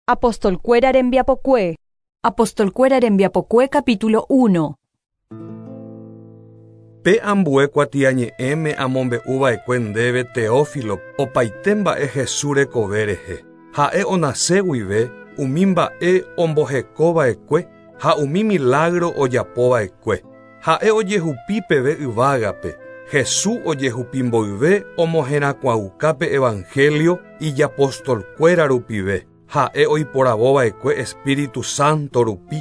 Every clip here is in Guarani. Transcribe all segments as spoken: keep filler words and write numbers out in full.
Apostolkuéra rembiapokue. Apostolkuéra rembiapokue capítulo uno. Pe ambue kuatiañe'ẽme amombe'uva'ekue ndéve Teófilo opaite mba'e Jesús rekove rehe. Ha'e onase guive umi mba'e ombohekova'ekue ha umi milagro ojapova'ekue. Ha'e ojehupi peve yvágape. Jesús ojehupi mboyve omoherakuãukápe evangelio ijapostolkuéra rupive. Ha'e oiporavova'ekue Espíritu Santo rupi.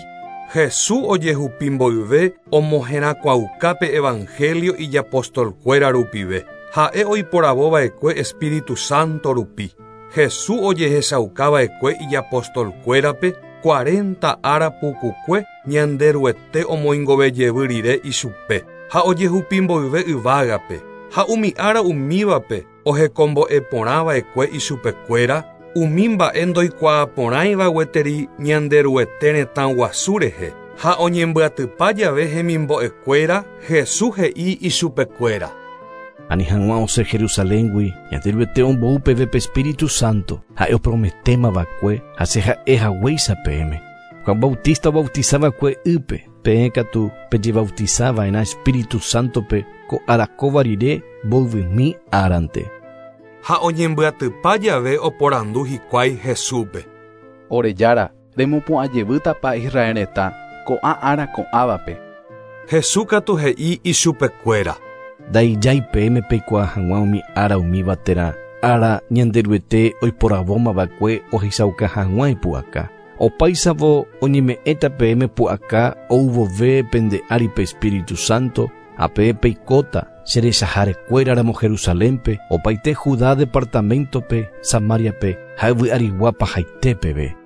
Jesús ojehupi mboyve omoherakuãukápe evangelio ijapostolkuéra rupive. Ha'e oiporavova'ekue Espíritu Santo rupi. Jesús ojehechaukava'ekue ijapostolkuérape cuarenta ára pukukue Ñanderuete omoingovejevy rire ichupe. Ha ojehupi mboyve yvágape. Ha umi ára umívape ohekombo'eporãva'ekue ichupekuéra umi mba'e ndoikuaaporãiva gueteri Ñanderuete retã guasu rehe. Ha oñembyatypa jave hemimbo'ekuéra Jesús he'i ichupekuéra. Ani hag̃ua osẽ Jerusaléngui Ñanderuete ombou peve pe Espíritu Santo ha'e oprometémava'ekue ha che ha'e haguéicha peẽme. Juan Bautista obautizava'ekue ýpe, peẽ katu pejebautizava'erã Espíritu Santope ko arakóva rire mboyvymi árante. Ha oñembyatypa jave oporandu hikuái Jesúspe. Orejára, remopu'ãjevýtapa Israel retã ko'ã ára ko'ãvape. Jesús katu he'i ichupekuéra. Ndaijái peẽme peikuaa hag̃ua umi ára umíva térã ára Ñanderuete oiporavómava'ekue ohechauka hag̃ua ipu'aka. Opáichavo oñeme'ẽta peẽme pu'aka ouvove pende ári pe Espíritu Santo ha peẽ peikóta cherechaharekuéraramo Jerusalénpe opaite Judá departamentope, Samariape ha yvy'arigua pahaite peve.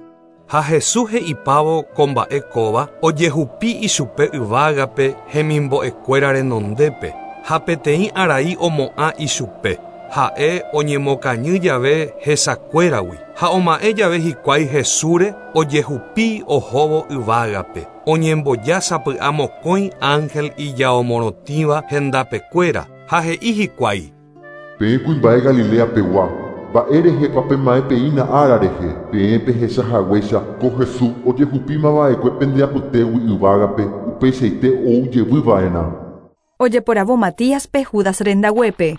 Ha Jesús he'ipávo ko mba'e kóva ojehupi ichupe yvágape hemimbo'ekuéra renondépe ha peteĩ arai omo'ã ichupe. Ha'e oñemokañy jave hesakuéragui ha oma'ẽ jave hikuái Jesúsre ojehupi ohóvo yvágape. Oñemboja sapy'a mokõi ángel ijaomorotĩva hendapekuéra ha he'i hikuái. Peẽ kuimba'e Galilea pegua, mba'e rehepa pema'ẽ peína ára rehe, peẽ pehechahaguéicha ko Jesús ojehupímava'ekue pendeapytégui yvágape upeichaite oujevyva'erã. Ojeporavo Matíaspe Judas rendaguépe.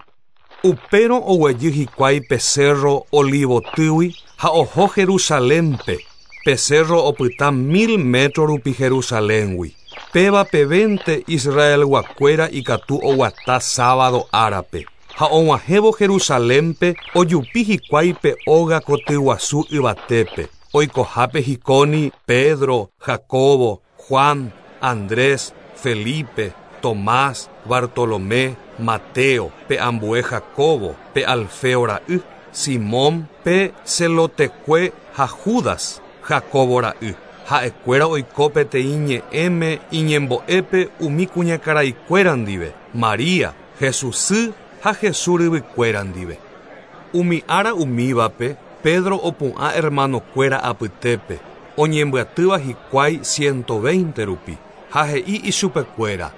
Upérõ oguejy hikuái pe cerro Olivotýgui ha oho Jerusalénpe. Pe cerro opyta mil metro rupi Jerusaléngui. Péva pevénte Israelguakuéra ikatu oguata sábado árape. Ha og̃uahẽvo Jerusalénpe ojupi hikuái pe óga kotyguasu yvatépe. Oikohápe hikóni Pedro, Jacobo, Juan, Andrés, Felipe, Tomás, Bartolomé, Mateo, pe ambue Jacobo, pe Alfeo ra'y, Simón, pe Celotekue ha Judas, Jacobo ra'y. Ha'ekuéra oiko peteĩ ñe'ẽme iñembo'épe umi kuñakaraikuéra ndive, María, Jesús sy ha Jesús ryvykuéra ndive. Umi ára umívape Pedro opu'ã hermanokuéra apytépe, oñembyatýva hikuái ciento veinte rupi, ha he'i ichupekuéra.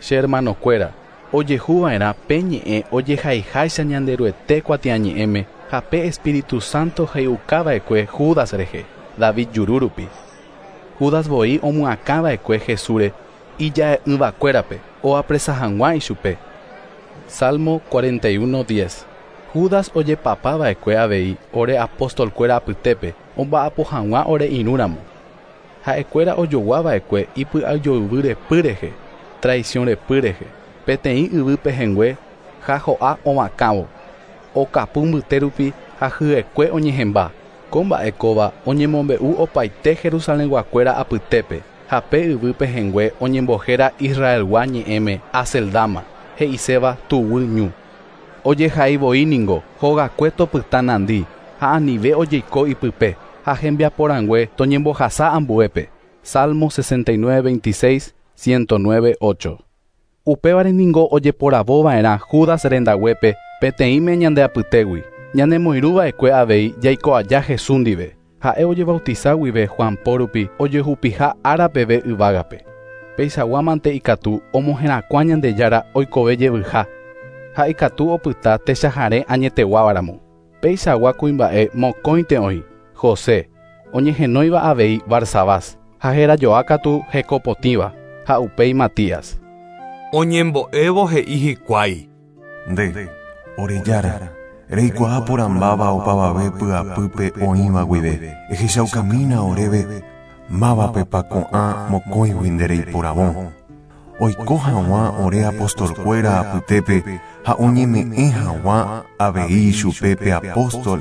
Che hermanokuéra, ojehuva'erã pe ñe'ẽ ojehaiháicha Ñanderuete kuatiañe'ẽme ha pe Espíritu Santo he'iukava'ekue Judas rehe, David juru rupi. Judas voi omyakãva'ekue Jesúsre ija'e'ỹvakuérape oapresa hag̃ua ichupe. Salmo cuarenta y uno diez. Judas ojepapava'ekue avei ore apostolkuéra apytépe omba'apo hag̃ua ore irũramo. Ha'ekuéra ojoguava'ekue ipy'ajoyvy repy rehe, traición repy rehe, peteĩ yvy pehẽngue ha ho'a omakãvo. Okapu mbyte rupi ha hyekue oñehẽmba. Ko mba'e kóva oñemombe'u opaite Jerusalenguakuéra apytépe ha pe yvy pehẽngue oñembohéra Israelgua ñe'ẽme Aceldama, he'iséva tuguy ñu. Ojehai voi ningo hogakue topyta nandi ha anive ojeiko ipype ha hembiaporãngue toñembohasa ambuépe. Salmo sesenta y nueve veintiséis, ciento nueve ocho. Upévare ningo ojeporavova'erã Judas rendaguépe peteĩme ñandeapytégui. Ñanemoirũva'ekue avei jaiko aja Jesús ndive. Ha'e ojebautiza guive Juan po rupi ojehupiha ára peve yvágape. Peichaguámante ikatu omoherakuã Ñandejára oikove jevyha. Ha ikatu opyta techahare añeteguávaramo. Peichagua kuimba'e mokõinte oĩ, José, Oñehenóiva avei Barsabás, ha herajoa katu hekopotĩva, ha upéi Matías. Oñembo'évo he'i hikuái. Nde, ore Jára, reikuaa porãmbáva opavave py'apýpe oĩva guive, ehechaukamína oréve mávapepa ko'ã mokõigui nde reiporavõ. Oiko hag̃ua ore apostolkuéra apytépe ha oñeme'ẽ hag̃ua avei chupe pe apóstol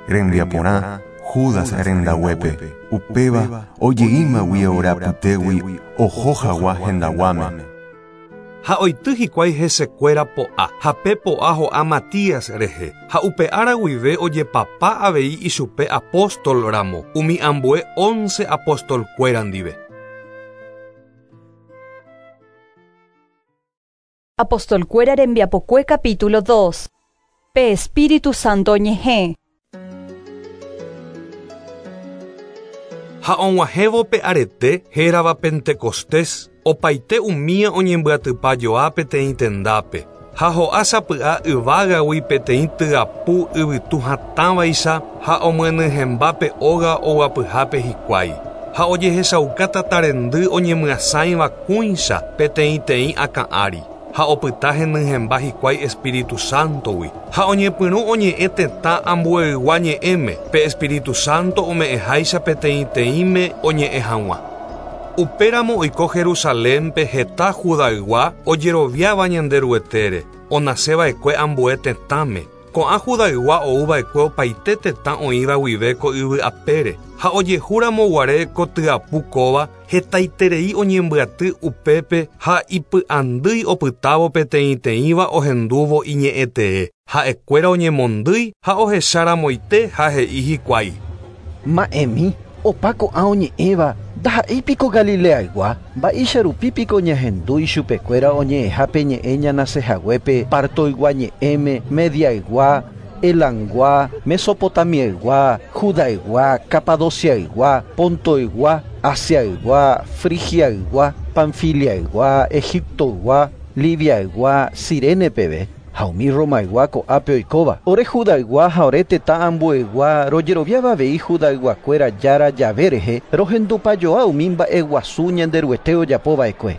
rembiaporã Judas rendaguépe. Upéva ojeímagui ore apytégui oho hag̃ua hendaguáme. Ha oity hikuái hesekuéra po'a, ha pe po'a ho'a Matías rehe, ha upe ára guive ojepapa avei ichupe apóstol ramo, umi ambue once apostolkuéra ndive. Apostolkuéra rembiapokue capítulo dos. Pe Espíritu Santo ñe'ẽ. Ha og̃uahẽvo pe arete hérava Pentecostés, opaite umía oñembyatypa joa peteĩ tendápe, ha ho'a sapy'a yvágagui peteĩ tyapu yvytu hatãvaicha ha omyenyhẽmba pe óga oguapyhápe hikuái. Ha ojehechauka tatarendy oñemyasãiva kũicha peteĩteĩ akã ári, ha opyta henyhẽmba hikuái Espíritu Santogui. Ha oñepyrũ oñe'ẽ tetã ambueygua ñe'ẽme, pe Espíritu Santo ome'ẽháicha peteĩteĩme oñe'ẽ hag̃ua. Upéramo oiko Jerusalénpe heta Judaygua ojeroviáva Ñanderuetére, onaseva'ekue ambue tetãme. Ko'ã Judaygua ouva'ekue opaite tetã oĩva guive ko yvy apére, ha ojehúramo guare ko tyapu kóva hetaiterei oñembyaty upépe ha ipy'andýi opytávo peteĩteĩva ohendúvo iñe'ẽtee. Ha'ekuéra oñemondýi ha ohecharamoite ha he'i hikuái. Ma'ẽmi, opa ko'ã oñe'ẽva ndaha'éipiko Galileaygua, mba'éicha rupípiko ñahendu ichupekuéra oñe'ẽhápe ñe'ẽ ñanasehaguépe Partoygua ñe'ẽme, Mediaygua, Elangua, Mesopotamiaygua, Judaygua, Capadociaygua, Pontoygua, Asiaygua, Frigiaygua, Panfiliaygua, Egiptoygua, Libiaygua, Cirene peve. Ha umi Romaygua ko'ápe oikóva. Ore Judaygua ha ore tetã ambueygua rojeroviáva avei Judayguakuéra Jára jave rehe rohendupajoa umi mba'eguasu Ñanderuete ojapova'ekue.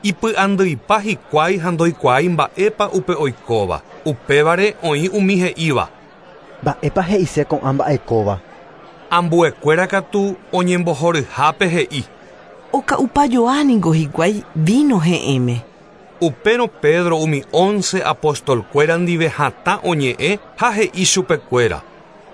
Ipy'andýipa hikuái ha ndoikuaái mba'épa upe oikóva. Upévare oĩ umi he'íva. Mba'épa he'ise ko'ã mba'ekóva. Ambuekuéra katu oñembohoryhápe he'i. Oka'upajoa niko hikuái vino he'ẽme. Upérõ Pedro umi once apostolkuéra ndive hatã oñe'ẽ ha he'i chupekuéra.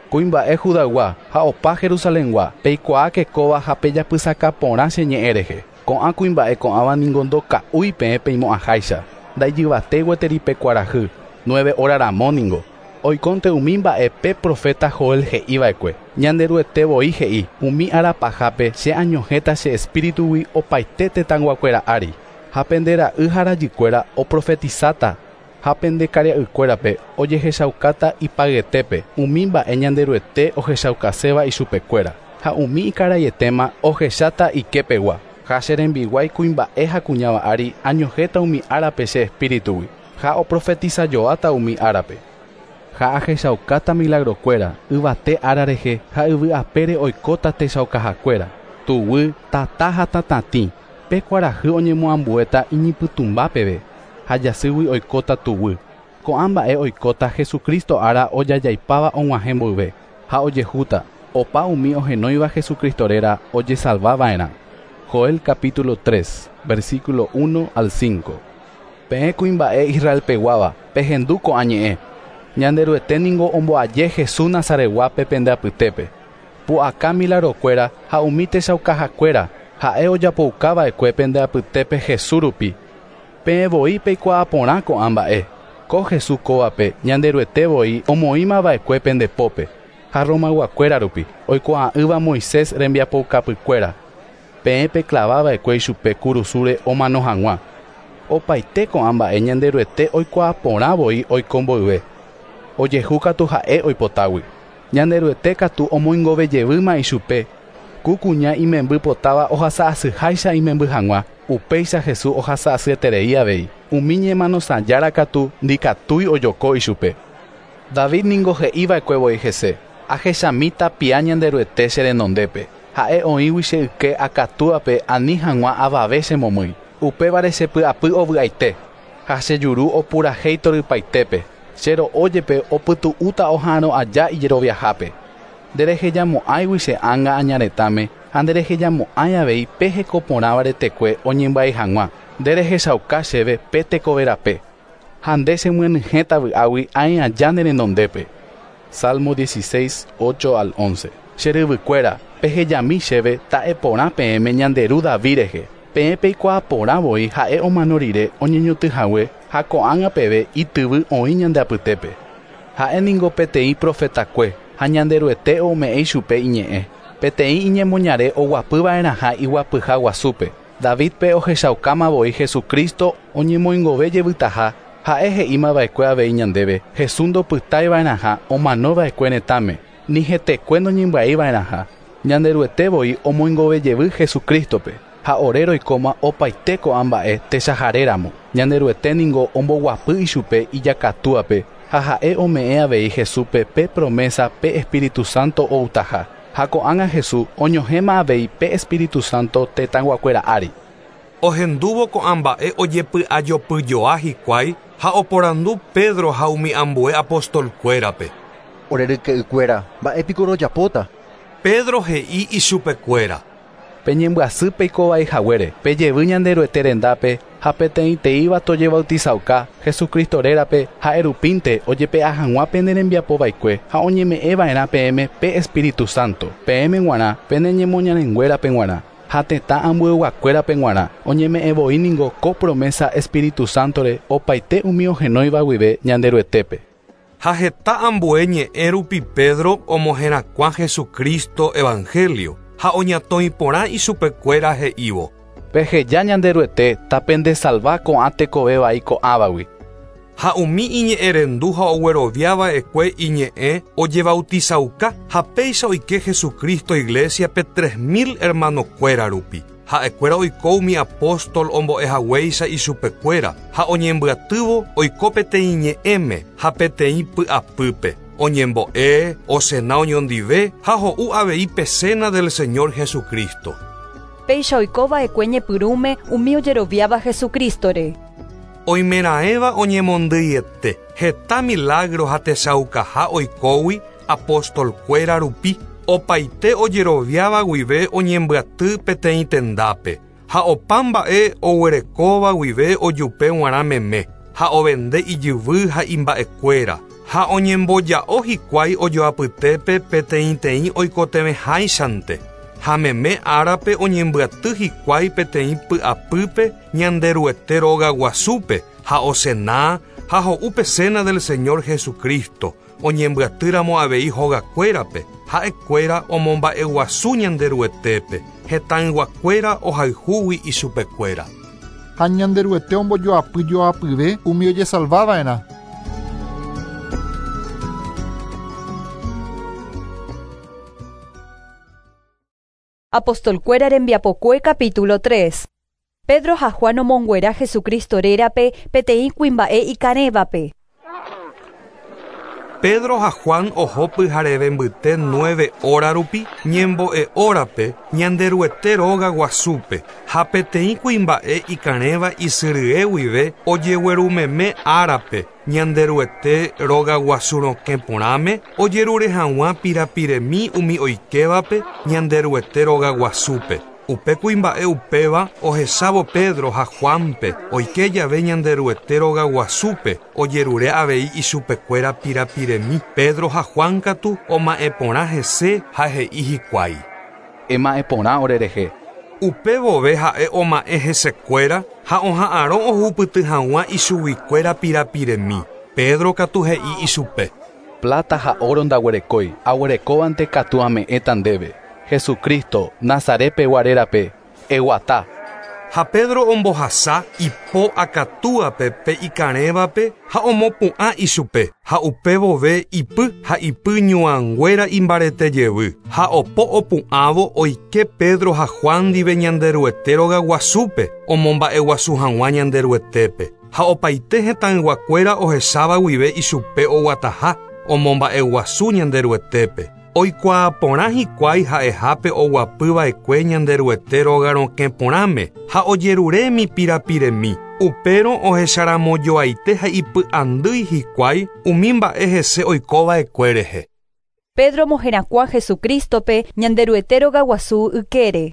Kuimba'e Judaygua ha opa Jerusalengua, peikuaáke kóva ha pejapysaka porã che ñe'ẽ rehe. Ko'ã kuimba'e ko'ãva ningo ndoka'úi peẽ peimo'ãháicha. Ndaijyvate gueteri pe kuarahy, nueve hora ramo ningo. Oikónte umi mba'e pe profeta Joel he'iva'ekue. Ñanderuete voi he'i, umi ára pahápe che añohẽta che espíritugui opaite tetãyguakuéra ári. Ha pende ra'y ha rajykuéra oprofetizáta, ha pende karia'ykuérape ojehechaukáta ipayetépe umi mba'e Ñanderuete ohechaukaséva ichupekuéra, ha umi ikaraietéma ohecháta iképegua. Ha che rembiguái kuimba'e ha kuñáva ári añohẽta umi árape che espíritugui, ha oprofetizajoáta umi árape. Ha ahechaukáta milagrokuéra yvate ára rehe ha yvy apére oikóta techaukahakuéra, tuguy, tata ha tatatĩ. Pe kuarahy oñemoambuéta iñipytũmba peve, ha jasýgui oikóta tuguy. Ko'ã mba'e oikóta Jesucristo ára ojajaipáva og̃uahẽ mboyve, ha ojehúta opa umi ohenóiva Jesucristo réra ojesalvava'erã. Joel capítulo tres, versículo uno al cinco. Peẽ kuimba'e Israelpeguáva, pehendu ko'ã ñe'ẽ. Ñanderuete ningo omboaje Jesús Nazaretguápe pende apytépe. Pu'aka milagrokuéra ha umi techaukahakuéra ha'e ojapoukava'ekue pende apytépe Jesús rupi. Peẽ voi peikuaa porã ko'ã mba'e. Ko Jesús kóvape Ñanderuete voi omoĩmava'ekue pende pópe, ha Romayguakuéra rupi, oikuaa'ỹva Moisés rembiapoukapykuéra. Peẽ peklavava'ekue ichupe kurusúre omano hag̃ua. Opaite ko'ã mba'e Ñanderuete oikuaa porã voi oiko mboyve. Ojehu katu ha'e oipotágui. Ñanderuete katu omoingovejevýma ichupe. Ku kuña imemby potáva ohasa'asyháicha imemby hag̃ua, upéicha Jesús ohasa'asyeterei avei. Umi ñemanosãjára katu ndikatúi ojoko ichupe. David ningo he'iva'ekue voi hese. Ahechamíta pia Ñanderuete che renondépe. Ha'e oĩgui che yke akatúape ani hag̃ua avave chemomýi. Upévare chepy'apy ovy'aite. Ha che juru opurahéi torypaitépe. Che ro'ójepe opytu'úta oha'arõ aja ijeroviahápe. Nderehejamo'ãigui che ánga añaretãme ha nderehejamo'ãi avei pe hekoporãva retekue oñembyai hag̃ua. Nderehechauka chéve pe tekoverape. Ha nde chemyenyhẽta vy'águi aĩ aja ne renondépe. Salmo dieciséis, ocho al once. Che ryvykuéra, pehejami chéve ta'eporã peẽme Ñanderu David rehe. Peẽ peikuaaporã voi ha'e omano rire oñeñotỹhague ha ko'ág̃a peve ityvy oĩ ñande apytépe. Ha'e ningo peteĩ profetakue ha Ñanderuete ome'ẽ chupe iñe'ẽ. Peteĩ iñemoñare oguapyva'erãha iguapyha guasúpe. Davidpe ohechaukáma voi Jesucristo oñemoingove jevytaha. Ha'e he'ímava'ekue avei ñandéve Jesús ndopytáiva'erãha omanova'ekue retãme, ni hetekue noñembya'iva'erãha. Ñanderuete voi omoingove jevy Jesucristope. Ha ore roikóma opaite ko'ã mba'e techaharéramo. Ñanderuete ningo omboguapy ichupe ijakatúape ha ha'e ome'ẽ avei Jesúspe pe promesa pe Espíritu Santo outaha. Ha ko'ág̃a Jesús oñohẽma avei pe Espíritu Santo tetãguakuéra ári. Ohendúvo ko'ã mba'e ojepy'ajopyjoa hikuái ha oporandu Pedro ha umi ambue apostolkuérape. Ore ryke'ykuéra, mba'épiko rojapóta? Pedro he'i ichupekuéra. Peñembyasy peikovai haguére, pejevy Ñanderuete rendápe ha peteĩteĩva tojebautizauka Jesucristo rérape ha'erupínte ojepe'a hag̃ua pene rembiapova'ekue ha oñeme'ẽva'erã peẽme pe Espíritu Santo. Peẽme g̃uarã peneñemoñarenguérape g̃uarã ha tetã ambueyguakuérape g̃uarã oñeme'ẽ voi ningo ko promesa Espíritu Santore opaite umi ohenóiva guive Ñanderuetépe. Ha heta ambue ñe'ẽ rupi Pedro omoherakuã Jesucristo evangelio ha oñatõi porã ichupekuéra he'ívo. Peheja Ñanderuete tapendesalva ko'ã tekovévai ko'ãvagui. Ha umi iñe'ẽrendu ha ogueroviava'ekue iñe'ẽ ojebautizauka ha péicha oike Jesucristo iglesiape tres mil hermanokuéra rupi. Ha'ekuéra oiko umi apóstol ombo'ehaguéicha ichupekuéra ha oñembyatývo oiko peteĩ ñe'ẽme ha peteĩ py'apýpe. Oñembo'e, osena oñondive ha ho'u avei pe cena del Señor Jesucristo. Péicha oikova'ekue ñepyrũme umi ojeroviáva Jesucristore. Oimeraẽva oñemondýiete heta milagro ha techaukaha oikógui apostolkuéra rupi opaite ojeroviáva guive oñembyaty peteĩ tendápe ha opa mba'e oguerekóva guive ojupe g̃uarã meme ha ovende ijyvy ha imba'ekuéra ha oñemboja'o hikuái ojoapytépe peteĩteĩ oikotevẽháichante. Ha meme árape oñembyaty hikuái peteĩ py'apýpe Ñanderuete róga guasúpe ha osena ha ho'u pe cena del Señor Jesucristo oñembyatýramo avei hogakuérape ha'ekuéra omomba'eguasu Ñanderuetépe hetãyguakuéra ohayhúgui ichupekuéra. Ha Ñanderuete ombojoapyjoapyve umi ojesalvava'erã. Apostolkuéra rembiapokue capítulo tres. Pedro ha Juan omonguera Jesucristo rérape peteĩ kuimba'e ikarẽvape. Pedro ha Juan oho pyhareve mbyte nueve hora rupi ñembo'e hórape Ñanderuete róga guasúpe ha peteĩ kuimba'e ikarẽva isyrye guive ojeguerumeme árape Ñanderuete róga guasu rokẽ porãme ojerure hag̃ua pirapiremi umi oikévape Ñanderuete róga guasúpe. Upe kuimba'e upéva ohechávo Pedro ha Juanpe oike jave Ñanderuete róga guasúpe ojerure avei ichupekuéra pirapiremi. Pedro ha Juan katu oma'ẽporã hese ha he'i hikuái. Ema'ẽporã orerehe. Upe vove ha'e oma'ẽ hesekuéra ha oha'arõ ohupyty hag̃ua ichuguikuéra pirapiremi. Pedro katu he'i ichupe. Plata ha oro ndaguerekói, aguerekóvante katu ame'ẽta ndéve. Jesucristo, Nazarepe guarérape, eguata. Ha Pedro ombohasa ipo akatúape pe ikarẽvape ha omopu'ã ichupe ha upe vove ipy ha ipy ñuãnguéra imbarete jevy ha opo opu'ãvo oike Pedro ha Juan ndive Ñanderuete róga guasúpe omomba'eguasu hag̃ua Ñanderuetépe ha opaite hetãyguakuéra ohecháva guive ichupe oguataha omomba'eguasu Ñanderuetépe. Oikuaa porã hikuái ha'ehápe oguapyva'ekue Ñanderuete róga rokẽ porãme ha ojeruremi pirapiremi. Upérõ ohecharamojoaite ha ipy'andýi hikuái umi mba'e hese oikova'ekue rehe. Pedro moherakuã Jesucristope Ñanderuete róga guasu ykére.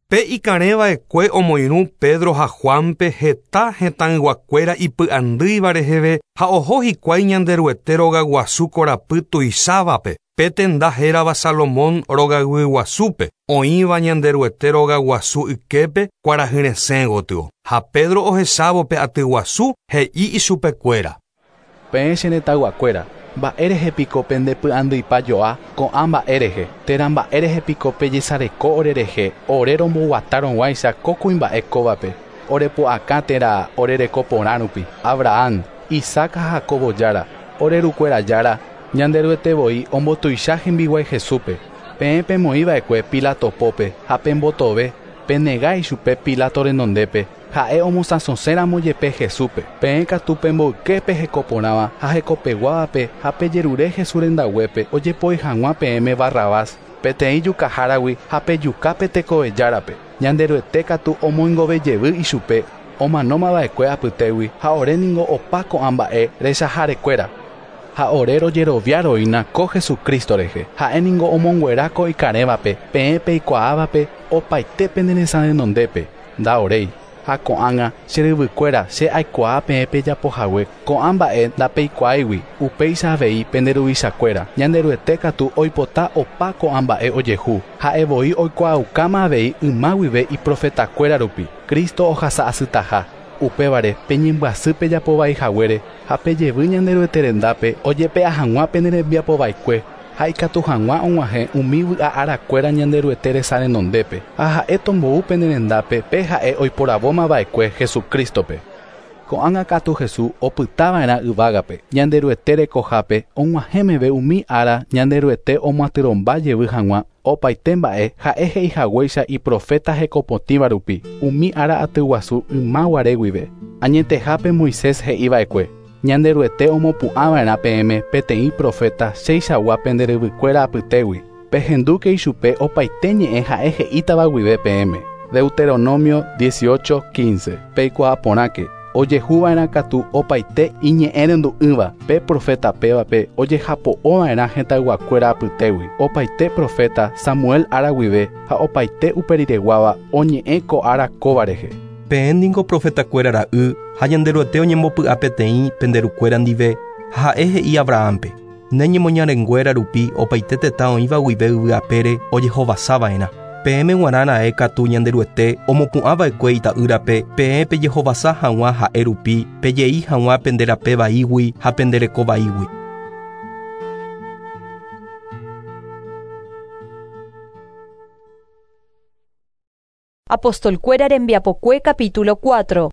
Pe ikarẽva'ekue omoirũ Pedro ha Juanpe heta hetãyguakuéra ipy'andýiva reheve ha oho hikuái Ñanderuete róga guasu korapy tuichávape pe tenda hérava Salomón rogaguyguasúpe oĩva Ñanderuete róga guasu yképe kuarahyresẽ gotyo. Ha Pedro ohechávo pe atyguasu he'i ichupekuéra. Peẽ che retãyguakuéra, mba'érehe piko pendepy'andýipajoa ko'ã mba'érehe térã mba'érehe piko pejesareko orerehe ore romboguatárõguáicha ko kuimba'e kóvape orepu'akã térã orereko porã rupi. Abraham, Isaac ha Jacobo jára, ore rukuéra jára, Ñanderuete voi ombotuicha hembiguái Jesúspe. Peẽ pemoĩva'ekue Pilatopópe ha pembotove penega ichupe Pilato renondépe ha'e omosãsosẽramo jepe Jesúspe. Peẽ katu pemboyképe hekoporãva ha hekopeguávape ha pejerure Jesús rendaguépe ojepoi hag̃ua peẽme Barrabás peteĩ jukaháragui ha pejukápe tekovejárape. Ñanderuete katu omoingovejevy ichupe omanómava'ekue apytégui ha ore ningo opa ko'ã mba'e rechaharekuéra. Ha ore rojeroviaroína ko Jesucristo rehe. Ha'e ningo omonguera ko ikarẽvape peẽ peikuaávape opaite pene renondépe ndaoréi. Ha ko'ág̃a che ryvykuéra che aikuaa peẽ pejapohague ko'ã mba'e ndapeikuaáigui upéicha avei pende ruvichakuéra. Ñanderuete katu oipota opa ko'ã mba'e ojehu. Ha'e voi oikuaaukáma avei yma guive iprofetakuéra rupi Cristo ohasa'asytaha. Upévare peñembyasy pejapovaihaguére ha pejevy Ñanderuete rendápe ojepe'a hag̃ua pene rembiapova'ekue ha ikatu hag̃ua og̃uahẽ umi vy'a arakuéra Ñanderuete resa renondépe ha ha'e tombou pene rendápe pe ha'e oiporavómava'ekue Jesucristope. Ko'ág̃a katu Jesús opytava'erã yvágape Ñanderuete rekohápe og̃uahẽmeve umi ára Ñanderuete omoatyrõmba jevy hag̃ua opaite mba'e ha'e he'ihaguéicha iprofeta hekopotĩva rupi umi ára atyguasu ymaguare guive. Añetehápe Moisés he'iva'ekue Ñanderuete omopu'ãva'erã peẽme peteĩ profeta cheichagua pende ryvykuéra apytégui. Pehendúke ichupe opaite ñe'ẽ ha'e he'ítava guive peẽme. Deuteronomio dieciocho quince. Peikuaa porãke ojehuva'erã katu opaite iñe'ẽrendu'ỹva pe profeta pévape ojehapo'ova'erã hetãyguakuéra apytégui. Opaite profeta Samuel ára guive ha opaite uperireguáva oñe'ẽ ko ára kóva rehe. Peẽ ningo profetakuéra ra'y ha Ñanderuete oñembopy'a peteĩ penderukuéra ndive ha ha'e he'i Abrahampe ne ñemoñarenguéra rupi opaite tetã oĩva guive yvy apére ojehovasava'erã. Peẽme g̃uarã ra'e katu Ñanderuete omopu'ãva'ekue ita'ýrape peẽ pejehovasa hag̃ua ha'e rupi pejei hag̃ua pende rape vaígui ha pende reko vaígui. Apostolkuéra rembiapokue capítulo cuatro.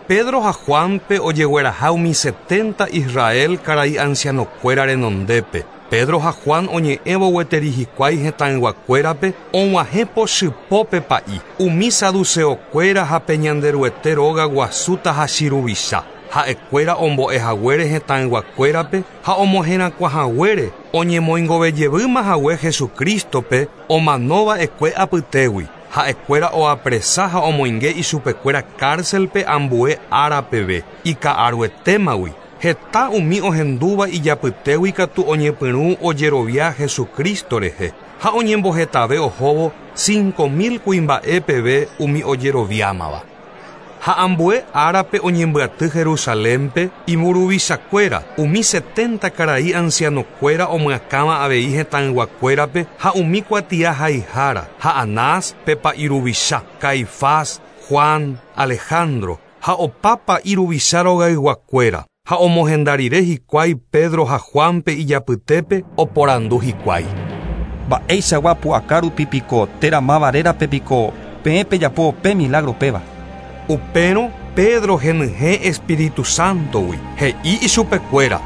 Pedro ha Juanpe ojegueraha umi setenta Israel karai ancianokuéra renondépe. Pedro ha Juan oñe'ẽvo gueteri hikuái hetãyguakuérape og̃uahẽ pochypópe pa'i. Umi saduceokuéra ha pe Ñanderuete róga guasúta ha chiruvicha. Ha'ekuéra ombo'ehaguére hetãyguakuérape ha omoherakuãhaguére oñemoingovejevýma hague Jesucristope omanova'ekue apytégui. Ha'ekuéra oapresa ha omoinge ichupekuéra cárcelpe ambue ára peve ika'aruetémagui. Heta umi ohendúva ijapytégui katu oñepyrũ ojerovia Jesucristo rehe ha oñembohetave ohóvo cinco mil kuimba'e peve umi ojeroviámava. Ha ambue árape oñembyaty Jerusalénpe imburuvichakuéra umi setenta karai ancianokuéra omyakãva avei hetãyguakuérape ha umi kuatia haihára ha Anás pe pa'iruvicha, Caifás, Juan, Alejandro ha opa pa'iruvicha rogayguakuéra ha omohendarire hikuái Pedro ha Juanpe ijapytépe oporandu hikuái. Mba'eichagua pu'aka rupi piko térã máva rérape piko peẽ pejapo pe milagro péva. Upérõ Pedro henyhẽ Espíritu Santogui he'i ichupekuéra.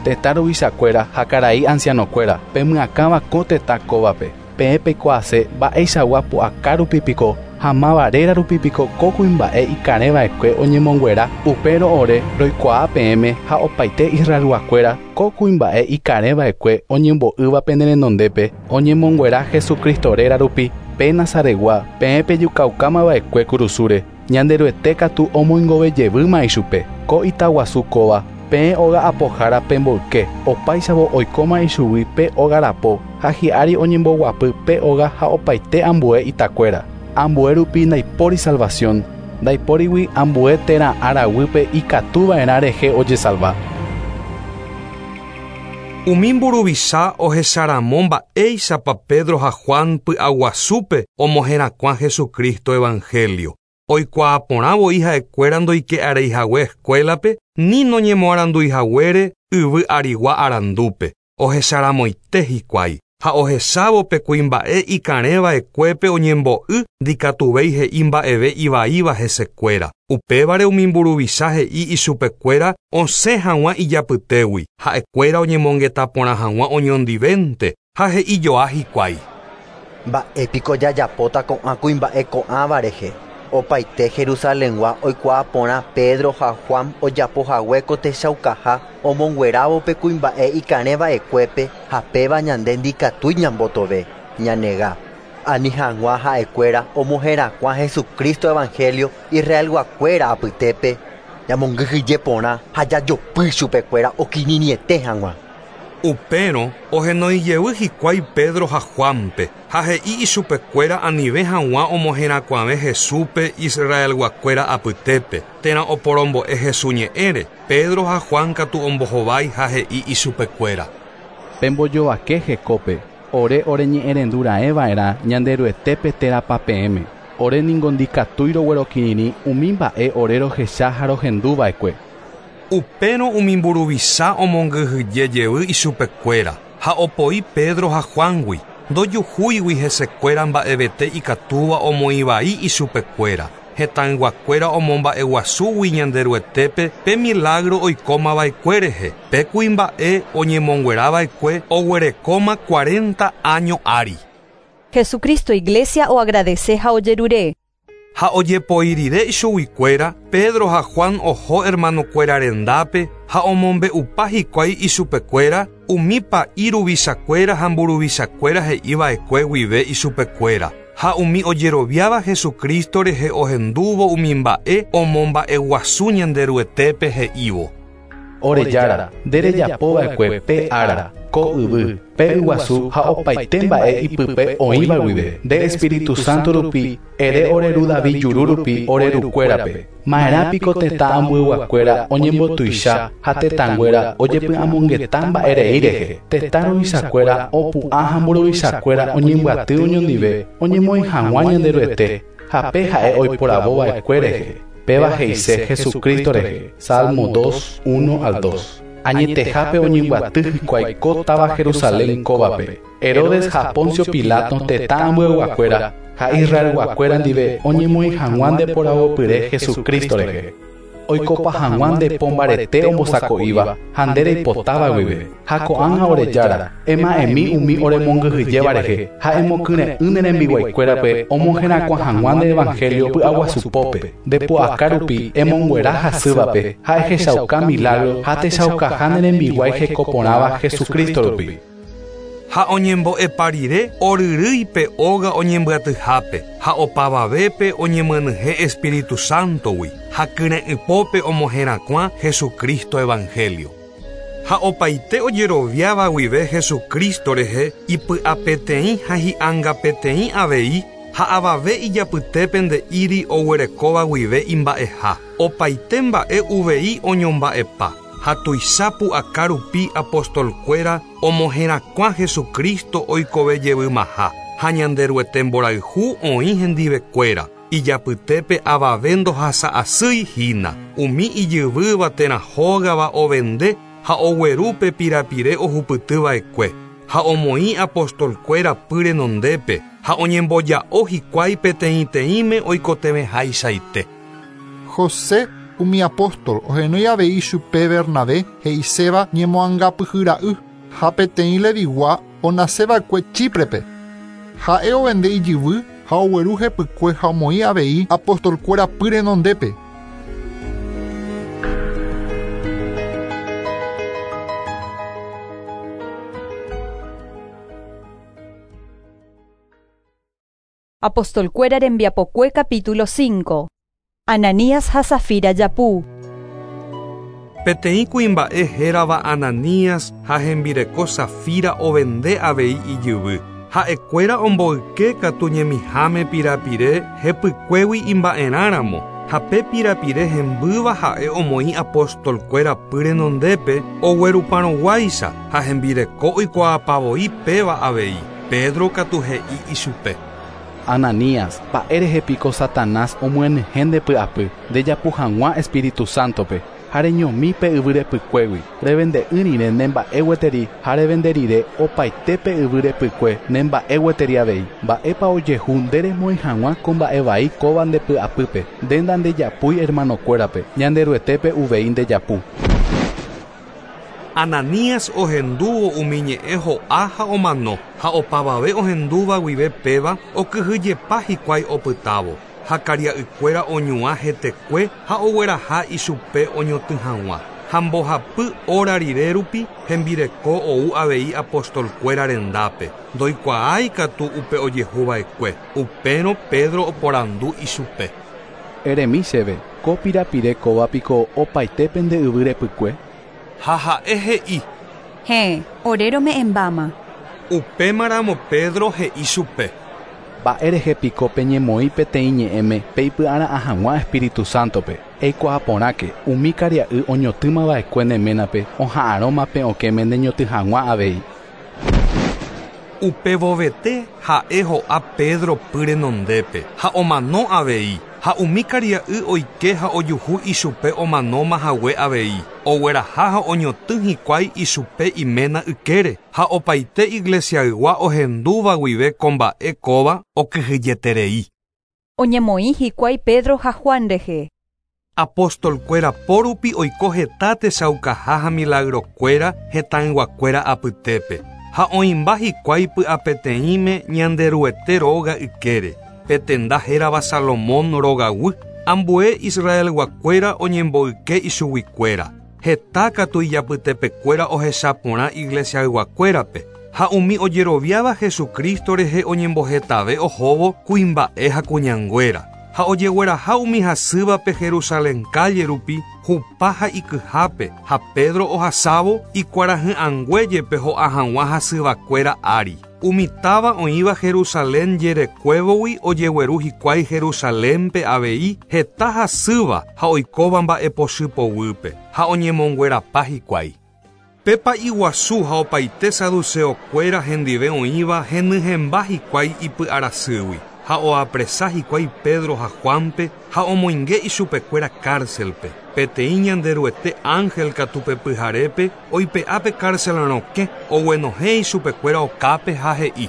Tetã ruvichakuéra ha karai ancianokuéra pemyakãva ko tetã kóvape peẽ peikuaase mba'eichagua pu'aka rupi piko Ha máva réra rupi piko ko kuimba'e ikarẽva'ekue oñemonguera upérõ ore roikuaa peẽme ha opaite Israelguakuéra ko kuimba'e ikarẽva'ekue oñembo'ýva pene renondépe oñemonguera Jesucristo réra rupi pe Nazaretgua peẽ pejukaukamava'ekue kurusúre Ñanderuete katu omoingovejevýma ichupe ko itaguasu kóva peẽ óga apohára pemboyke opáichavo oikóma ichugui pe óga rapo ha hi'ári oñemboguapy pe óga ha opaite ambue itakuéra ambue rupi ndaipóri salvación ndaipórigui ambue térã araguýpe ikatuva'erã rehe ojesalva. Umi mburuvicha ohecharamo mba'éichapa Pedro ha Juan py'aguasúpe omoherakuã Jesucristo evangelio. Oikuaaporãvoi ha'ekuéra ndoike'areihague escuelape ni noñemoaranduihaguére yvy arigua arandúpe. Ohecharamoite hikuái ha ohechávo pe kuimba'e ikarẽva'ekuépe oñembo'y ndikatuvéi he'i mba'eve ivaíva hesekuéra. Upévare umi mburuvicha he'i ichupekuéra osẽ hag̃ua ijapytégui ha'ekuéra oñemongeta porã hag̃ua oñondivénte ha he'ijoa hikuái. Mba'épiko jajapóta ko'ã kuimba'e ko'ãva rehe. Opaite Jerusalengua oikuaaporã Pedro ha Juan ojapohague ko techaukaha omonguerávo pe kuimba'e ikarẽva'ekuépe ha péva ñande ndikatúi ñambotove ñanega. Ani hag̃ua ha'ekuéra omoherakuã Jesucristo evangelio Israelguakuéra apytépe ñamongyhyje porã ha jajopy chupekuéra okirirĩete hag̃ua. Upérõ ohenoijey hikuái Pedro ha Juanpe ha he'i ichupekuéra anive hag̃ua omoherakuãve Jesúspe Israelguakuéra apytépe térã oporombo'e Jesús ñe'ẽre. Pedro ha Juan katu ombohovái ha he'i ichupekuéra. Pembojovake hekópe ore oreñe'ẽrendura'ẽva'erã Ñanderuetépe térãpa peẽme. Ore ningo ndikatúi roguerokirirĩ umi mba'e ore rohecha ha rohenduva'ekue. Upérõ umi mburuvicha omongyhyjejey ichupekuéra ha opoi Pedro ha Juangui ndojuhúigui hesekuéra mba'evete ikatúva omoĩvai ichupekuéra. Hetãyguakuéra omomba'eguasúgui Ñanderuetépe pe milagro oikómava'ekue rehe. Pe kuimba'e oñemonguerava'ekue oguerekóma cuarenta año ári. Jesucristo Iglesia oagradece ha ojerure. Ha ojepoírire ichuguikuéra, Pedro ha Juan oho hermanokuéra rendápe ha omombe'upa hikuái ichupekuéra umi pa'i ruvichakuéra ha mburuvichakuéra he'iva'ekue guive ichupekuéra. Ha umi ojeroviáva Jesucristo rehe ohendúvo umi mba'e omomba'eguasu Ñanderuetépe he'ívo. Ore Jára, nde rejapova'ekue pe ára, ko yvy, pe yguasu ha opaite mba'e ipype oĩva guive. Nde Espíritu Santo rupi, ere ore ru David juru rupi ore rukuérape. Ma'erã piko tetã ambueguakuéra oñembotuicha ha tetãnguéra ojepy'amongeta mba'erei rehe. Tetã ruvichakuéra opu'ã ha mburuvichakuéra oñembyaty oñondive oñemoĩ hag̃ua Ñanderuete ha pe ha'e oiporavova'ekue rehe. Péva he'ise Jesucristo rehe. Salmo dos, uno al dos. Añetehápe oñembyaty hikuái ko táva Jerusalén kóvape. Herodes ha Poncio Pilato tetã ambueguakuéra ha Israelguakuéra ndive oñemoĩ hag̃ua ndeporavopyre Jesucristo rehe. Oikopa hag̃ua nde po mbarete ombosako'íva ha nde reipotáva guive. Ha ko'ág̃a ore Jára, ema'ẽmi umi oremongyhyjéva rehe ha emokyre'ỹ ne rembiguaikuérape omoherakuã hag̃ua nde evangelio py'aguasupópe. Nde pu'aka rupi emonguera hasývape ha ehechauka milagro ha techaukaha ne rembiguái hekoporãva Jesucristo rupi. Ha oñembo'epa rire oryrýipe óga oñembyatyhápe ha opavavépe oñemyenyhẽ Espíritu Santogui ha kyre'ỹpópe omoherakuã Jesucristo evangelio. Ha opaite ojeroviáva guive Jesucristo rehe ipy'apeteĩ ha hi'angapeteĩ avei ha avave ijapytépe nde'íri oguerekóva guive imba'eha. Opaite mba'e uvei oñomba'epa. Ha tuicha pu'aka rupi apostolkuéra omoherakuã Jesucristo oikovejeymaha ha Ñanderuete mborayhu oĩ hendivekuéra. Ijapytépe avave ndohasa'asýi hína. Umi ijyvýva térã hógava ovende ha oguerúpe pirapire ohupytyva'ekue. Ha omoĩ apostolkuéra py renondépe ha oñemboja'o hikuái peteĩteĩme oikotevẽhaichaite. José umi apóstol ohenói avei chupe Bernabé he'iséva ñemoangapyhyra'y ha peteĩ Levigua onaseva'ekue Chíprepe. Ha'e ovende ijyvy ha Ha ogueru hepykue ha omoĩ avei apostolkuéra py renondépe. Apostolkuéra rembiapokue capítulo cinco. Ananías ha Safira japu. Peteĩ kuimba'e hérava Ananías ha hembireko Safira ovende avei ijyvy. Ha'ekuéra omboyke katu ñemiháme pirapire hepykuégui imba'erãramo ha pe pirapire hembýva ha'e omoĩ apostolkuéra py renondépe ogueruparõguáicha ha hembireko oikuaapavoi péva avei. Pedro katu he'i ichupe. Ananías, mba'érehe piko Satanás omyenyhẽ nde py'apy ndejapu hag̃ua Espíritu Santope ha reñomi pe yvy repykuégui revende'ỹ rire ne mba'e gueteri ha revende rire opaite pe yvy repykue ne mba'e gueteri avei. Mba'épa ojehu nde remoĩ hag̃ua ko mba'e vai kóva nde py'apýpe nde ndandejapúi hermanokuérape Ñanderuetépe uvei ndejapu. Ananías ohendúvo umi ñe'ẽ ho'a ha omano ha opavave ohendúva guive péva okyhyjepa hikuái opytávo ha karia'ykuéra oñuã hetekue ha ogueraha ichupe oñotỹ hag̃ua ha mbohapy óra rire rupi hembireko ou avei apostolkuéra rendápe ndoikuaái katu upe ojehuva'ekue. Upérõ Pedro oporandu ichupe. Eremi chéve, ko pirapire kóva piko opaite pende yvy repykue? Ha ha'e he'i. Héẽ, ore rome'ẽmbáma. Upémaramo Pedro he'i chupe. Mba'érehe piko peñemoĩ peteĩ ñe'ẽme peipy'ara'ã hag̃ua Espíritu Santope. Eikuaa porãke umi karia'y oñotỹmava'ekue ne ménape oha'arõma pe okẽme neñotỹ hag̃ua avei. Upevovete ha'e ho'a Pedro py renondépe ha omano avei ha umi karia'y oike ha ojuhu ichupe omanóma hague avei. Ogueraha ha oñotỹ hikuái ichupe iména ykére ha opaite iglesiaygua ohendúva guive ko mba'e kóva okyhyjeterei. Oñemoĩ hikuái Pedro ha Juan rehe. Apostolkuéra porupi oiko heta techaukaha ha milagrokuéra hetãyguakuéra apytépe ha oĩmba hikuái py'apeteĩme Ñanderuete róga ykére pe tenda hérava Salomón rogaguy ambue Israelguakuéra oñemboyke ichuguikuéra. Heta katu ijapytepekuéra ohechaporã iglesiayguakuérape ha umi ojeroviáva Jesucristo rehe oñembohetave ohóvo kuimba'e ha kuñanguéra ha ojegueraha umi hasývape Jerusalén calle rupi hupa ha ikyhápe ha Pedro ohasávo ikuarahy'ãnguéjepe ho'a hag̃ua hasyvakuéra ári. Umi táva oĩva Jerusalén jerekuévogui ojegueru hikuái Jerusalénpe avei heta hasýva ha oikóva mba'epochy poguýpe ha oñemonguerapa hikuái. Pe pa'i guasu ha opaite saduceokuéra hendive oĩva henyhẽmba hikuái ipy'arasýgui ha oapresa hikuái Pedro ha Juanpe ha omoinge ichupekuéra cárcelpe. Peteĩ Ñanderuete ángel katu pe pyharépe oipe'a pe cárcel rokẽ oguenohẽ ichupekuéra okápe ha he'i.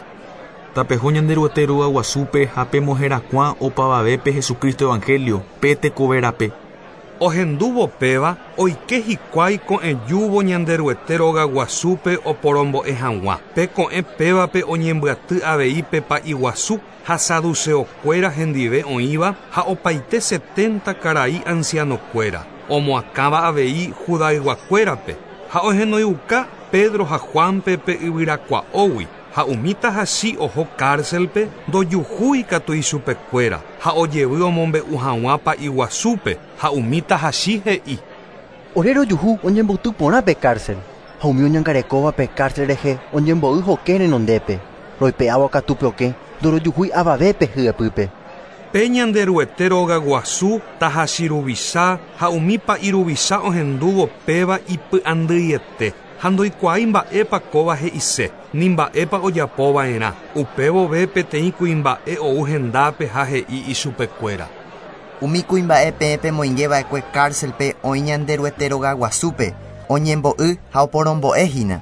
Tapeho Ñanderuete róga guasúpe ha pemoherakuã opavavépe Jesucristo Evangelio pe tekoverape. Ohendúvo péva oike hikuái ko'ẽjúvo Ñanderuete róga guasúpe oporombo'e hag̃ua. Pe ko'ẽ pévape oñembyaty avei pe pa'i guasu ha saduceokuéra hendive oĩva ha opaite setenta karai ancianokuéra omoakãva avei judayguakuérape ha ohenoiuka Pedro ha Juanpe pe yvyrakua'ógui ha umi tahachi oho cárcelpe ndojuhúi katu ichupekuéra ha ojevy omombe'u hag̃ua pa'i guasúpe ha umi tahachi he'i. Ore rojuhu oñemboty porã pe cárcel ha umi oñangarekóva pe cárcel rehe oñembo'y hokẽ renondépe roipe'ávo katu pe okẽ ndorojuhúi avavépe hyepýpe. Pe Ñanderuete róga guasu tahachi ruvicha ha umi pa'i ruvicha ohendúvo péva ipy'andýiete ha ndoikuaái mba'épa kóva he'ise ni mba'épa ojapova'erã. Upévove peteĩ kuimba'e ou hendápe ha he'i ichupekuéra. Umi kuimba'e peẽ pemoingeva'ekue cárcelpe oĩ Ñanderuete róga guasúpe oñembo'y ha oporombo'ehína.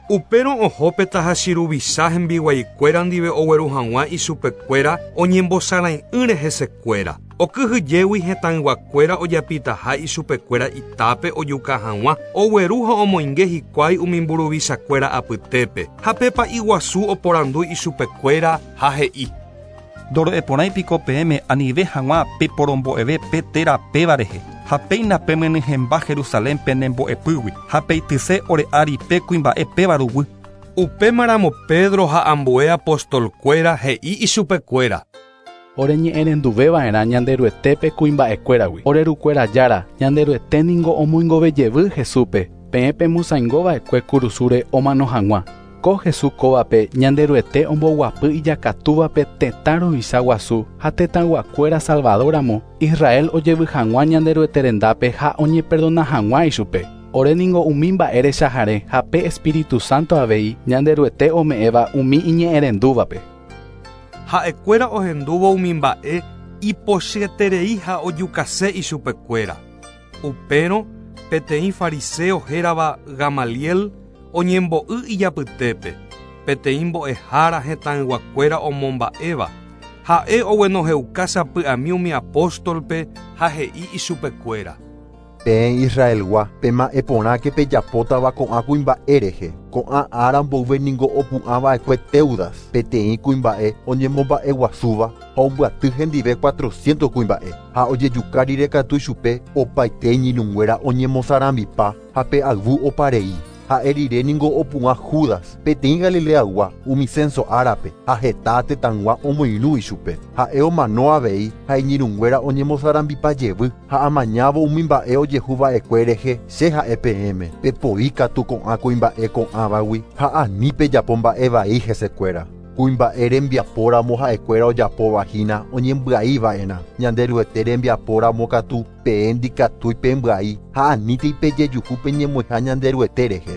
Upérõ oho pe tahachi ruvicha hembiguaikuéra ndive ogueru hag̃ua ichupekuéra oñembosarai'ỹre hesekuéra. Okyhyjégui hetãyguakuéra ojapitaha ichupekuéra itápe ojuka hag̃ua ogueru ha omoinge hikuái umi mburuvichakuéra apytépe ha pe pa'i guasu oporandu ichupekuéra ha he'i. Ndoro'eporãi piko peẽme anive hag̃ua peporombo'eve pe térã péva rehe. Ha péina pemyenyhẽmba Jerusalén penembo'epýgui ha peityse ore ári pe kuimba'e péva ruguy. Upémaramo Pedro ha ambue apostolkuéra he'i ichupekuéra. Oreñe'ẽrenduveva'erã Ñanderuetépe kuimba'ekuéragui. Orerukuéra jára, Ñanderuete ningo omoingovejevy Jesúspe, peẽ pemosaingova'ekue kurusúre omano hag̃ua. Ko Jesús kóvape Ñanderuete omboguapy ijakatúvape tetã ruvicha guasu ha tetãyguakuéra Salvadoramo, Israel ojevy hag̃ua Ñanderuete rendápe ha oñeperdona hag̃ua ichupe. Ore ningo umi mba'e rechahare ha pe Espíritu Santo avei Ñanderuete ome'ẽva umi iñe'ẽrendúvape. Ha'ekuéra ohendúvo umi mba'e ipochyeterei ha ojukase ichupekuéra. Upérõ peteĩ fariseo hérava Gamaliel oñembo'y ijapytépe, peteĩ mbo'ehára hetãyguakuéra omomba'éva. Ha'e oguenohẽuka sapy'ami umi apóstolpe ha he'i ichupekuéra. Peẽ Israelgua, pema'ẽporãke pejapótava ko'ã kuimba'e rehe. Ko'ã ára mboyve ningo opu'ãva'ekue Teudas, peteĩ kuimba'e oñemomba'eguasúva ha ombyaty hendive cuatrocientos kuimba'e. Ha ojejuka rire katu ichupe opaite iñirũnguéra oñemosarambipa ha pe ayvu oparei. Ha'e rire ningo opu'ã Judas, peteĩ Galileagua umi censo árape ha heta tetãygua omoirũ ichupe. Ha'e omano avei ha iñirũnguéra oñemosarambipa jevy ha amañávo umi mba'e ojehuva'ekue rehe che ha'e peẽme. Pepoi katu ko'ã kuimba'e ko'ãvagui ha ani pejapo mba'e vai hesekuéra. Kuimba'e rembiapóramo ha'ekuéra ojapóva hína oñembyaiva'erã. Ñanderuete rembiapóramo katu peẽ ndikatúi pembyai ha anítei pejejuhu peñemoĩha Ñanderuete rehe.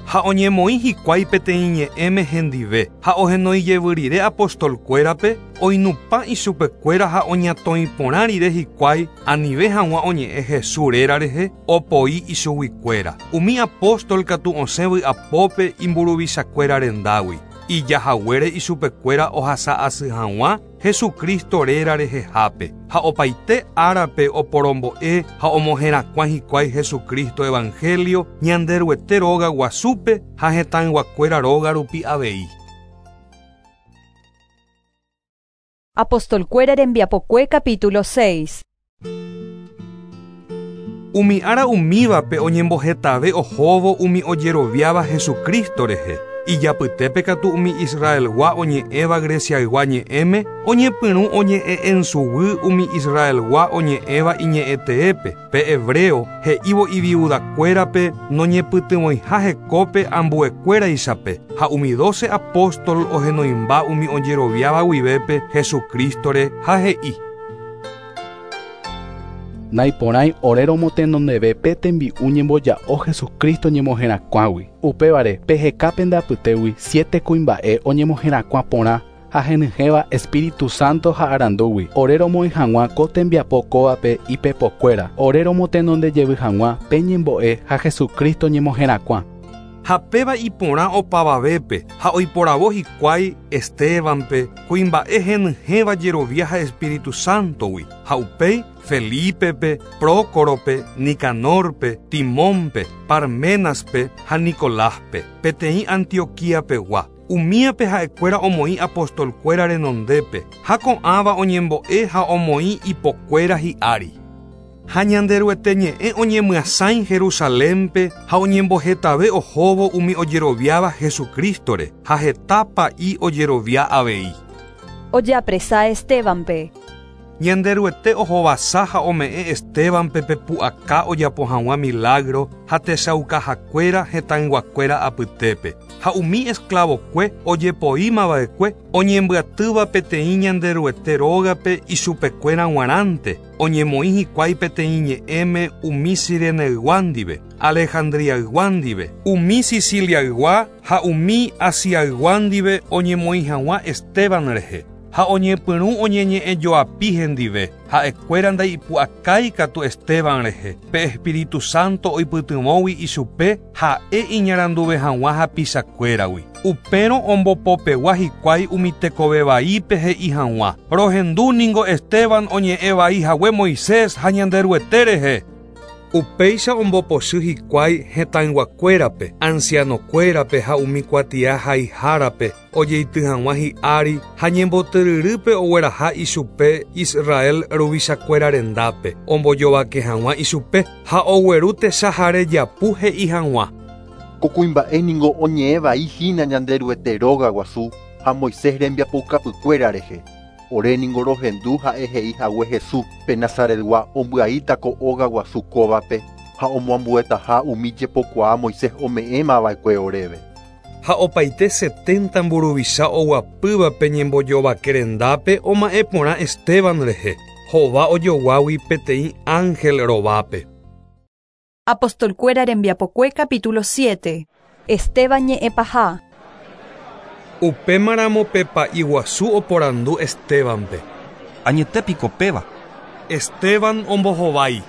Ha oñemoĩ hikuái peteĩ ñe'ẽme hendive ha ohenói rire apostolkuérape oinupã ichupekuéra ha oñatõi porã rire hikuái anive hag̃ua oñe'ẽ Jesús réra rehe opoi ichuguikuéra. Umi apóstol katu osẽ vy'apópe imburuvichakuéra rendágui. Ijahaguére ichupekuéra ohasa asy hag̃ua Jesucristo réra rehehápe ha opaite árape oporombo'e ha omoherakuã hikuái Jesucristo evangelio Ñanderuete róga guasúpe ha hetãyguakuéra róga rupi avei. Apostolkuéra rembiapokue capítulo seis. Umi ára umívape oñembohetave ohóvo umi ojeroviáva Jesucristo rehe. Ijapytépe katu umi Israelgua oñe'ẽva Greciaygua ñe'ẽme oñepyrũ oñe'ẽ ensuguy umi Israelgua oñe'ẽva iñe'ẽteépe pe hebreo he'ívo iviudakuérape noñepytyvõiha hekópe ambuekuéraichape ha umi doce apóstol ohenoimba umi ojeroviáva guivépe Jesucristore ha he'i. Naiporãi ore romotenondeve pe tembi'u ñemboja'o Jesucristo ñemoherakuãgui. Upévare peheka pende apytégui siete kuimba'e oñemoherakuã porã ha henyhẽva Espíritu Santo ha arandúgui. Ore romoĩ hag̃ua ko tembiapo kóvape ipepokuéra. Ore romotenondejevy hag̃ua pe ñembo'e ha Jesucristo ñemoherakuã. Ha péva iporã opavavépe ha oiporavo hikuái Estebanpe kuimba'e henyhẽva jerovia ha Espíritu Santogui ha upéi Felipepe, Prócorope, Nicanorpe, Timónpe, Parmenaspe ha Nicoláspe, peteĩ Antioquiapegua. Umíape ha'ekuéra omoĩ apostolkuéra renondépe ha ko'ãva oñembo'e ha omoĩ ipokuéra hi'ári. Ha Ñanderuete ñe'ẽ oñemyasãi Jerusalénpe ha oñembohetave ohóvo umi ojeroviáva Jesucristore ha heta pa'i ojerovia avei. Ojeapresa Estebanpe. Ñanderuete ohovasa ha ome'ẽ Estebanpe pe pu'aka ojapo hag̃ua milagro ha techaukahakuéra hetãyguakuéra apytépe. Ha umi esclavokue ojepoímava'ekue oñembyatýva peteĩ Ñanderuete rógape ichupekuéra g̃uarãnte oñemoĩ hikuái peteĩ ñe'ẽme umi Sireneygua ndive, Alejandriaygua ndive, umi Siciliaygua ha umi Asiaygua ndive oñemoĩ hag̃ua Esteban rehe. Ha oñepyrũ oñeñe'ẽjoapi hendive, ha'ekuéra ndaipu'akái katu Esteban rehe, pe Espíritu Santo oipytyvõgui ichupe ha'e iñaranduve hag̃ua hapichakuéragui. Upérõ ombopopegua hikuái umi tekove vaípe he'i hag̃ua. Rohendu ningo Esteban oñe'ẽ vai hague Moisés ha Ñanderuete rehe. Upéicha ombopochy hikuái hetãyguakuérape, ancianokuérape ha umi kuatia haihárape ojeity hag̃ua hi'ári ha ñembotyryrýpe ogueraha ichupe Israel ruvichakuéra rendápe, ombojovake hag̃ua ichupe ha ogueru techahare japu he'i hag̃ua. Ko kuimba'e ningo oñe'ẽvai hína Ñanderuete róga guasu ha Moisés rembiapoukapykuéra rehe. Ore ningo rohendu ha'e he'i hague Jesús pe Nazaretgua ombyaíta ko óga guasu kóvape ha omoambuetaha umi jepokuaa Moisés ome'ẽmava'ekue oréve. Ha opaite setenta mburuvicha oguapývape ñembojovake rendápe oma'ẽ porã Esteban rehe, hova ojoguágui peteĩ ángel rovápe. Apostolkuéra rembiapokue capítulo siete. Esteban ñe'ẽpaha. Upémaramo pe pa'i guasu oporandu Estebanpe. Añetépiko péva. Esteban ombohovái.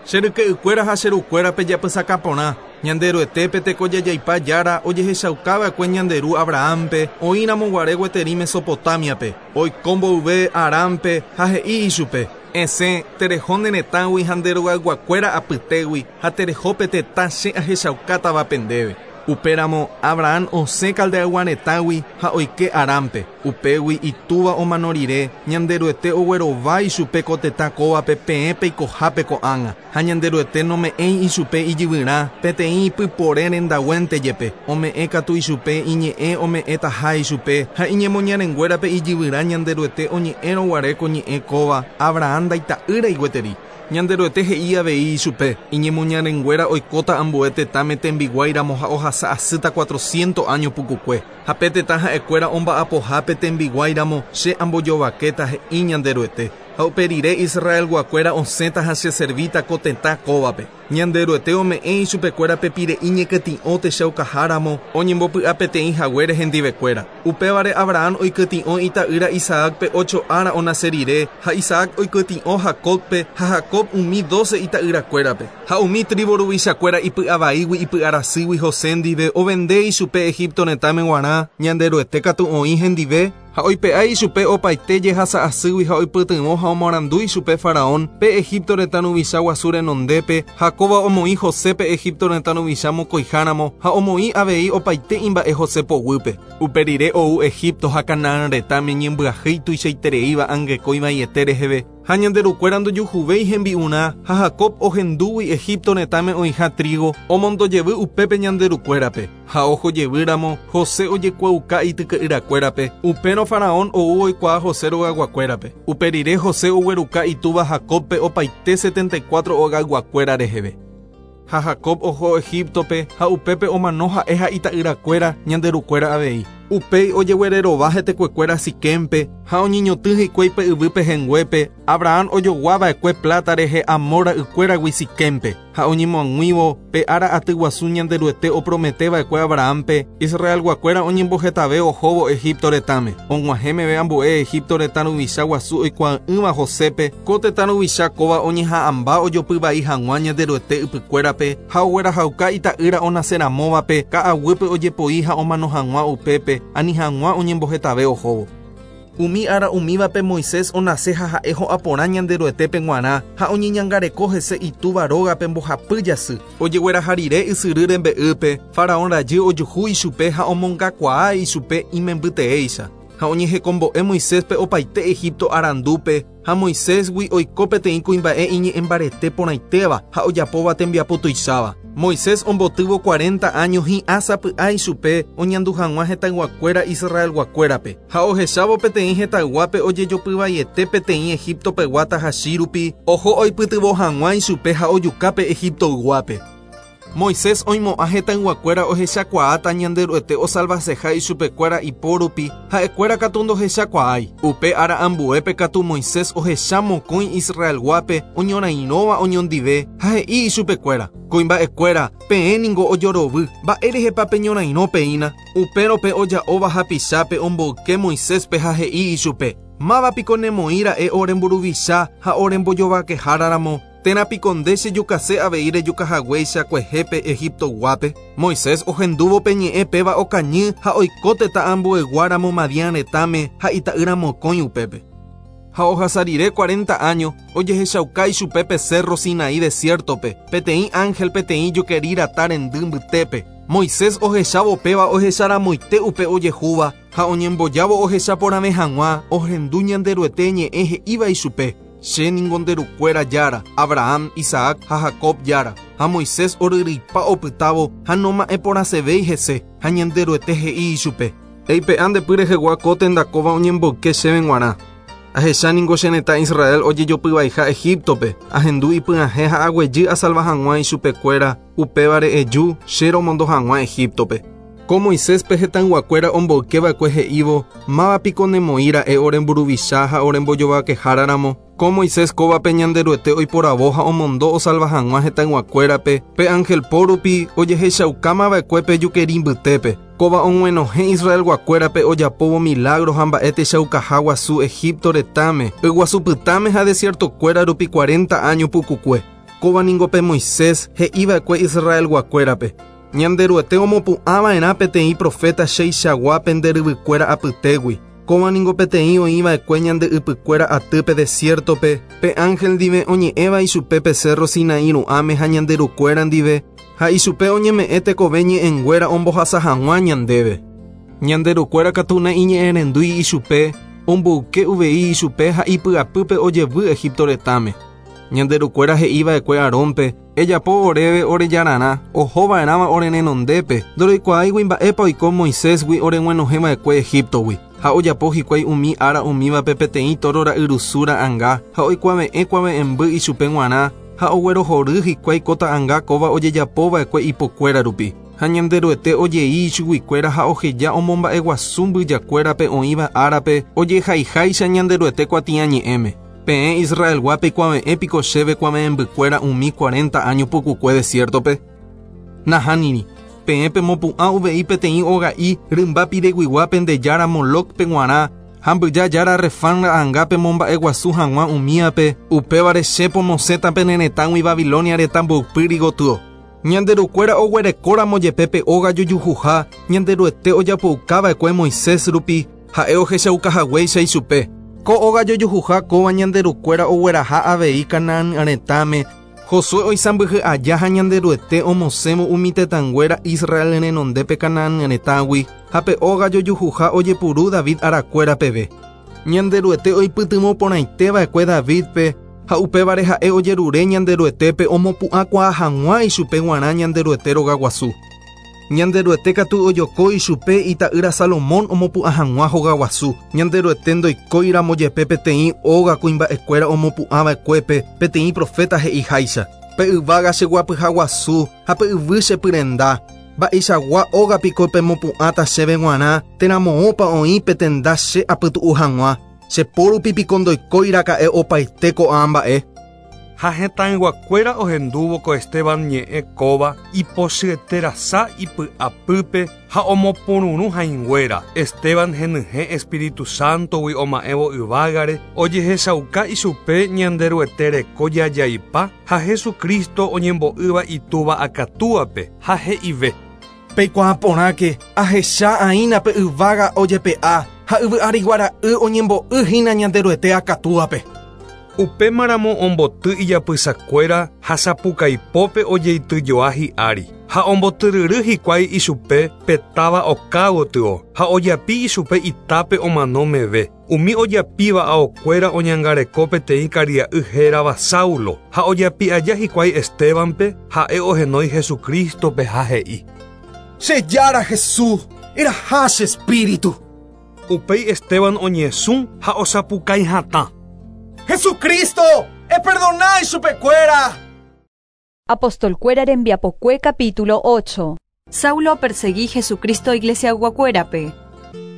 Che ryke'ykuéra ha che rukuérape japysaka porã. Ñanderuetépe tekojajaipa jára ojehechaukava'ekue ñanderu Abrahampe oĩramo guare gueteri Mesopotamiape, oiko mboyve Arampe ha he'i ichupe. Esẽ tereho ne retãgui ha nde rogayguakuéra apytégui ha terehópe tetã che ahechaukátavape ndéve. Upéramo Abraham osẽ Caldeaygua retãgui ha oike Arampe. Upégui itúva omano rire Ñanderuete oguerova ichupe ko tetã kóvape peẽ peikohápe ko'ág̃a. Ha Ñanderuete nome'ẽi ichupe ijyvyrã peteĩ ipypore rendaguénte jepe. Ome'ẽ katu ichupe iñe'ẽ ome'ẽtaha ichupe ha iñemoñarenguérape ijyvyrã Ñanderuete oñe'ẽrõ guare ko ñe'ẽ kóva Abraham ndaita'ýrai gueteri. Ñanderuete he'i avei ichupe iñemoñarenguéra oikóta ambue tetãme tembiguáiramo ha ohasa asýta cuatrocientos años pukukue. Ha pe tetã ha'ekuéra omba'apohápe tembiguáiramo che ambojovakéta he'i Ñanderuete. Ha upe rire Israelguakuéra osẽta ha che servíta ko tetã kóvape. Ñanderuete ome'ẽ ichupekuérape pire'i ñekytĩ'o techaukaháramo oñembopy'a peteĩ haguére hendivekuéra. Upévare Abraham oikytĩ'o ita'ýra Isaacpe ocho ára onase rire ha Isaac oikytĩ'o Jacobpe ha Jacob umi doce ita'yrakuérape. Ha umi tribu ruvichakuéra ipy'avaígui ipy'arasýgui José ndive ovende ichupe Egipto retãme g̃uarã. Ñanderuete katu oĩ hendive ha oipe'a ichupe opaite jehasa asýgui ha oipytyvõ ha omoarandu ichupe Faraón pe Egipto retã ruvicha guasu renondépe. Jacóba omoĩ Josépe Egipto retã ruvicha mokõiháramo ha omoĩ avei opaite imba'e José poguýpe. Upe rire ou Egipto ha Canaán retãme ñembyahýi tuichaitereíva angekói vaiete reheve. Ha Ñanderukuéra ndojuhuvéi hembi'urã ha Jacob ohendúgui Egipto retãme oĩha trigo omondojevy upépe Ñanderukuérape. Ha ojevýramo José ojekuaauka ityke'yrakuérape. Upérõ Faraón ou oikuaa José rogayguakuérape. Upe rire José ogueruka itúva Jacobpe opaite setenta y cuatro ogayguakuéra reheve. Ha Jacob oho Egiptope ha upépe omano ha'e ha ita'yrakuéra Ñanderukuéra avei. Upéi ojeguererova hetekuekuéra Siquempe ha oñeñotỹ hikuái pe yvýpe henguépe. Abraham ojoguava'ekue plata rehe Amor ra'ykuéragui Siquempe ha oñemoag̃uívo pe ára aty guasu Ñanderuete oprometeva'ekue Abrahampe. Israelguakuéra oñembohetave ohóvo Egipto retãme. Og̃uahẽ meve ambue Egipto retã ruvicha guasu oikuaa'ỹva Josépe. Ko tetã ruvicha kóva oñeha'ãmba ojopyvai hag̃ua Ñanderuete ypykuérape ha oguerahauka ita'ýra onaseramóvape ka'aguýpe ojepoi ha omano hag̃ua upépe ani hag̃ua oñembohetave ohóvo. Umi ára umívape Moisés onase ha ha'e ho'aporã Ñanderuetépe g̃uarã ha oñeñangareko hese itúva rógape mbohapy jasy. Ojegueraha rire ysyry rembe'ýpe Faraón rajy ojuhu ichupe ha omongakuaa ichupe imembyteéicha. Ha oñehekombo'e Moiséspe opaite Egipto arandúpe ha Moisésgui oiko peteĩ kuimba'e iñe'ẽmbarete porãitéva ha ojapóva tembiapo tuicháva. Moisés ombotývo cuarenta años hi'ã sapy'a ichupe oñandu hag̃ua hetãyguakuéra Israelguakuérape. Ha ohechávo peteĩ hetãyguápe ojejopyvaiete peteĩ Egiptopegua tahachi rupi oho oipytyvõ hag̃ua ichupe ha ojukápe Egiptoyguápe. Moisés oimo'ã hetãyguakuéra ohechakuaáta Ñanderuete osalvaseha ichupekuéra ipo rupi ha'ekuéra katu ndohechakuaái. Upe ára ambuépe katu Moisés ohecha mokõi Israelguápe oñorairõva oñondive ha he'i ichupekuéra: Kuimba'ekuéra, peẽ ningo ojorovy, mba'érehepa peñorairõ peína. Upérõ pe oja'óva hapichápe omboyke Moiséspe ha he'i ichupe: Mávapiko nemoĩra'e oremburuvicha ha orembojovakeháraramo. Térã piko nde chejukase avei rejukahaguéicha kuehépe Egiptoguápe. Moisés ohendúvo pe ñe'ẽ péva okañy ha oiko tetã ambueguáramo Madián retãme ha ita'ýra mokõi upépe. Ha ohasa rire cuarenta años, ojehechauka ichupe pe cerro Sinaí desiertope, peteĩ ángel peteĩ jukeri rata rendy mbytépe. Moisés ohechávo péva ohecharamoite upe ojehúva, ha oñembojávo ohechaporãve hag̃ua, ohendu Ñanderuete ñe'ẽ he'íva ichupe: Che ningo nde rukuéra Jára, Abraham, Isaac ha Jacob Jára. Ha Moisés oryryipa opytávo ha noma'ẽporãsevéi hese, ha Ñanderuete he'i ichupe: Eipe'a nde py rehegua ko tenda kóva oñemboyke chéve g̃uarã. Ahecha ningo che retã Israel ojejopyvaiha Egiptope, ahendu ipyahẽ ha aguejy asalva hag̃ua ichupekuéra, upévare eju che romondo hag̃ua Egiptope. Ko Moiséspe hetãyguakuéra omboykeva'ekue he'ívo, mávapiko nemoĩra'e oremburuvicha ha orembojovakeháraramo. Ko Moisés kóvape Ñanderuete oiporavo ha omondo osalva hag̃ua hetãyguakuérape, pe ángel po rupi ojehechaukámava'ekue pe jukeri mbytépe. Kóva og̃uenohẽ Israelguakuérape ojapóvo milagro ha mba'e techaukaha guasu Egipto retãme, yguasupytãme ha desiertokuéra rupi cuarenta año pukukue. Kóva ningo pe Moisés he'iva'ekue Israelguakuérape: Ñanderuete omopu'ãva'erã peteĩ profeta cheichagua pende ryvykuéra apytégui. Kóva ningo peteĩ oĩva'ekue ñande ypykuéra atýpe desiertope, pe ángel ndive oñe'ẽva ichupe pe cerro Sinaí ru'ãme ha ñande rukuéra ndive, ha ichupe oñeme'ẽ tekove ñe'ẽnguéra ombohasa hag̃ua ñandéve. Ñande rukuéra katu naiñe'ẽrendúi ichupe, omboyke uvei ichupe ha ipy'apýpe ojevy Egipto retãme. Ñande rukuéra he'iva'ekue Aarónpe: Ejapo oréve orejararã, ohova'erãva ore renondépe, ndoroikuaáigui mba'épa oiko Moisésgui oreg̃uenohẽva'ekue Egiptogui. Ha ojapo hikuái umi ára umívape peteĩ toro ra'yrusu ra'ãnga, ha oikuave'ẽ kuave'ẽmby ichupe g̃uarã, ha oguerohory hikuái ko ta'ãnga kóva ojejapova'ekue ipokuéra rupi. Ha Ñanderuete ojei ichuguikuéra ha oheja omomba'eguasu mbyjakuérape oĩva árape ojehaiháicha Ñanderuete kuatiañe'ẽme. Peẽ Israelguápe ikuave'ẽ piko chéve kuave'ẽmbykuéra umi cuarenta año pukukue desiertope. Nahániri, peẽ pemopu'ã uvei peteĩ oga'i rymba pireguigua pende jára Molocpe g̃uarã, ha mbyja jára Refán ra'ãnga pemomba'eguasu hag̃ua umíape, upévare che pomosẽta pene retãgui Babilonia retã mboypýri gotyo. Ñanderukuéra oguerekóramo jepe pe óga jojuhuha, Ñanderuete ojapoukava'ekue Moisés rupi, ha'e ohechaukahaguéicha ichupe. Ko óga jojuhuha kóva Ñanderukuéra ogueraha avei Canaán retãme, Josué oisãmbyhy aja ha Ñanderuete omosẽvo umi tetãnguéra Israel renondépe Canaán retãgui, ha pe óga jojuhuha ojepuru David arakuéra peve. Ñanderuete oipytyvõ porãiteva'ekue Davidpe, ha upévare ha'e ojerure Ñanderuetépe omopu'ãkuaa hag̃ua ichupe g̃uarã Ñanderuete rogaguasu. Ñanderuete katu ojoko ichupe ita'ýra Salomón omopu'ã hag̃ua hogaguasu. Ñanderuete ndoikóiramo jepe peteĩ óga kuimba'ekuéra omopu'ãva'ekuépe peteĩ profeta he'iháicha: Pe yvága cheguapyhaguasu ha pe yvy chepyrenda. Mba'eichagua óga piko pemopu'ãta chéve g̃uarã térã moõpa oĩ pe tenda che apytu'u hag̃ua. Che po rupi piko ndoikóiraka'e opaite ko'ã mba'e. Ha hetãyguakuéra ohendúvo ko Esteban ñe'ẽ kóva ipochyeterasa ipy'apýpe ha omopururũ hãinguéra. Esteban henyhẽ Espíritu Santogui oma'ẽvo yvágare, ojehechauka ichupe Ñanderuete reko jajaipa ha Jesucristo oñembo'ýva itúva akatúape ha he'ive: Peikuaa porãke ahecha aína pe yvága ojepe'a ha yvy ariguara'y oñembo'y hína Ñanderuete akatúape. Upémaramo omboty ijapysakuéra ha sapukaipópe ojeityjoa hi'ári, ha ombotyryry hikuái ichupe pe táva oka gotyo, ha ojapi ichupe itápe omano meve. Umi ojapíva aokuéra oñangareko peteĩ karia'y hérava Saulo, ha ojapi aja hikuái Estebanpe, ha'e ohenói Jesucristope ha he'i: Che Jára Jesús, eraha che espíritu. Upéi Esteban oñesũ ha osapukái hatã: Jesucristo, eperdonái chupekuéra. Apostolkuéra rembiapokue capítulo ocho. Saulo perseguí Jesucristo iglesiayguakuérape.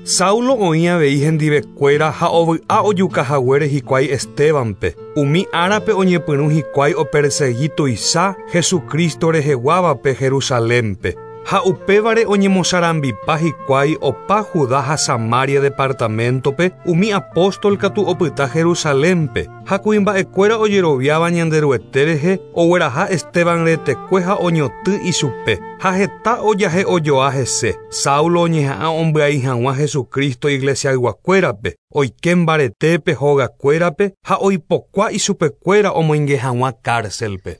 Saulo oĩ avei hendivekuéra ha ovy'a ojukahaguére hikuái Estebanpe. Umi árape oñepyrũ hikuái opersegui tuicha Jesucristo reheguávape Jerusalénpe. Ha upévare oñemosarambipa hikuái opa Judá ha Samaria departamentope umi apóstol katu opyta Jerusalénpe ha kuimba'ekuéra ojeroviáva Ñanderuete rehe ogueraha Esteban retekue ha oñotỹ ichupe ha heta ojahe'ojoa hese. Saulo oñeha'ã ombyai hag̃ua Jesucristo iglesiayguakuérape oike mbaretépe hogakuérape ha oipokua ichupekuéra omoinge hag̃ua cárcelpe.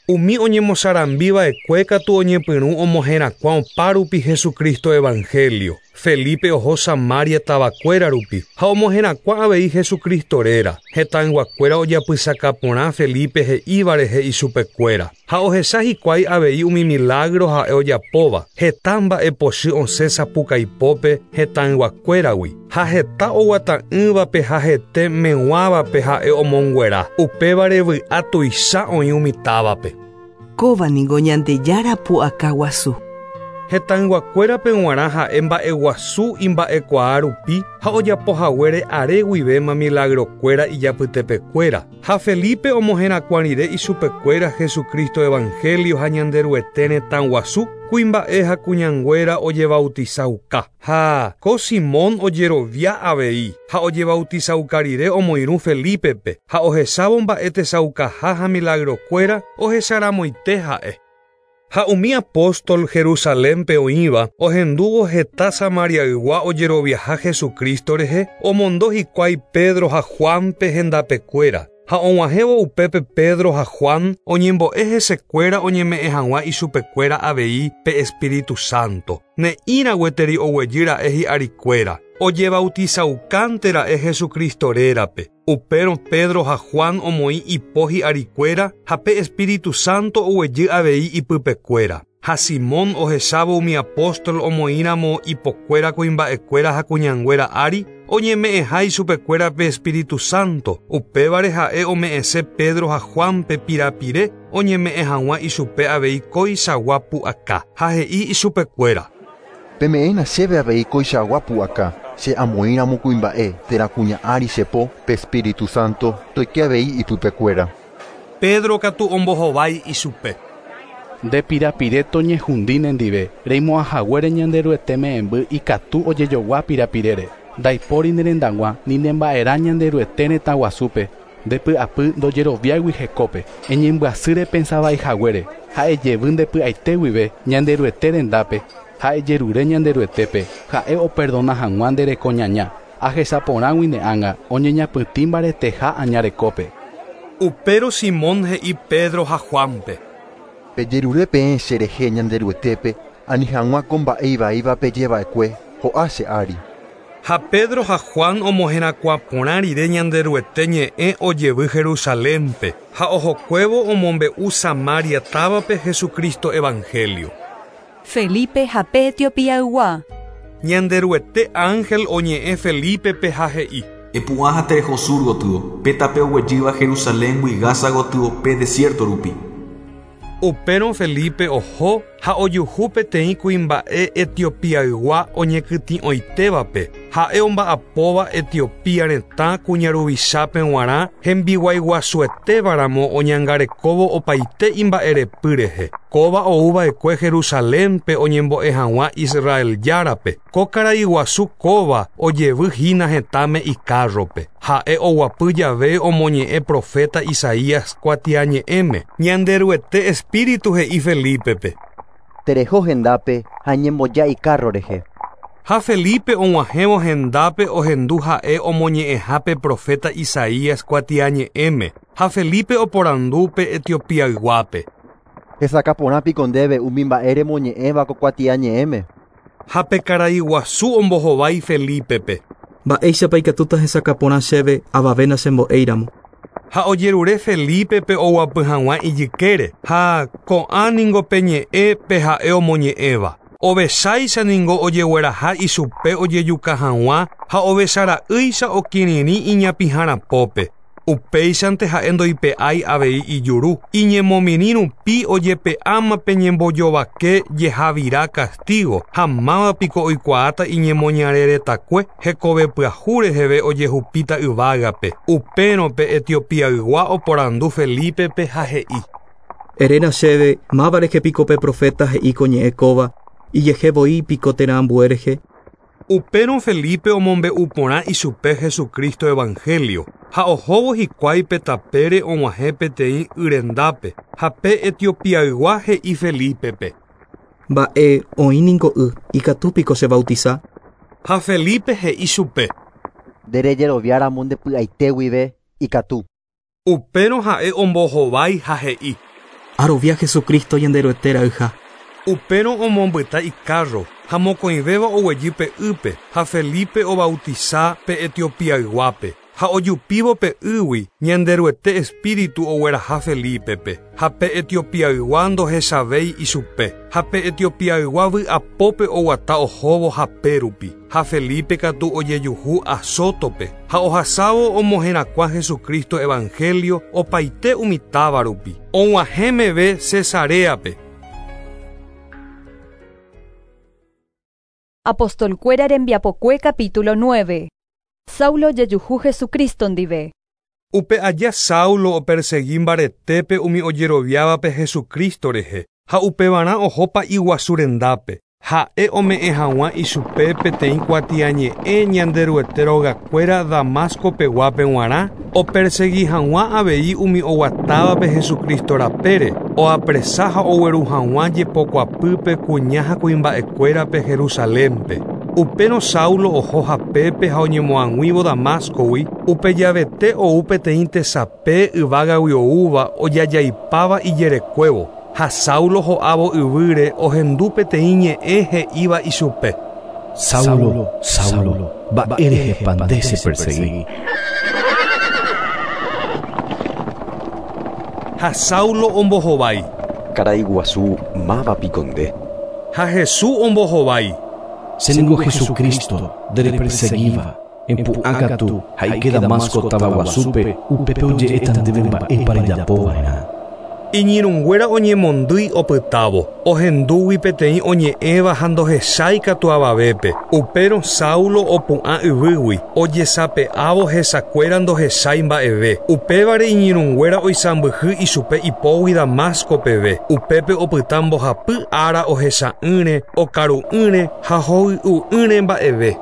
Umi oñemosarambiva'ekue katu oñepyrũ omoherakuã opárupi Jesucristo evangelio. Felipe oho Samaria tavakuéra rupi ha omoherakuã avei Jesucristo réra. Hetãyguakuéra ojapysaka porã Felipe he'íva rehe ichupekuéra ha ohecha hikuái avei umi milagro ha'e ojapóva. Heta mba'epochy osẽ sapukaipópe hetãyguakuéragui ha heta oguata'ỹvape ha hete meg̃uávape ha'e omonguera. Upévare vy'a tuicha oĩ umi távape. Kóva ningo Ñandejára pu'aka guasu. Hetãyguakuérape g̃uarã ha'e mba'eguasu imba'ekuaa rupi ha ojapohaguére are guivéma milagrokuéra ijapytepekuéra. Ha Felipe omoherakuã rire ichupekuéra Jesucristo evangelio ha Ñanderuete retã guasu kuimba'e ha kuñanguéra ojebautizauka. Ha ko Simón ojerovia avei ha ojebautizauka rire omoirũ Felipepe ha ohechávo mba'e tesaukaha ha milagrokuéra ohecharamoite ha'e. Ha umi apóstol Jerusalénpe oĩva ohendúvo heta Samariaygua ojeroviaha Jesucristo rehe omondo hikuái Pedro ha Juanpe hendapekuéra. Ha og̃uahẽvo upépe Pedro ha Juan oñembo'e hesekuéra oñeme'ẽ hag̃ua ichupekuéra avei pe Espíritu Santo. Ne'ĩra gueteri oguejy ra'e hi'arikuéra. Ojebautizaukánte ra'e Jesucristo rérape. Upérõ Pedro ha Juan omoĩ ipo hi'arikuéra ha pe Espíritu Santo oguejy avei ipypekuéra. Ha Simón ohechávo umi apóstol omoĩramo ipokuéra kuimba'ekuéra ha kuñanguéra ári oñeme'ẽha ichupekuéra pe Espíritu Santo. Upévare ha'e ome'ẽse Pedro ha Juanpe pirapire oñeme'ẽ hag̃ua ichupe avei koichagua pu'aka. Ha he'i ichupekuéra: Peme'ẽna chéve avei koichagua pu'aka che amoĩramo kuimba'e térã kuña ári chepo pe Espíritu Santo toike avei ipypekuéra. Pedro katu ombohovái ichupe. Nde pirapire toñehundi nendive reimo'ãhaguére Ñanderuete me'ẽmby ikatu ojejogua pirapirére. Ndaipóri nerendag̃ua ni nemba'erã Ñanderuete retã guasúpe ndepy'apy ndojeroviáigui hekópe. Eñembyasy repensavaihaguére ha ejevy ndepy'aite guive Ñanderuete rendápe ha ejerure Ñanderuetépe ha'e operdona hag̃ua nde rekoñaña. Ahechaporãgui ne ánga oñeñapytĩ mbareteha aña rekópe. Upérõ Simón he'i Pedro ha Juanpe: Pejerure peẽ cherehe Ñanderuetépe ani hag̃ua ko mba'e ivaíva pejeva'ekue ho'a che ári. Ha Pedro ha Juan omoherakuã porã rire Ñanderuete ñe'ẽ ojevy Jerusalénpe ha ohokuévo omombe'u Samaria távape Jesucristo evangelio. Felipe ha pe Etiopiaygua. Ñanderuete ángel oñe'ẽ Felipepe ha he'i: Epu'ã ha tereho sur gotyo, pe tape oguejýva Jerusaléngui Gaza gotyo pe desierto rupi. Upérõ Felipe oho ha ojuhu peteĩ kuimba'e Etiopiaygua oñekytĩ'oitévape. Ha'e omba'apóva Etiopía retã kuñaruvichápe g̃uarã hembiguaiguasuetévaramo oñangarekóvo opaite imba'erepy rehe. Kóva ouva'ekue Jerusalénpe oñembo'e hag̃ua Israel járape. Ko karaiguasu kóva ojevy hína hetãme ikárrope. Ha'e oguapy jave omoñe'ẽ profeta Isaías kuatiañe'ẽme. Ñanderuete Espíritu he'i Felipepe: Tereho hendápe ha eñemboja ikárro rehe. Ha Felipe og̃uahẽvo hendápe ohendu ha'e omoñe'ẽhápe profeta Isaías kuatiañe'ẽme. Ha Felipe oporandu pe Etiopiayguápe: Hesakã porã piko ndéve umi mba'e remoñe'ẽva ko kuatiañe'ẽme. Ha pe karaiguasu ombohovái Felipepe: Mba'éichapa ikatúta hesakã porã chéve avave nachembo'éiramo. Ha ojerure Felipepe oguapy hag̃ua ijykére ha ko'ã ningo pe ñe'ẽ pe ha'e omoñe'ẽva. Ovecháicha ningo ojegueraha ichupe ojejuka hag̃ua ha ovechara'ýicha okirirĩ iñapĩharapópe. Upéichante ha'e ndoipe'ái avei ijuru. Iñemomirĩ rupi ojepe'áma pe ñembojovake jehavira castigo ha mávapiko oikuaáta iñemoñareretakue hekove pyahu reheve ojehupíta yvágape. Upérõ pe Etiopiaygua oporandu Felipepe ha he'i: Erena chéve máva rehe piko pe profeta he'i ko ñe'ẽ kóva, ijehe voi piko térã ambue rehe. Upérõ Felipe omombe'u porã ichupe Jesucristo evangelio, ha ohóvo hikuái pe tapére og̃uahẽ peteĩ yrendápe, ha pe Etiopiaygua he'i Felipe-pe. Mba'e oĩ niko y, ikatu piko che bautiza? Ha Felipe he'i chupe. Nderejeroviáramo ndepy'aite guive ikatu. Upérõ ha'e ombohovái ha he'i. Arovia Jesucristo Ñanderuete ra'yha. Upérõ omombyta icarro, ha mokõivéva oguejy pe ýpe, ha Felipe obautiza pe Etiopiayguápe. Ha ojupívo pe ýgui, Ñanderuete espíritu ogueraha Felipe-pe, ha pe Etiopiaygua ndohechavéi ichupe, ha pe Etiopiaygua vy'apópe oguata ohóvo hapérupi, ha Felipe katu ojejuhu Azótope, ha ohasávo omoherakuã Jesucristo evangelio opaite umi táva rupi, og̃uahẽ meve Cesareape. Apostolkuéra rembiapokue capítulo nueve. Saulo jejuhu Jesucristo ndive. Upe aja Saulo opersegui mbaretépe umi ojeroviávape Jesucristo rehe, ha upevarã ohópa iguasu rendápe. Ha'e ome'ẽ hag̃ua ichupe peteĩ kuatiañe'ẽ Ñanderuete rogakuéra Damasco peguápe g̃uarã, opersegui hag̃ua avei umi oguatávape Jesucristo rapére, oapresa ha ogueru hag̃ua jepokuapýpe kuña ha kuimba'ekuérape Jerusalénpe. Upérõ Saulo oho hapépe ha oñemoag̃uívo Damascogui, upe javete ou peteĩ tesape yvágagui oúva ojajaipáva ijerekuévo, ha Saulo ho'ávo yvýre ohendu peteĩ ñe'ẽ he'íva ichupe. Saulo, Saulo, mba'érehepa nde chepersegui. Ha Saulo ombohovái. Karai guasu máva piko nde. Ha Jesús ombohovái. Che ningo Jesucristo ndereperseguíva, empu'ã katu ha ike Damasco táva guasúpe upépe oje'éta ndéve mba'épa rejapova'erã. Iñirũnguéra oñemondýi opytávo, ohendúgui peteĩ oñe'ẽva ha ndohechái katu avavépe. Upérõ Saulo opu'ã yvýgui, ojesape'ávo hesakuéra ndohechái mba'eve. Upévare iñirũnguéra oisãmbyhy ichupe ipógui Damasco peve. Upépe opyta mbohapy ára ohecha'ỹre, okaru'ỹre ha hoy'u'ỹre mba'eve.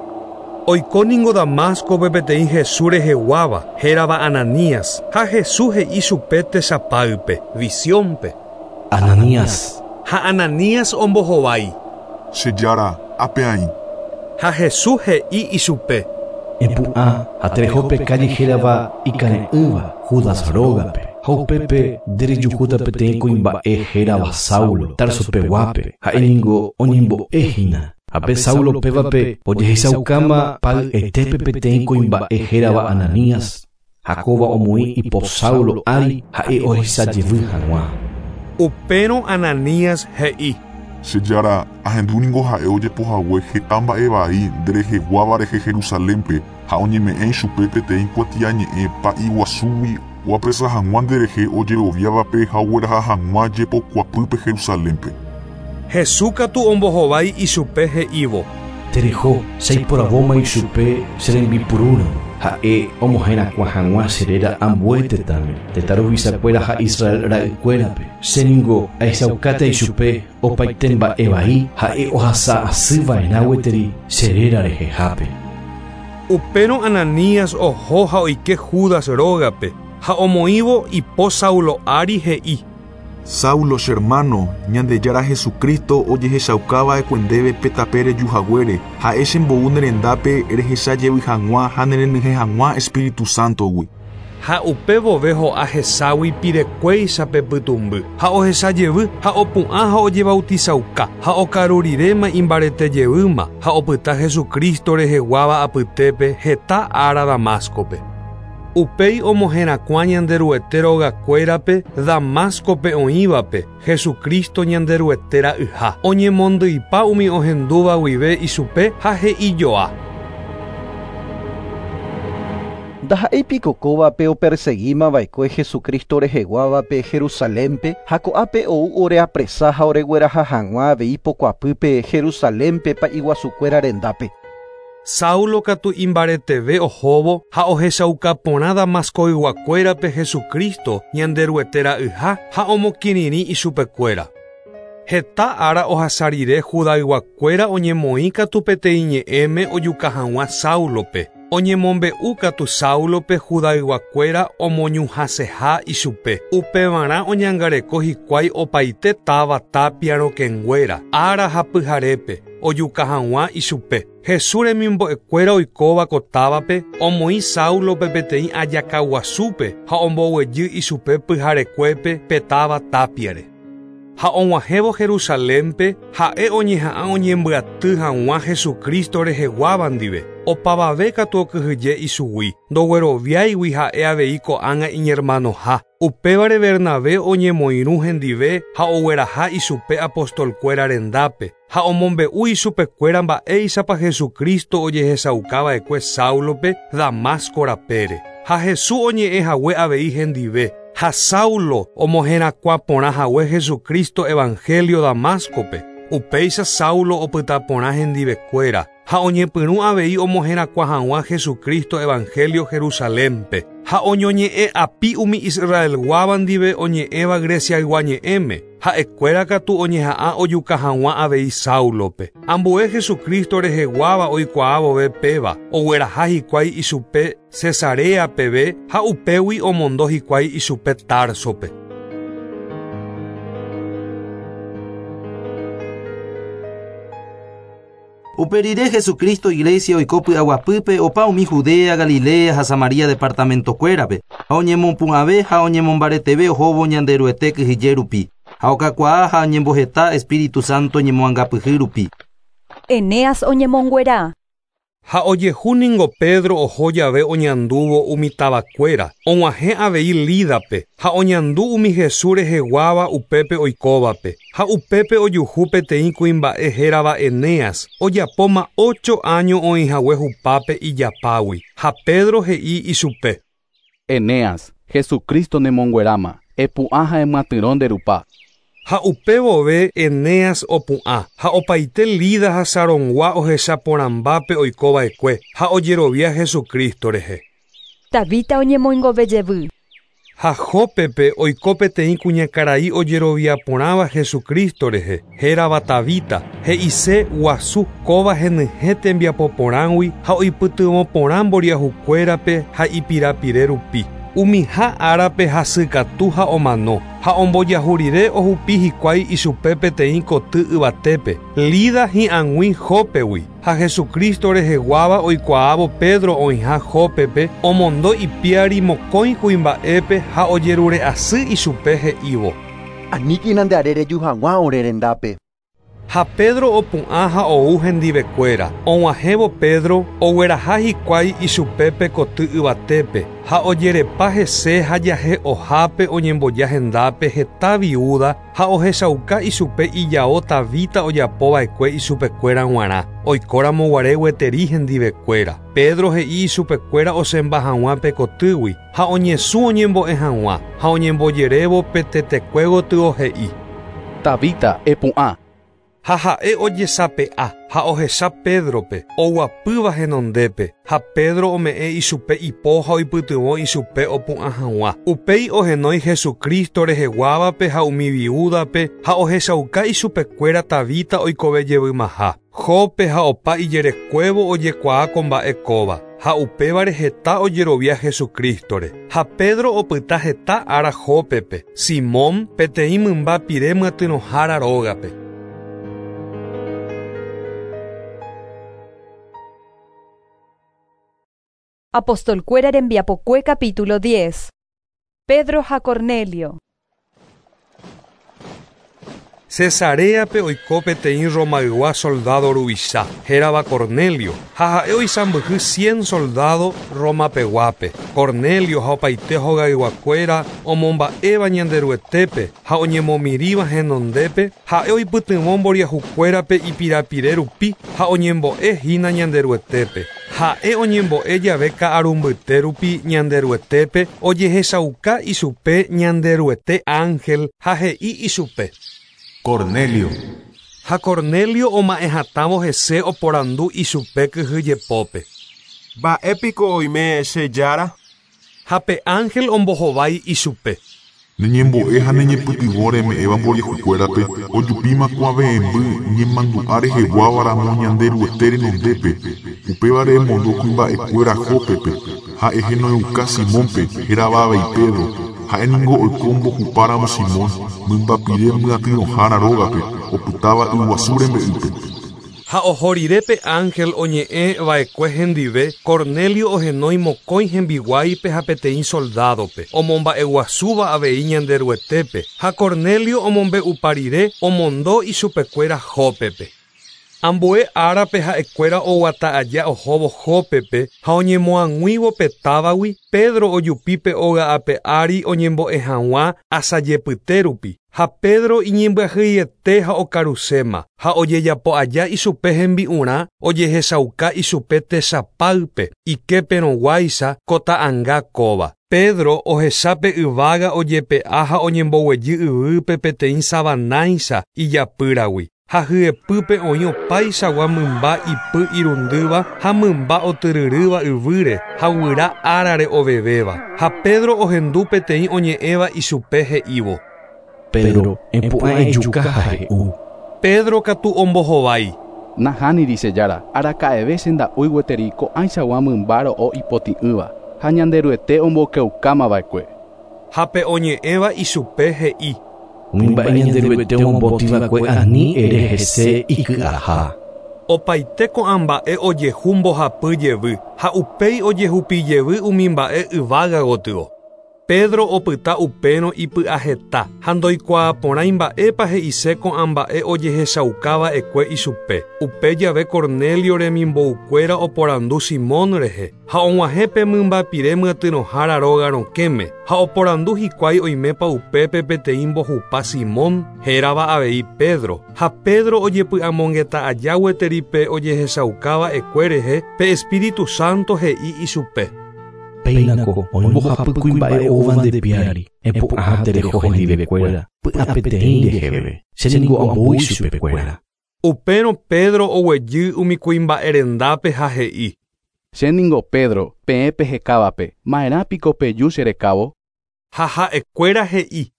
Oiko ningo Damascope peteĩ Jesús reheguáva, hérava Ananías, ha Jesús he'i chupe tesapáype, visiónpe. Ananías. Ha Ananías ombohovái. Che jára, ápe aĩ. Ha Jesús he'i ichupe. Epu'ã ha terehópe calle hérava ikare'ỹva Judas rógape. Ha upépe nderejuhúta peteĩ kuimba'e hérava Saulo, Tarso peguápe, ha'e ningo oñembo'ehína. Ha pe Saulo pévape ojehechaukáma pa'y'etépe peteĩ kuimba'e hérava Ananías, ha kóva omoĩ ipo Saulo ári ha'e ohechajevy hag̃ua. Upérõ Ananías he'i. Che jára, ahendu ningo ha'e ojepohague heta mba'e vai ndereheguáva rehe Jerusalénpe ha oñeme'ẽ ichupe peteĩ kuatiañe'ẽ pa'i guasúgui oapresa hag̃ua nderehe ojeroviávape ha ogueraha hag̃ua jepokuapýpe Jerusalénpe. Jesús katu ombohovái ichupe he'ívo. Tereho, chaiporavóma ichupe che rembipurúrõ, ha'e omoherakuã hag̃ua che réra ambue tetãme, tetã ruvichakuéra ha Israel ra'ykuérape. Che ningo ahechaukáta ichupe opaite mba'e vai ha'e ohasa asýva'erã gueteri che réra rehehápe. Upérõ Ananías oho ha oike Judas rógape, ha omoĩvo ipo Saulo ári he'i. Saulo che hermano, Ñandejára Jesucristo ojehechaukáva ndéve pe tape rejuhaguére, ha'e chembou ne rendápe rehechajevy hag̃ua ha nerenyhẽ hag̃ua Espíritu Santogui. Ha upe vove ho'a heságui pirekuéicha pe pytũmby, ha ohechajevy ha opu'ã ha ojebautizauka, ha okaru riréma imbaretejevýma, ha opyta Jesucristo reheguáva apytépe heta ára Damascope. Upéi omoherakuã Ñanderuete rogakuérape Damascope oĩvape Jesucristo Ñanderuete ra'yha. Oñemondýipa umi ohendúva guive ichupe ha he'ijoa. Ndaha'éi piko kóvape operseguímava'ekue Jesucristo reheguávape Jerusalénpe ha ko'ápe ou oreapresa ha oregueraha hag̃ua avei pokuapýpe Jerusalénpe pa'iguasukuéra rendápe. Saulo katu imbareteve ohóvo ha ohechauka porã Damascoyguakuérape Jesucristo Ñanderuete ra'yha ha omokirirĩ ichupekuéra. Heta ára ohasa rire Judayguakuéra oñemoĩ katu peteĩ ñe'ẽme ojuka hag̃ua Saulope. Oñemombe'u katu Saulope Judayguakuéra omoñuhãseha ichupe. Upevarã oñangareko hikuái opaite táva tapia rokẽnguéra ára ha pyharépe ojuka hag̃ua ichupe. Jesús remimbo'ekuéra oikóva ko távape omoĩ Saulope peteĩ ajakaguasúpe ha omboguejy ichupe pyharekuépe pe táva tápiare. Ha og̃uahẽvo Jerusalénpe ha'e oñeha'ã oñembyaty hag̃ua Jesucristo reheguáva ndive. Opavave katu okyhyje ichugui, ndogueroviáigui ha'e avei ko'ág̃a iñermanoha. Upévare Bernabé oñemoirũ hendive ha ogueraha ichupe apostolkuéra rendápe ha omombe'u ichupekuéra mba'éichapa Jesucristo ojehechaukava'ekue Saulope Damasco rapére. Ha Jesús oñe'ẽhague avei hendive. Ha Saulo omoherakuã porã hague Jesucristo evangelio Damascope. Upéicha Saulo opyta porã hendivekuéra ha oñepyrũ avei omoherakuã hag̃ua Jesucristo evangelio Jerusalénpe. Ha oñoñe'ẽ api umi Israelguáva ndive oñe'ẽva Greciaygua ñe'ẽme. Ha'ekuéra katu oñeha'ã ojuka hag̃ua avei Saulope. Ambue Jesucristo reheguáva oikuaávove péva, ogueraha hikuái ichupe Cesarea peve ha upégui omondo hikuái ichupe Tarsope. Uperire Jesucristo iglesia oiko py'aguapýpe opa umi Judea, Galilea ha Samaria departamentokuérape ha oñemopu'ãve ha oñemombareteve ohóvo Ñanderuete kyhyje rupi ha okakuaa ha oñemboheta Espíritu Santo ñemoangapyhy rupi. Eneas oñemonguera. Ha ojehu ningo Pedro oho jave oñandúvo umi tavakuéra, og̃uahẽ avei Lídape, ha oñandu umi Jesús reheguáva upépe oikóvape, ha upépe ojuhu peteĩ kuimba'e hérava Eneas, ojapóma ocho año oĩhague hupápe ijapágui, ha Pedro he'i ichupe. Eneas, Jesucristo nemongueráma, epu'ã ha emyatyrõ nde rupa. Ha upévove Eneas opu'ã, ha opaite Lida ha Sarongua ohechaporãmbápe oikova'ekue ha ojerovia Jesucristo rehe. Tabita oñemoingovejevy. Ha Jópepe oiko peteĩ kuñakarai ojeroviaporãva Jesucristo rehe, hérava Tabita, he'ise guasu kóva henyhẽ tembiapoporãgui ha oipytyvõporã mboriahukuérape ha ipirapire rupi. Umiha árape hasykatu ha omano, ha ombojahu rire ohupi hikuái ichupe peteĩ koty yvatépe, Lida hi'ag̃ui Jópegui, ha Jesucristo reheguáva oikuaávo Pedro oĩha Jópepe, omondo ipiári mokõi kuimba'épe ha ojerure'asy ichupe he'ívo. Aníkina nde are reju hag̃ua ore rendápe. Ha Pedro opu'ã ha ou hendivekuéra. Og̃uahẽvo Pedro ogueraha hikuái ichupe koty yvatépe ha ojerepa hese ha jahe'ohápe oñemboja hendápe heta viuda ha ohechauka ichupe ijao Tabita ojapova'ekue ichupekuéra g̃uarã, oikóramo guare gueteri hendivekuéra. Pedro he'i ichupekuéra osemba hag̃ua pe kotýgui ha oñesũ oñembo'e hag̃ua ha oñembojerévo pe tetekue gotyo he'i. Tabita, epu'ã. Ha ha'e ojesape'a ha ohecha Pedrope, oguapýva henondépe, ha Pedro ome'ẽ ichupe ipo ha oipytyvõ ichupe opu'ã hag̃ua. Upéi ohenói Jesucristo reheguávape ha umi viúdape ha ohechauka ichupekuéra Tabita oikovejevymaha. Jope ha opa ijerekuévo ojekuaa ko mba'e kóva, ha upévare heta ojerovia Jesucristore. Ha Pedro opyta heta ára Jópepe, Simón peteĩ mymba pire myatyrõhára rógape. Apostolkuéra rembiapokue capítulo diez. Pedro ha Cornelio. Cesareape oiko peteĩ Romaygua soldado ruvicha, hérava Cornelio, ha ha'e oisãmbyhy cien soldado Romapeguápe. Cornelio ha opaite hogayguakuéra omomba'éva Ñanderuetépe ha oñemomirĩva henondépe, ha'e oipytyvõ mboriahukuérape ipirapire rupi ha oñembo'ehína Ñanderuetépe. Ha'e oñembo'e jave ka'arumbyte rupi Ñanderuetépe ojehechauka ichupe Ñanderuete ángel ha he'i ichupe. Cornelio. Ha Cornelio oma'ẽhatãvo hese oporandu ichupe kyhyjepópe. Mba'épiko oime che jára? Ha pe ángel ombohovái ichupe. Neñembo'e ha neñepytyvõ reme'ẽva mboriahukuérape ojupíma kuave'ẽmby ñemandu'a reheguávaramo Ñanderuete renondépe. Upévare emondo kuimba'ekuéra Jópepe ha ehenoiuka Simónpe hérava avei Pedro. Ha'éniko oiko mbohupáramo Simón mymbapire myatyrõhára rógape opytáva yguasu rembe'ýpe. Ha oho rire pe ángel oñe'ẽva'ekue hendive, Cornelio ohenói mokõi hembiguáipe ha peteĩ soldádope, omomba'eguasúva avei Ñanderuetépe, ha Cornelio omombe'upa rire omondo ichupekuéra Jópepe. Ambue árape ha'ekuéra oguata aja ohóvo Jópepe ha oñemoag̃uívo pe távagui, Pedro ojupi pe óga ape ári oñembo'e hag̃ua asajepyte rupi. Ha Pedro iñembyahýiete ha okaruséma, ha ojejapo aja ichupe hembi'urã ojehechauka ichupe techapáype, iképerõguáicha ko ta'ãnga kóva. Pedro ohecha pe yvága ojepe'a ha oñemboguejy yvýpe peteĩ savanáicha ijapýragui. Ha hyepýpe oĩ opaichagua mymba ipy irundýva ha mymba otyryrýva yvýre ha guyra árare ovevéva. Ha Pedro ohendu peteĩ oñe'ẽva ichupe he'ívo. Pedro, epu'ã ejuka ha he'u. Pedro katu ombohovái. Nahániri che jára, araka'eve che nda'úi gueteri ko'ãichagua mymba ro'o ipotĩ'ỹva ha Ñanderuete ombokeukámava'ekue. Ha pe oñe'ẽva ichupe he'i. Umi mba'e Ñanderuete ombotĩva'ekue ani ere hese iky'aha. Opaite ko'ã mba'e ojehu mbohapy jevy ha upéi ojehupi jevy umi mba'e yvága gotyo. Pedro opyta upérõ ipy'aheta ha ndoikuaaporãi mba'épa he'ise ko'ã mba'e ojehechaukava'ekue ichupe. Upe jave Cornelio remimboukuéra oporandu Simón rehe ha og̃uahẽ pe mymbapire myatyrõhára róga rokẽme ha oporandu hikuái oimépa upépe peteĩ mbohupa Simón hérava avei Pedro. Ha Pedro ojepy'amongeta aja gueteri pe ojehechaukava'ekue rehe pe Espíritu Santo he'i ichupe. Péinako oĩ mbohapy kuimba'e oúva nde piári, epu'ã ha tereho hendivekuéra, py'apeteĩ reheve, chéniko ambou ichupekuéra. Upérõ Pedro oguejy umi kuimba'e rendápe ha he'i. Chéniko Pedro, peẽ pehekávape, ma'erãpiko peju cherekávo? Ha ha'ekuéra he'i.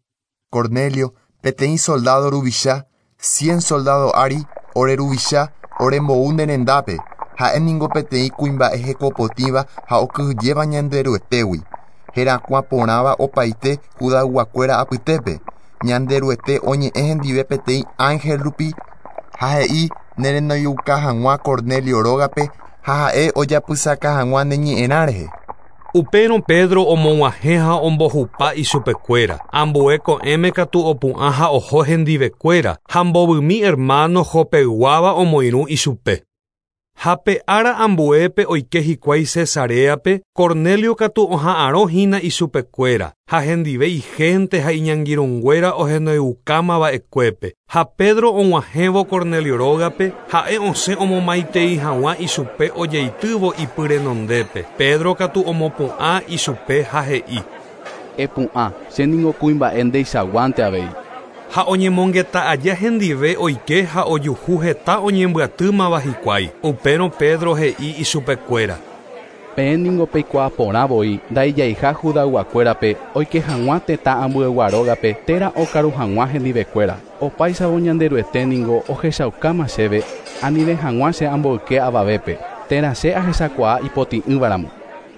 Cornelio, peteĩ soldado ruvicha, cien soldado ári, ore ruvicha, orembou ne rendápe. Ha'éniko peteĩ kuimba'e hekopotĩva ha okyhyjéva Ñanderuetégui. Herakuã porãva opaite Judayguakuéra apytépe. Ñanderuete oñe'ẽ hendive peteĩ ángel rupi ha he'i nerenoiuka hag̃ua Cornelio rógape ha ha'e ojapysaka hag̃ua ne ñe'ẽrã rehe. Upérõ Pedro omog̃uahẽ ha ombohupa ichupekuéra. Ambue ko'ẽme katu opu'ã ha oho hendivekuéra ha mbovymi hermano Jopeyguáva omoirũ ichupe. Ha pe ára ambuépe oike hikuái Cesareape, Cornelio katu oha'arõhína ichupekuéra, ha hendive igente ha iñangirũnguéra ohenoiukámava'ekuépe. Ha Pedro og̃uahẽvo Cornelio rógape, ha'e osẽ omomaitei hag̃ua ichupe ojeitývo ipy renondépe. Pedro katu omopu'ã ichupe ha he'i. Epu'ã, chéniko kuimba'e ndeichaguánte avei. Ha oñemongeta aja hendive oike ha ojuhu heta oñembyatýmava hikuái. Upérõ Pedro he'i ichupekuéra. Peẽ niko peikuaaporã voi ndaijaiha Judayguakuérape oike hag̃ua tetã ambuegua rógape térã okaru hag̃ua hendivekuéra. Opáichavo Ñanderuete niko ohechaukáma chéve anive hag̃ua che amboyke avavépe térã che ahechakuaa ipotĩ'ỹvaramo.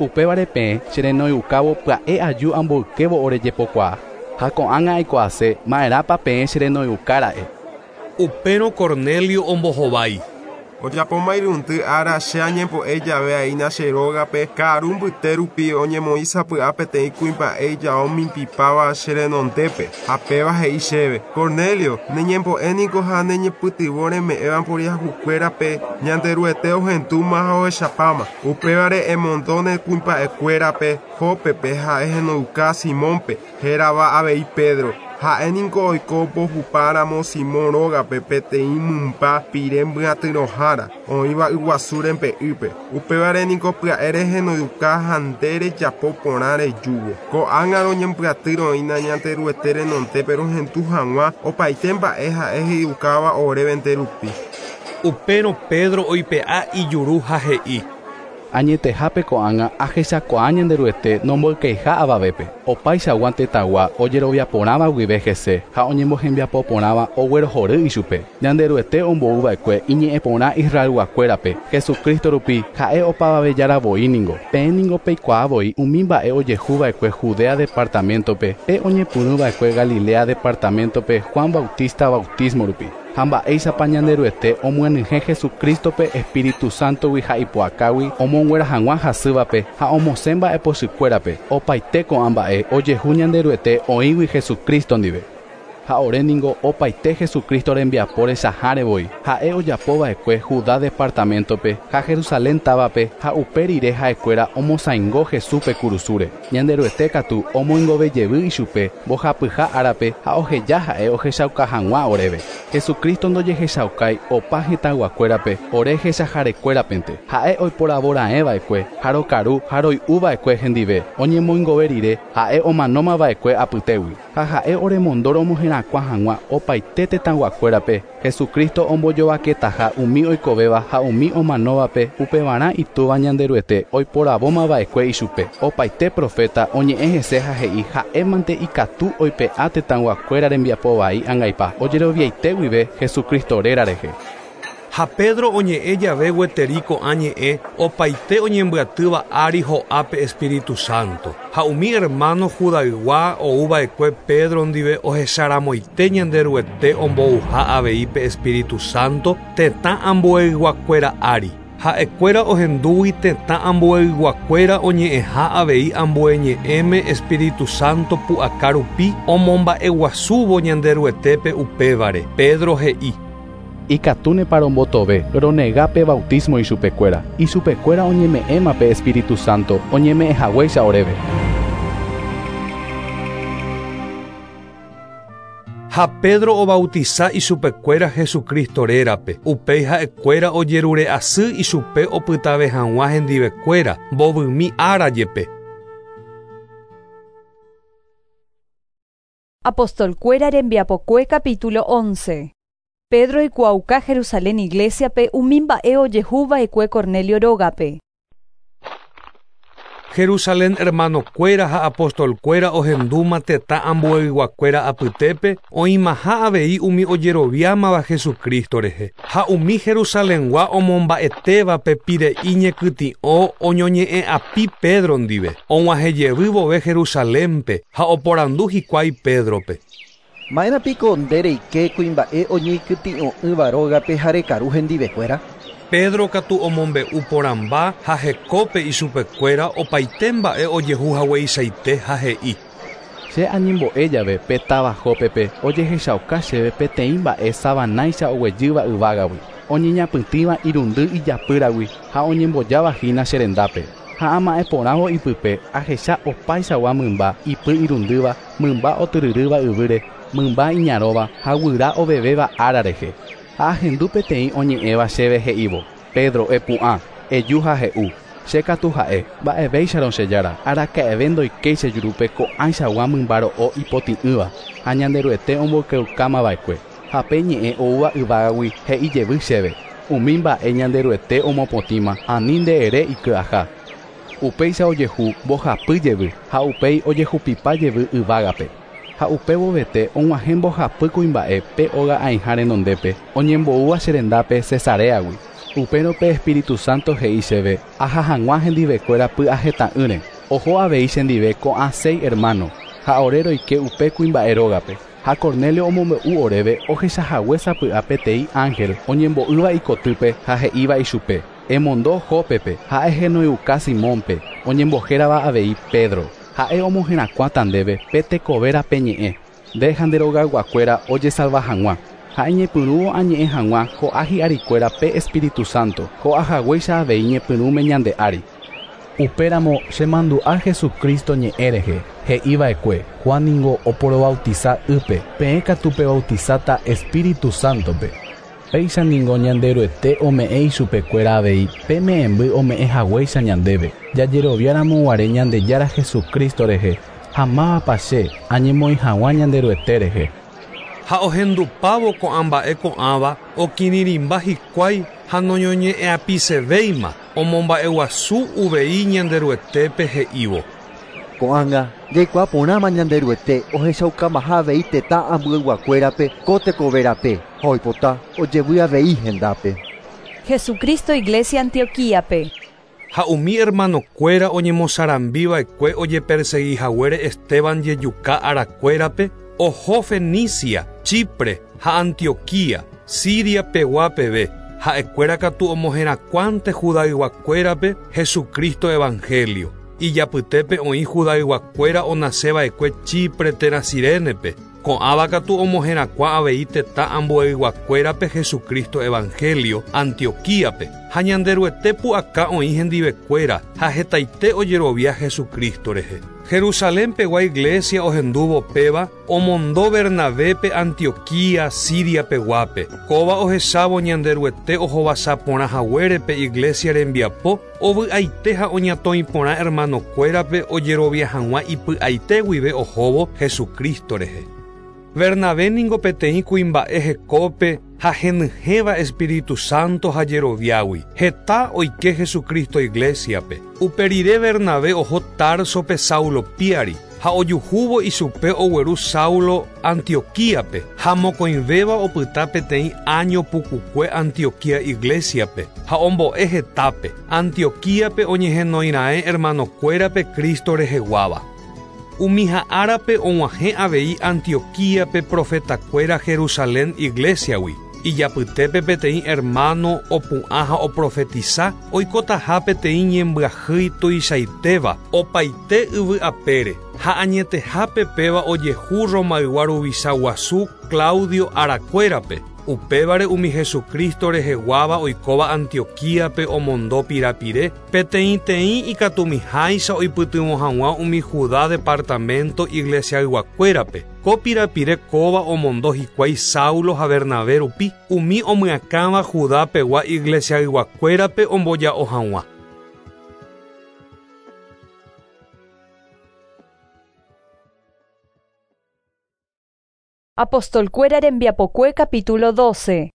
Upévare peẽ cherenoiukávo pya'e aju amboykévo orejepokuaa. Ha ko'ág̃a aikuaase ma'erãpa peẽ cherenoiukára'e. Upérõ Cornelio ombohovái. Ojapóma irundy ára che añembo'e jave aína che rógape ka'aru mbyte rupi oñemoĩ sapy'a peteĩ kuimba'e ijao mimbipáva che renondépe ha péva he'i chéve. Cornelio, neñembo'e niko ha neñepytyvõ reme'ẽva mboriahukuérape Ñanderuete ohendúma ha ohechapáma. Upévare emondo ne kuimba'ekuérape Jópepe ha ehenoiuka Simónpe hérava avei Pedro. Ha'e niko oiko mbohupáramo Simón rógape peteĩ mymba pire mbyatyrõhára oĩva yguasu rembe'ýpe. Upévare niko pya'e rehenoiuka ha nde rejapo porã rejúvo. Ko'ág̃a roñembyatýroína Ñanderuete renondépe rohendu hag̃ua opaite mba'e ha'e he'iukáva orévente rupi. Upérõ Pedro oipe'a ijuru ha he'i: Añetehápe ko'ág̃a ahechakuaa Ñanderuete nomboykeiha avavépe. Opaichagua tetãgua ojeroviaporãva guive hese ha oñembohembiapoporãva oguerohory ichupe. Ñanderuete ombouva'ekue iñe'ẽporã Israelguakuérape Jesucristo rupi ha'e opavavejára ningo. Peẽ ningo peikuaavoi umi mba'e ojehuva'ekue Judea departamento-pe pe oñepyrũva'ekue Galilea departamento-pe Juan Bautista bautismo rupi. Ha mba'éichapa Ñanderuete omyenyhẽ Jesucristo-pe Espíritu Santo-gui ha ipu'akágui omonguera hag̃ua hasývape ha omosẽ mba'epochykuérape. Opaite ko'ã mba'e ojehu Ñanderuete oĩgui Jesucristo ndive. Ha ore ningo opaite Jesucristo rembiapo rechahárevoi. Ha'e ojapova'ekue Judá departamento-pe ha Jerusalén távape ha upe rire ha'ekuéra omosãingo Jesúspe kurusúre. Ñanderuete katu omoingovejevy ichupe mbohapyha árape ha oheja ha'e ohechauka hag̃ua oréve. Jesucristo ndojehechaukái opa hetãyguakuérape ore hechaharekuérapente. Ha'e oiporavoraẽva'ekue ha rokaru ha roy'uva'ekue hendive. Oñemoingove rire ha'e omanómava'ekue apytégui. Ha ha'e oremondo romoherakuã hag̃ua opaite tetãyguakuérape Jesucristo ombojovaketaha umi oikovéva ha umi omanóvape upevarã itúva Ñanderuete oiporavómava'ekue ichupe. Opaite profeta oñe'ẽ hese ha he'i ha'émante ikatu oipe'a tetãyguakuéra rembiapo vai angaipa ojeroviaite guive Jesucristo réra rehe. Ha Pedro oñe'ẽ jave gueteri ko'ã ñe'ẽ opaite oñembyatýva ári ho'ápe Espíritu Santo. Ha umi hermano Judaygua ouva'ekue Pedro ndive ohecharamoite Ñanderuete ombouha avei pe Espíritu Santo tetã ambueyguakuéra ári. Ha'ekuéra ohendúgui tetã ambueyguakuéra oñe'ẽha avei ambue ñe'ẽme Espíritu Santo pu'aka rupi omomba'eguasúvo Ñanderuetépe upévare. Pedro he'i: Ikatúnepa rombotove ronegápe bautismo ichupekuéra. Ichupekuéra oñeme'ẽma pe Espíritu Santo oñeme'ẽhaguéicha oréve. Ha Pedro obautiza ichupekuéra Jesucristo rérape. Upéi ha'ekuéra ojerure'asy ichupe opytave hag̃ua hendivekuéra mbovymi ára jepe. Apostolkuéra rembiapokue capítulo once. Pedro oikuaauka Jerusalén iglesia-pe umi mba'e ojehuva'ekue Cornelio rógape. Jerusalén hermanokuéra ha apostolkuéra ohendúma tetã ambueyguakuéra apytépe oĩmaha avei umi ojeroviámava Jesucristo rehe. Ha umi Jerusalengua omomba'etévape pire'i ñekytĩ'o oñoñe'ẽ'api Pedro ndive. Og̃uahẽjevy vove Jerusalénpe ha oporandu hikuái Pedrope. Ma'erã piko nde reike kuimba'e oñeikytĩ'o'ỹva rógape ha rekaru hendivekuéra? Pedro katu omombe'u porãmba ha hekópe ichupekuéra opaite mba'e ojehu hagueichaite ha he'i: Che añembo'e jave pe táva Jópepe ojehechauka chéve peteĩ mba'e savanáicha oguejýva yvágagui, oñeñapytĩva irundy ijapýragui ha oñembojavahína che rendápe. Ha ama'ẽporãvo ipype ahecha opaichagua mymba ipy irundýva, mymba otyryrýva yvýre, mymba iñarõva ha guyra ovevéva ára rehe. Ha ahendu peteĩ oñe'ẽva chéve he'ívo: Pedro, epu'ã, eju ha he'u. Che katu ha'e, mba'evéicharõ che jára, araka'eve ndoikéi che jurúpe ko'ãichagua mymba ro'o ipotĩ'ỹva ha Ñanderuete omboykeukámava'ekue. Ha pe ñe'ẽ oúva yvágagui he'i jevy chéve: Umi mba'e Ñanderuete omopotĩma, ani nde ere iky'aha. Upéicha ojehu mbohapy jevy ha upéi ojehupipa jevy yvágape. Ha upévovete og̃uahẽ mbohapy kuimba'e pe óga aĩha renondépe oñemboúva che rendápe Cesareagui. Upérõ pe Espíritu Santo he'i chéve aha hag̃ua hendivekuéra py'aheta'ỹre. Oho avei chendive ko'ã seis hermano ha ore roike upe kuimba'e rógape. Ha Cornelio omombe'u oréve ohechahague sapy'a peteĩ ángel oñembo'ýva ikotýpe ha he'íva ichupe: Emondo Jópepe ha ehenoiuka Simónpe oñembohérava avei Pedro. Ha'e omoherakuãta ndéve pe tekovérape ñe'ẽ. Nde ha nde rogayguakuéra ojesalva hag̃ua. Ha iñepyrũvo añe'ẽ hag̃ua ho'a hi'arikuéra pe Espíritu Santo ho'ahaguéicha avei ñepyrũme ñande ári. Upéramo chemandu'a Jesucristo ñe'ẽ rehe, he'iva'ekue Juan ningo oporobautiza ýpe, peẽ katu pebautizata Espíritu Santo-pe. Péicha ningo Ñanderuete ome'ẽ ichupekuéra avei pe me'ẽmby ome'ẽ haguéicha ñandéve. Jajeroviáramo guare Ñandejára Jesucristo rehe, ha mávapa che añemoĩ hag̃ua Ñanderuete rehe. Ha ohendupávo ko'ã mba'e ko'ãva okirirĩmba hikuái ha noñoñe'ẽapisevéima omomba'eguasu uvei Ñanderuetépe he'ívo. Ko'ág̃a jaikuaa porãma Ñanderuete ohechaukamaha avei tetã ambueyguakuérape ko tekoverape ha oipota ojevy avei hendápe. Jesucristo Iglesia Antioquíape. Ha umi hermanokuéra oñemosarambiva'ekue ojeperseguihaguére Esteban jejuka arakuérape oho Fenicia, Chipre ha Antioquía, Siria pegua peve. Ha'ekuéra katu omoherakuãnte Judayguakuérape Jesucristo Evangelio. Ijapytépe oĩ Judayguakuéra onaseva'ekue Chipre térã Cirenepe. Ko'ãva katu omoherakuã avei tetã ambueyguakuérape Jesucristo Evangelio Antioquíape. Ha Ñanderuete pu'aka oĩ hendivekuéra ha hetaite ojerovia Jesucristo rehe. Jerusalén pegua iglesia ohendúvo péva omondo Bernabépe Antioquía, Siria peguápe. Kóva ohechávo Ñanderuete ohovasaporã haguérepe iglesia rembiapo ovy'aite ha oñatõi porã hermanokuérape ojerovia hag̃ua ipy'aite guive ohóvo Jesucristo rehe. Bernabé ningo peteĩ kuimba'e hekópe ha henyhẽva Espíritu Santo ha jeroviágui. Heta oike Jesucristo iglesiape. Uperire Bernabé oho Tarsope Saulo piári ha ojuhúvo ichupe ogueru Saulo Antioquíape ha mokõivéva opyta peteĩ año pukukue Antioquía iglesiape ha ombo'e hetápe. Antioquíape oñehenoira'e hermanokuérape Cristo reheguáva. Umi ha'árape og̃uahẽ avei Antioquíape profetakuéra Jerusalén iglesiagui. Ijapytépe peteĩ hermano opu'ã ha oprofetiza oikotaha peteĩ ñembyahýi tuichaitéva opaite yvy apére ha añetehápe péva ojehu Romaygua ruvicha guasu Claudio arakuérape. Upévare umi Jesucristo reheguáva oikóva Antioquíape omondo pirapire peteĩteĩ ikatumiháicha oipytyvõ hag̃ua umi Judá departamento iglesiayguakuérape. Ko pirapire kóva omondo hikuái Saulo ha Bernabé rupi umi omyakãva Judá pegua iglesiayguakuérape omboja'o hag̃ua. Apostolkuéra rembiapokue capítulo doce.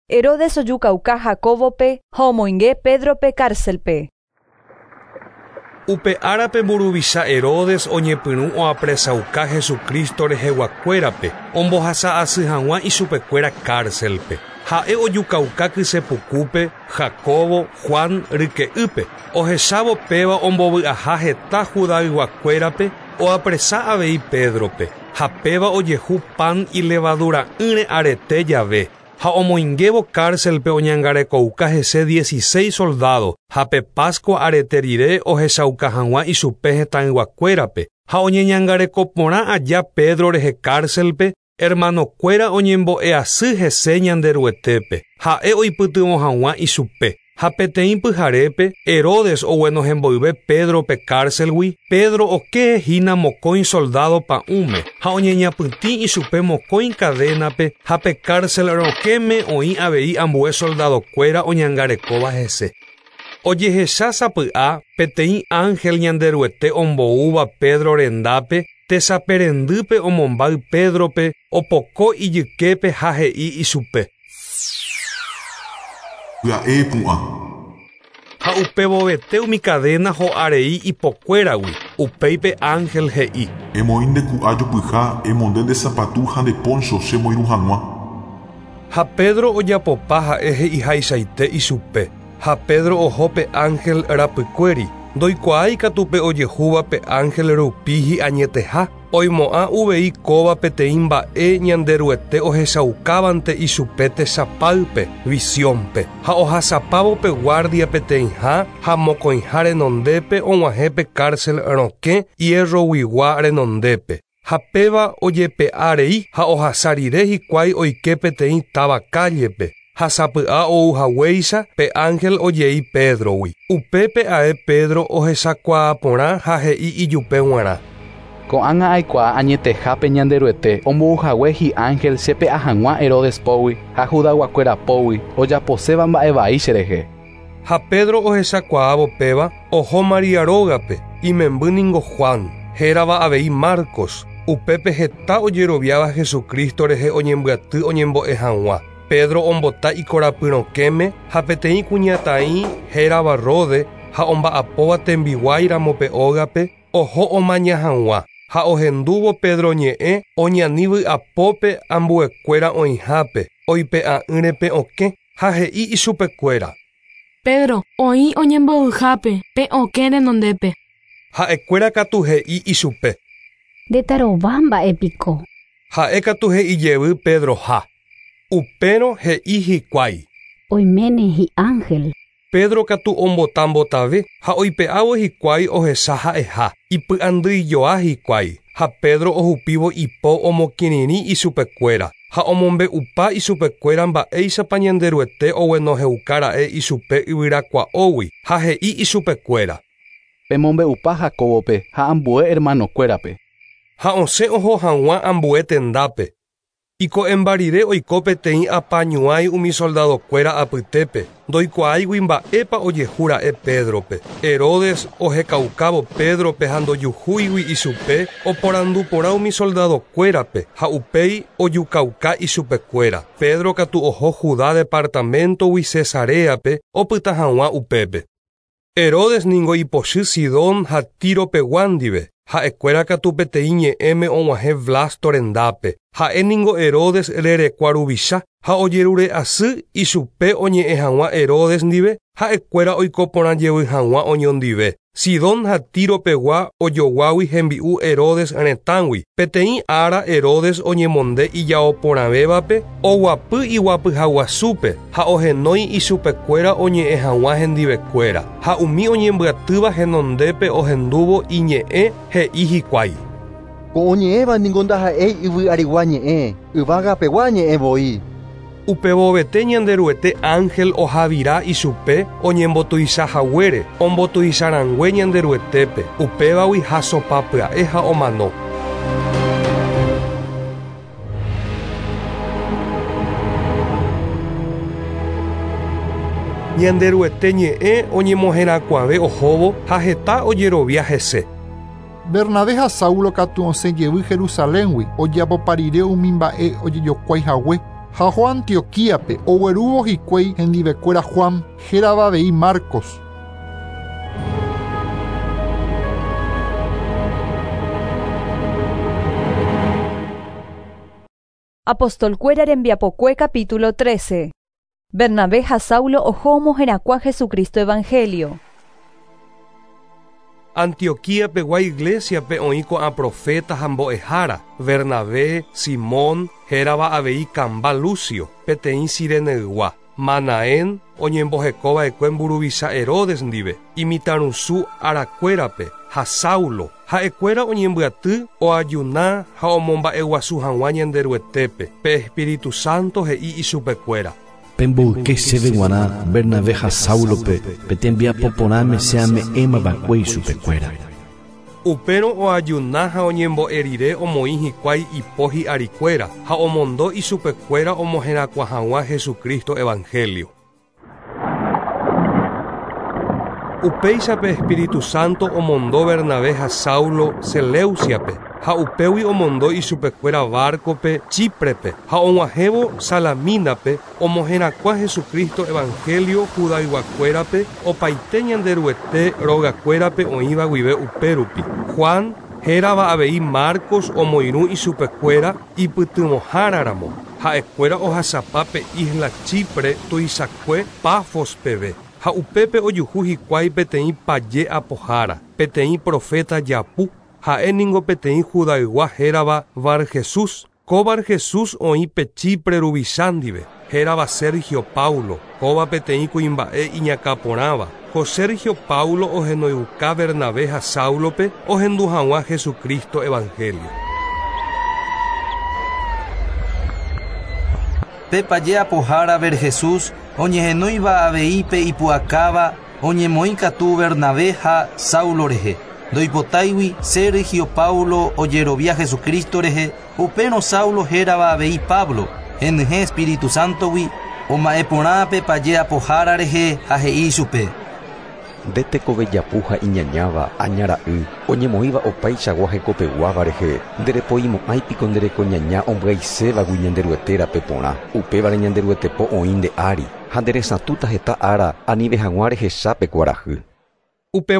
Herodes ojukauka Jacobope ha omoinge Pedrope cárcelpe. Upe árape mburuvicha Herodes oñepyrũ oapresauka Jesucristo reheguakuérape ombohasa asy hag̃ua ichupekuéra cárcelpe. Ha'e ojukauka kysepukúpe Jacobo, Juan ryke'ýpe. Ohechávo péva ombovy'aha heta Judayguakuérape oapresa avei Pedrope. Ha péva ojehu pan ilevadura'ỹre arete jave. Ha omoingévo cárcelpe oñangarekouka hese dieciséis soldado ha pe Pascua arete rire ohechauka hag̃ua ichupe hetãyguakuérape. Ha oñeñangareko porã aja Pedro rehe cárcelpe, hermanokuéra oñembo'easy hese Ñanderuetépe. Ha'e oipytyvõ hag̃ua ichupe. Ha peteĩ pyharépe Herodes oguenohemboyve Pedrope cárcelgui, Pedro okehína mokõi soldado pa'ũme ha oñeñapytĩ ichupe mokõi cadenape ha pe cárcel rokẽme oĩ avei ambue soldadokuéra oñangarekóva hese. Ojehecha sapy'a peteĩ ángel Ñanderuete omboúva Pedro rendápe tesaperendýpe omombáy Pedrope opoko ijyképe ha he'i ichupe. Pya'e pu'ã. Ha upevovete umi cadena ho'arei ipokuéragui. Upéipe ángel he'i. Emoĩ nde ku'a jopyha, emonde nde sapatu ha nde poncho chemoirũ hag̃ua. Ha Pedro ojapopa ha'e he'ihaichaite ichupe. Ha Pedro oho pe ángel rapykuéri. Ndoikuaái katu pe ojehúva pe ángel rupi hi'añeteha. Oimo'ã uvei kóva peteĩ mba'e Ñanderuete ohechaukávante ichupe tesapáype, visiónpe. Ha ohasapávo pe guardia peteĩha ha mokõiha renondépe og̃uahẽ pe cárcel rokẽ hierroguigua renondépe. Ha péva ojepe'árei ha ohasa rire hikuái oike peteĩ táva cállepe. Ha sapy'a ou haguéicha pe ángel ojei Pedrogui. Upépe ae Pedro ohechakuaaporã ha he'i ijupe g̃uarã. Ko'ág̃a aikuaa añetehápe Ñanderuete ombo'uhague hi'ángel chepe'a hag̃ua Herodes pógui ha Judayguakuéra pógui ojaposéva mba'evai cherehe. Ha Pedro ohechakuaávo péva oho Maria rógape imemby ningo Juan, hérava avei Marcos. Upépe heta ojeroviáva Jesucristo rehe oñembyaty oñembo'e hag̃ua. Pedro ombota ikorapyrõkéme ha peteĩ kuñataĩ hérava Rode ha omba'apóva tembiguáiramo pe ógape oho omaña hag̃ua. Ha ohendúvo Pedro ñe'ẽ oñani vy'apópe ambuekuéra oĩhápe oipe'a'ỹre okẽ ha he'i ichupekuéra. Pedro, oĩ oñembo'yhápe pe okẽ renondépe. Ha'ekuéra katu he'i ichupe. Ndetarova mba'épiko. Ha'e katu he'ijevy Pedroha. Upérõ he'i hikuái. Oiméne hi'ángel. Pedro katu ombotambotave ha oipe'ávo hikuái ohecha ha'eha ipy'andyijoa hikuái ha Pedro ohupívo ipo omokirirĩ ichupekuéra ha omombe'upa ichupekuéra mba'éichapa Ñanderuete oguenohẽukara'e ichupe yvyrakua'ógui ha he'i ichupekuéra. Pemombe'upa Jacobope ha ambue hermanokuérape. Ha osẽ oho hag̃ua ambue tendápe. Iko'ẽmba rire oiko peteĩ apañuái umi soldadokuéra apytépe ndoikuaáigui mba'épa ojehúra'e Pedrope. Herodes ohekaukávo Pedrope ha ndojuhúigui ichupe oporanduporã umi soldadokuérape ha upéi ojukauka ichupekuéra. Pedro katu oho Judá departamentogui Cesareape opyta hag̃ua upépe. Herodes ningo ipochy Sidón ha Tiropegua ndive. Ha'ekuéra katu peteĩ ñe'ẽme og̃uahẽ Blasto rendápe. Ha'e ningo Herodes rerekua ruvicha ha ojerure asy ichupe oñe'ẽ hag̃ua Herodes ndive ha'ekuéra oiko porã jevy hag̃ua oñondive. Sidón ha Tiropegua ojoguágui hembi'u Herodes retãgui. Peteĩ ára Herodes oñemonde ijaoporãvévape oguapy iguapyhaguasúpe ha ohenói ichupekuéra oñe'ẽ hag̃ua hendivekuéra. Ha umi oñembyatýva henondépe ohendúvo iñe'ẽ he'i hikuái. Ko oñe'ẽva ningo ndaha'éi yvy arigua ñe'ẽ, yvágapegua ñe'ẽ voi. Upevovete Ñanderuete ángel ohavira ichupe oñembotuichahaguére ombotuicharãngue Ñanderuetépe upévagui hasopapya'e ha omano. Ñanderuete ñe'ẽ oñemoherakuãve ohóvo ha heta ojerovia hese. Bernabé ha Saulo katu osẽ jevy Jerusaléngui ojapoparire umi mba'e ojejokuaihague ha oho Antioquíape oguerúvo hikuái hendivekuéra Juan hérava avei Marcos. Apostolkuéra rembiapokue capítulo trece. Bernabé ha Saulo oho omoherakuã Jesucristo Evangelio. Antioquía pegua iglesiape oĩ ko'ã profeta ha mbo'ehára Bernabé, Simón, hérava avei Kamba Lucio, peteĩ Sireneygua, Manaén oñembohekova'ekue mburuvicha Herodes ndive, imitãrusu arakuérape ha Saulo. Ha'ekuéra oñembyaty oajuna ha omomba'eguasu hag̃ua Ñanderuetépe. Pe Espíritu Santo he'i ichupekuéra. Pemboyke chéve g̃uarã Bernabé ha Saulope peteĩ mbiapoporãme che ame'ẽmava'ekue ichupekuéra. Upérõ oajuna ha oñembo'e rire omoĩ hikuái ipo hi'arikuéra ha omondo ichupekuéra omoherakuã hag̃ua Jesucristo Evangelio. Upéichape Espíritu Santo omondo Bernabé ha Saulo Seleuciape ha upégui omondo ichupekuéra barcope Chíprepe ha og̃uahẽvo Salamínape omoherakuã Jesucristo Evangelio Judayguakuérape opaite Ñanderuete rogakuérape oĩva guive upérupi. Juan hérava avei Marcos omoirũ ichupekuéra ipytyvõháraramo. Ha'ekuéra ohasapa pe isla Chipre tuichakue Pafos peve. Ha upépe ojuhu hikuái peteĩ paje apohára, peteĩ profeta japu, ha'e ningo peteĩ Judaygua hérava Bar Jesús. Ko Bar Jesús oĩ pe Chipre ruvicha ndive, hérava Sergio Paulo, kóva peteĩ kuimba'e iñakãporãva. Ko Sergio Paulo ohenoiuka Bernabé ha Saulope ohendu hag̃ua Jesucristo Evangelio. Pe paje apohára Jesús oñehenóiva avei pe ipu'akáva oñemoĩ katu Bernabé ha Saulo rehe. Ndoipotáigui Sergio Paulo ojerovia Jesucristo rehe, upérõ Saulo hérava avei Pablo, henyhẽ Espíritu Santogui, oma'ẽporã pe paje apohára rehe ha he'i ichupe. Nde tekove japu ha iñañáva añara'y oñemoĩva opaichagua hekopeguáva rehe nderepoimo'ãipiko nderekoñaña ombyaisévagui Ñanderuete rape porã upévare Ñanderuetepo oĩ nde ári ha nderesatũta heta ára anive hag̃ua rehechápe kuarahy. Upe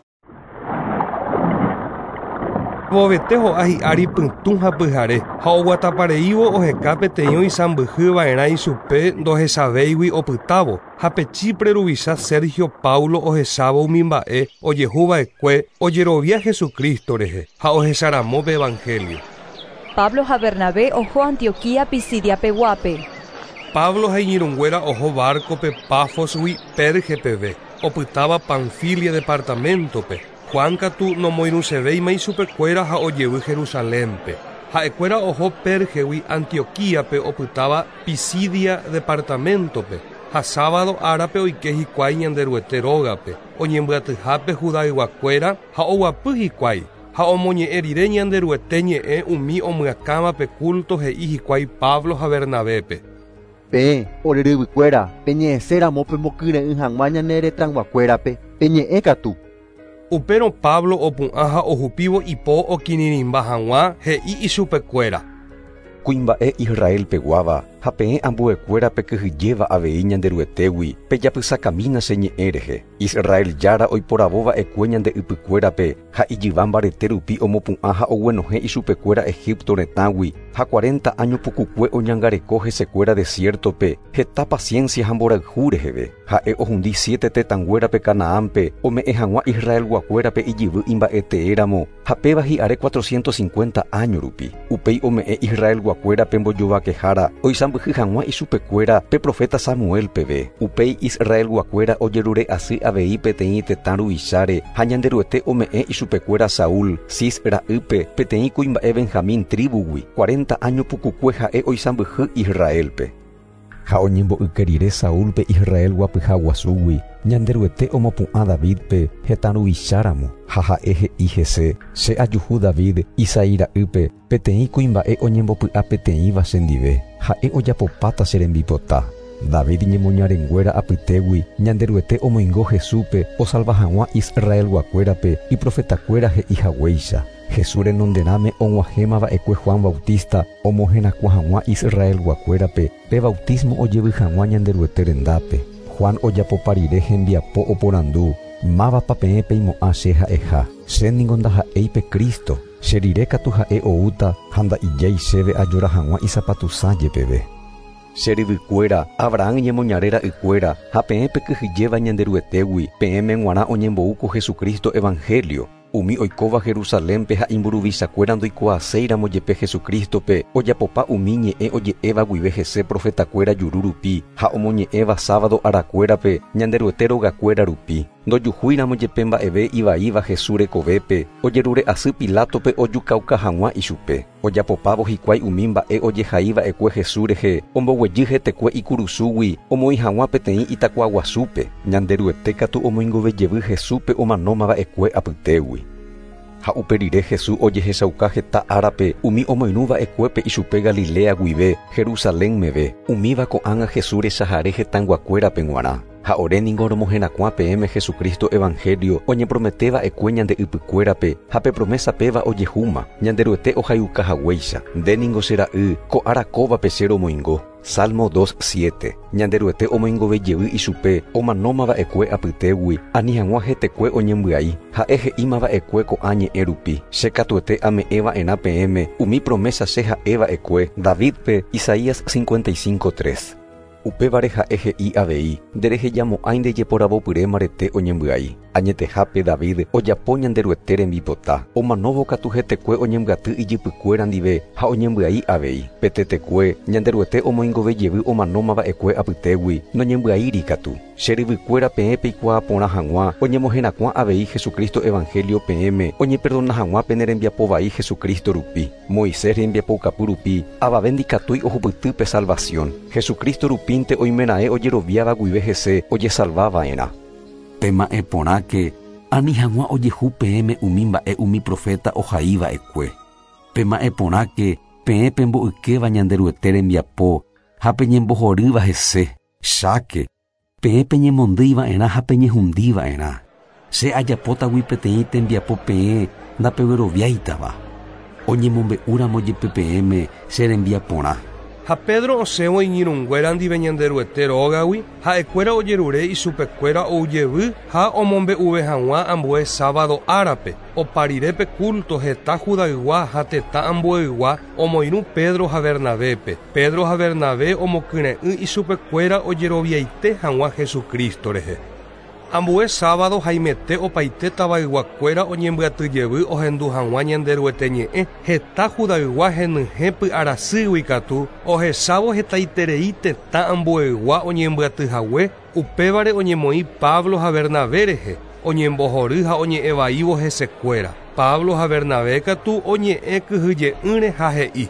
vovete ho'a hi'ári pytũ ha pyhare ha oguatapareívo oheka peteĩ oisãmbyhyva'erã ichupe ndohechavéigui opytávo ha pe Chipre ruvicha Sergio Paulo ohechávo umi mba'e ojehuva'ekue ojerovia Jesucristo rehe ha ohecharamo pe Evangelio. Pablo ha Bernabé oho Antioquía Pisidia peguápe. Pablo ha iñirũnguéra oho barco-pe Pafosgui Perge peve opytáva Panfilia departamento-pe. Juan katu nomoirũsevéima ichupekuéra ha ojevy Jerusalénpe. Ha'ekuéra oho Pergegui Antioquíape opytáva Pisidia departamento-pe ha sábado árape oike hikuái Ñanderuete rógape oñembyatyhápe Judayguakuéra ha oguapy hikuái ha omoñe'ẽ rire Ñanderuete ñe'ẽ umi omyakãvape culto he'i hikuái Pablo ha Bernabépe. Peẽ oreryvykuéra peñe'ẽséramo pemokyre'ỹ hag̃ua ñane retãyguakuérape peñe'ẽ katu. Upérõ Pablo opu'ã ha ohupívo ipo okirirĩmba hag̃ua he'i ichupekuéra. Kuimba'e Israel peguáva ha peẽ ambuekuéra pekyhyjéva avei Ñanderuetégui pejapysakamína che ñe'ẽ rehe. Israel jára oiporavóva'ekue ñande ypykuérape ha ijyva mbarete rupi omopu'ã ha oguenohẽ ichupekuéra Egipto retãgui ha cuarenta año pukukue oñangareko hesekuéra desiertope heta paciencia ha mborayhu reheve. Ha'e ohundi siete tetãnguérape Canaánpe ome'ẽ hag̃ua Israelguakuérape ijyvy imba'eteéramo ha péva hi'are cuatrocientos cincuenta año rupi. Upéi ome'ẽ Israelguakuérape mbojovakehára oisãmbyhy hag̃ua ichupekuéra pe profeta Samuel peve. Upéi Israelguakuéra ojerure asy avei peteĩ tetã ruvicháre ha Ñanderuete ome'ẽ ichupekuéra Saúl, Cis ra'ýpe peteĩ kuimba'e Benjamín tribugui cuarenta año pukukue ha'e oisãmbyhy Israelpe. Ha oñembo'yke rire Saúlpe Israel guapyha guasúgui Ñanderuete omopu'ã Davidpe hetã ruvicháramo ha ha'e he'i hese che ajuhu David Isaí ra'ýpe peteĩ kuimba'e oñembopy'a peteĩva chendive ha'e ojapopáta che rembipota. David ñemoñarenguéra apytégui Ñanderuete omoingo Jesúspe osalva hag̃ua Israelguakuérape iprofetakuéra he'i haguéicha. Jesús renonderãme og̃uahẽmava'ekue Juan Bautista omoherakuã hag̃ua Israelguakuérape pe bautismo ojevy hag̃ua Ñanderuete rendápe. Juan ojapopa rire hembiapo oporandu mávapa peẽ peimo'ã che ha'eha che ningo ndaha'éi pe Cristo che rire katu ha'e oúta ha nda'ijái chéve ajora hag̃ua isapatusã jepeve. Che ryvykuéra Abraham ñemoñare ra'ykuéra ha peẽ pekyhyjéva Ñanderuetégui peẽme g̃uarã oñemboúko Jesucristo Evangelio. Umi oikóva Jerusalénpe ha imburuvichakuéra ndoikuaaséiramo jepe Jesucristope ojapopa umi ñe'ẽ oje'éva guive hese profetakuéra juru rupi ha omoñe'ẽva sábado arakuérape Ñanderuete rogakuéra rupi. Ndojuhúiramo jepe mba'eve ivaíva Jesús rekovépe ojerure asy Pilatope ojukauka hag̃ua ichupe. Ojapopávo hikuái umi mba'e ojehaíva'ekue Jesús rehe omboguejy hetekue ikurusúgui omoĩ hag̃ua peteĩ itakuaguasúpe. Ñanderuete katu omoingovejevy Jesúspe omanómava'ekue apytégui. Ha upe rire Jesús ojehechauka heta árape umi omoirũva'ekuépe ichupe Galilea guive Jerusalén meve umíva ko'ág̃a Jesús rechahare hetãyguakuérape g̃uarã. Ha ore ningo romoherakuã peẽme Jesucristo Evangelio oñeprometeva'ekue ñande ypykuérape ha pe promesa péva ojehúma Ñanderuete ohayuka haguéicha. Nde ningo che ra'y ko ára kóvape che romoingo. Salmo dos siete. Ñanderuete omoingovejevy ichupe omanómava'ekue apytégui ani hag̃ua hetekue oñembyai ha'e he'ímava'ekue ko'ã ñe'ẽ rupi. Che katuete ame'ẽva'erã peẽme umi promesa che ha'eva'ekue Davidpe Isaías cincuenta y cinco tres. Upévare ha'e he'i avei nderehejamo'ãi ndejeporavopyre mbarete oñembyai. Añetehápe David ojapo Ñanderuete rembipota. Omanóvo katu hetekue oñembyaty ijypykuéra ndive ha oñembyai avei. Pe tetekue Ñanderuete omoingove jevy omanómava'ekue apytégui noñembyaíri katu. Che ryvykuéra peẽ peikuaa porã hag̃ua oñemoherakuã avei Jesucristo evangelio peẽme oñeperdona hag̃ua pene rembiapo vai Jesucristo rupi. Moisés rembiapoukapy rupi avave ndikatúi ohupyty pe salvación. Jesucristo rupínte oimeraẽ ojeroviáva guive hese ojesalvava'erã. Pema'ẽ porãke ani hag̃ua ojehu peẽme umi mba'e umi profeta ohaiva'ekue. Pema'ẽ porãke peẽ pemboykéva Ñanderuete rembiapo ha peñembohorýva hese. Cháke peẽ peñemondýiva'erã ha peñehundiva'erã. Che ajapótagui peteĩ tembiapo peẽ ndapegueroviáitava. Oñemombe'úramo jepe peẽme che rembiaporã. Ha Pedro osẽvo iñirũnguéra ndive Ñanderuete rógagui ha'ekuéra ojerure isupekuéra oujevy ha omombe'uve hag̃ua ambue sábado árape. Opa rire pe culto heta Judaygua ha tetã ambueygua omoirũ Pedro ha Bernabépe. Pedro ha Bernabé omokyre'ỹ isupekuéra ojeroviaite hag̃ua Jesucristo rehe. Ambue sábado haimete opaite tavayguakuéra oñembyatyjevy ohendu hag̃ua Ñanderuete ñe'ẽ. Heta Judaygua henyhẽ py'arasýgui katu ohechávo hetaiterei tetã ambueygua oñembyatyhague. Upévare oñemoĩ Pablo ha Bernabé rehe oñembohory ha oñe'ẽvaívo hesekuéra. Pablo ha Bernabé katu oñe'ẽ kyhyje'ỹre ha he'i: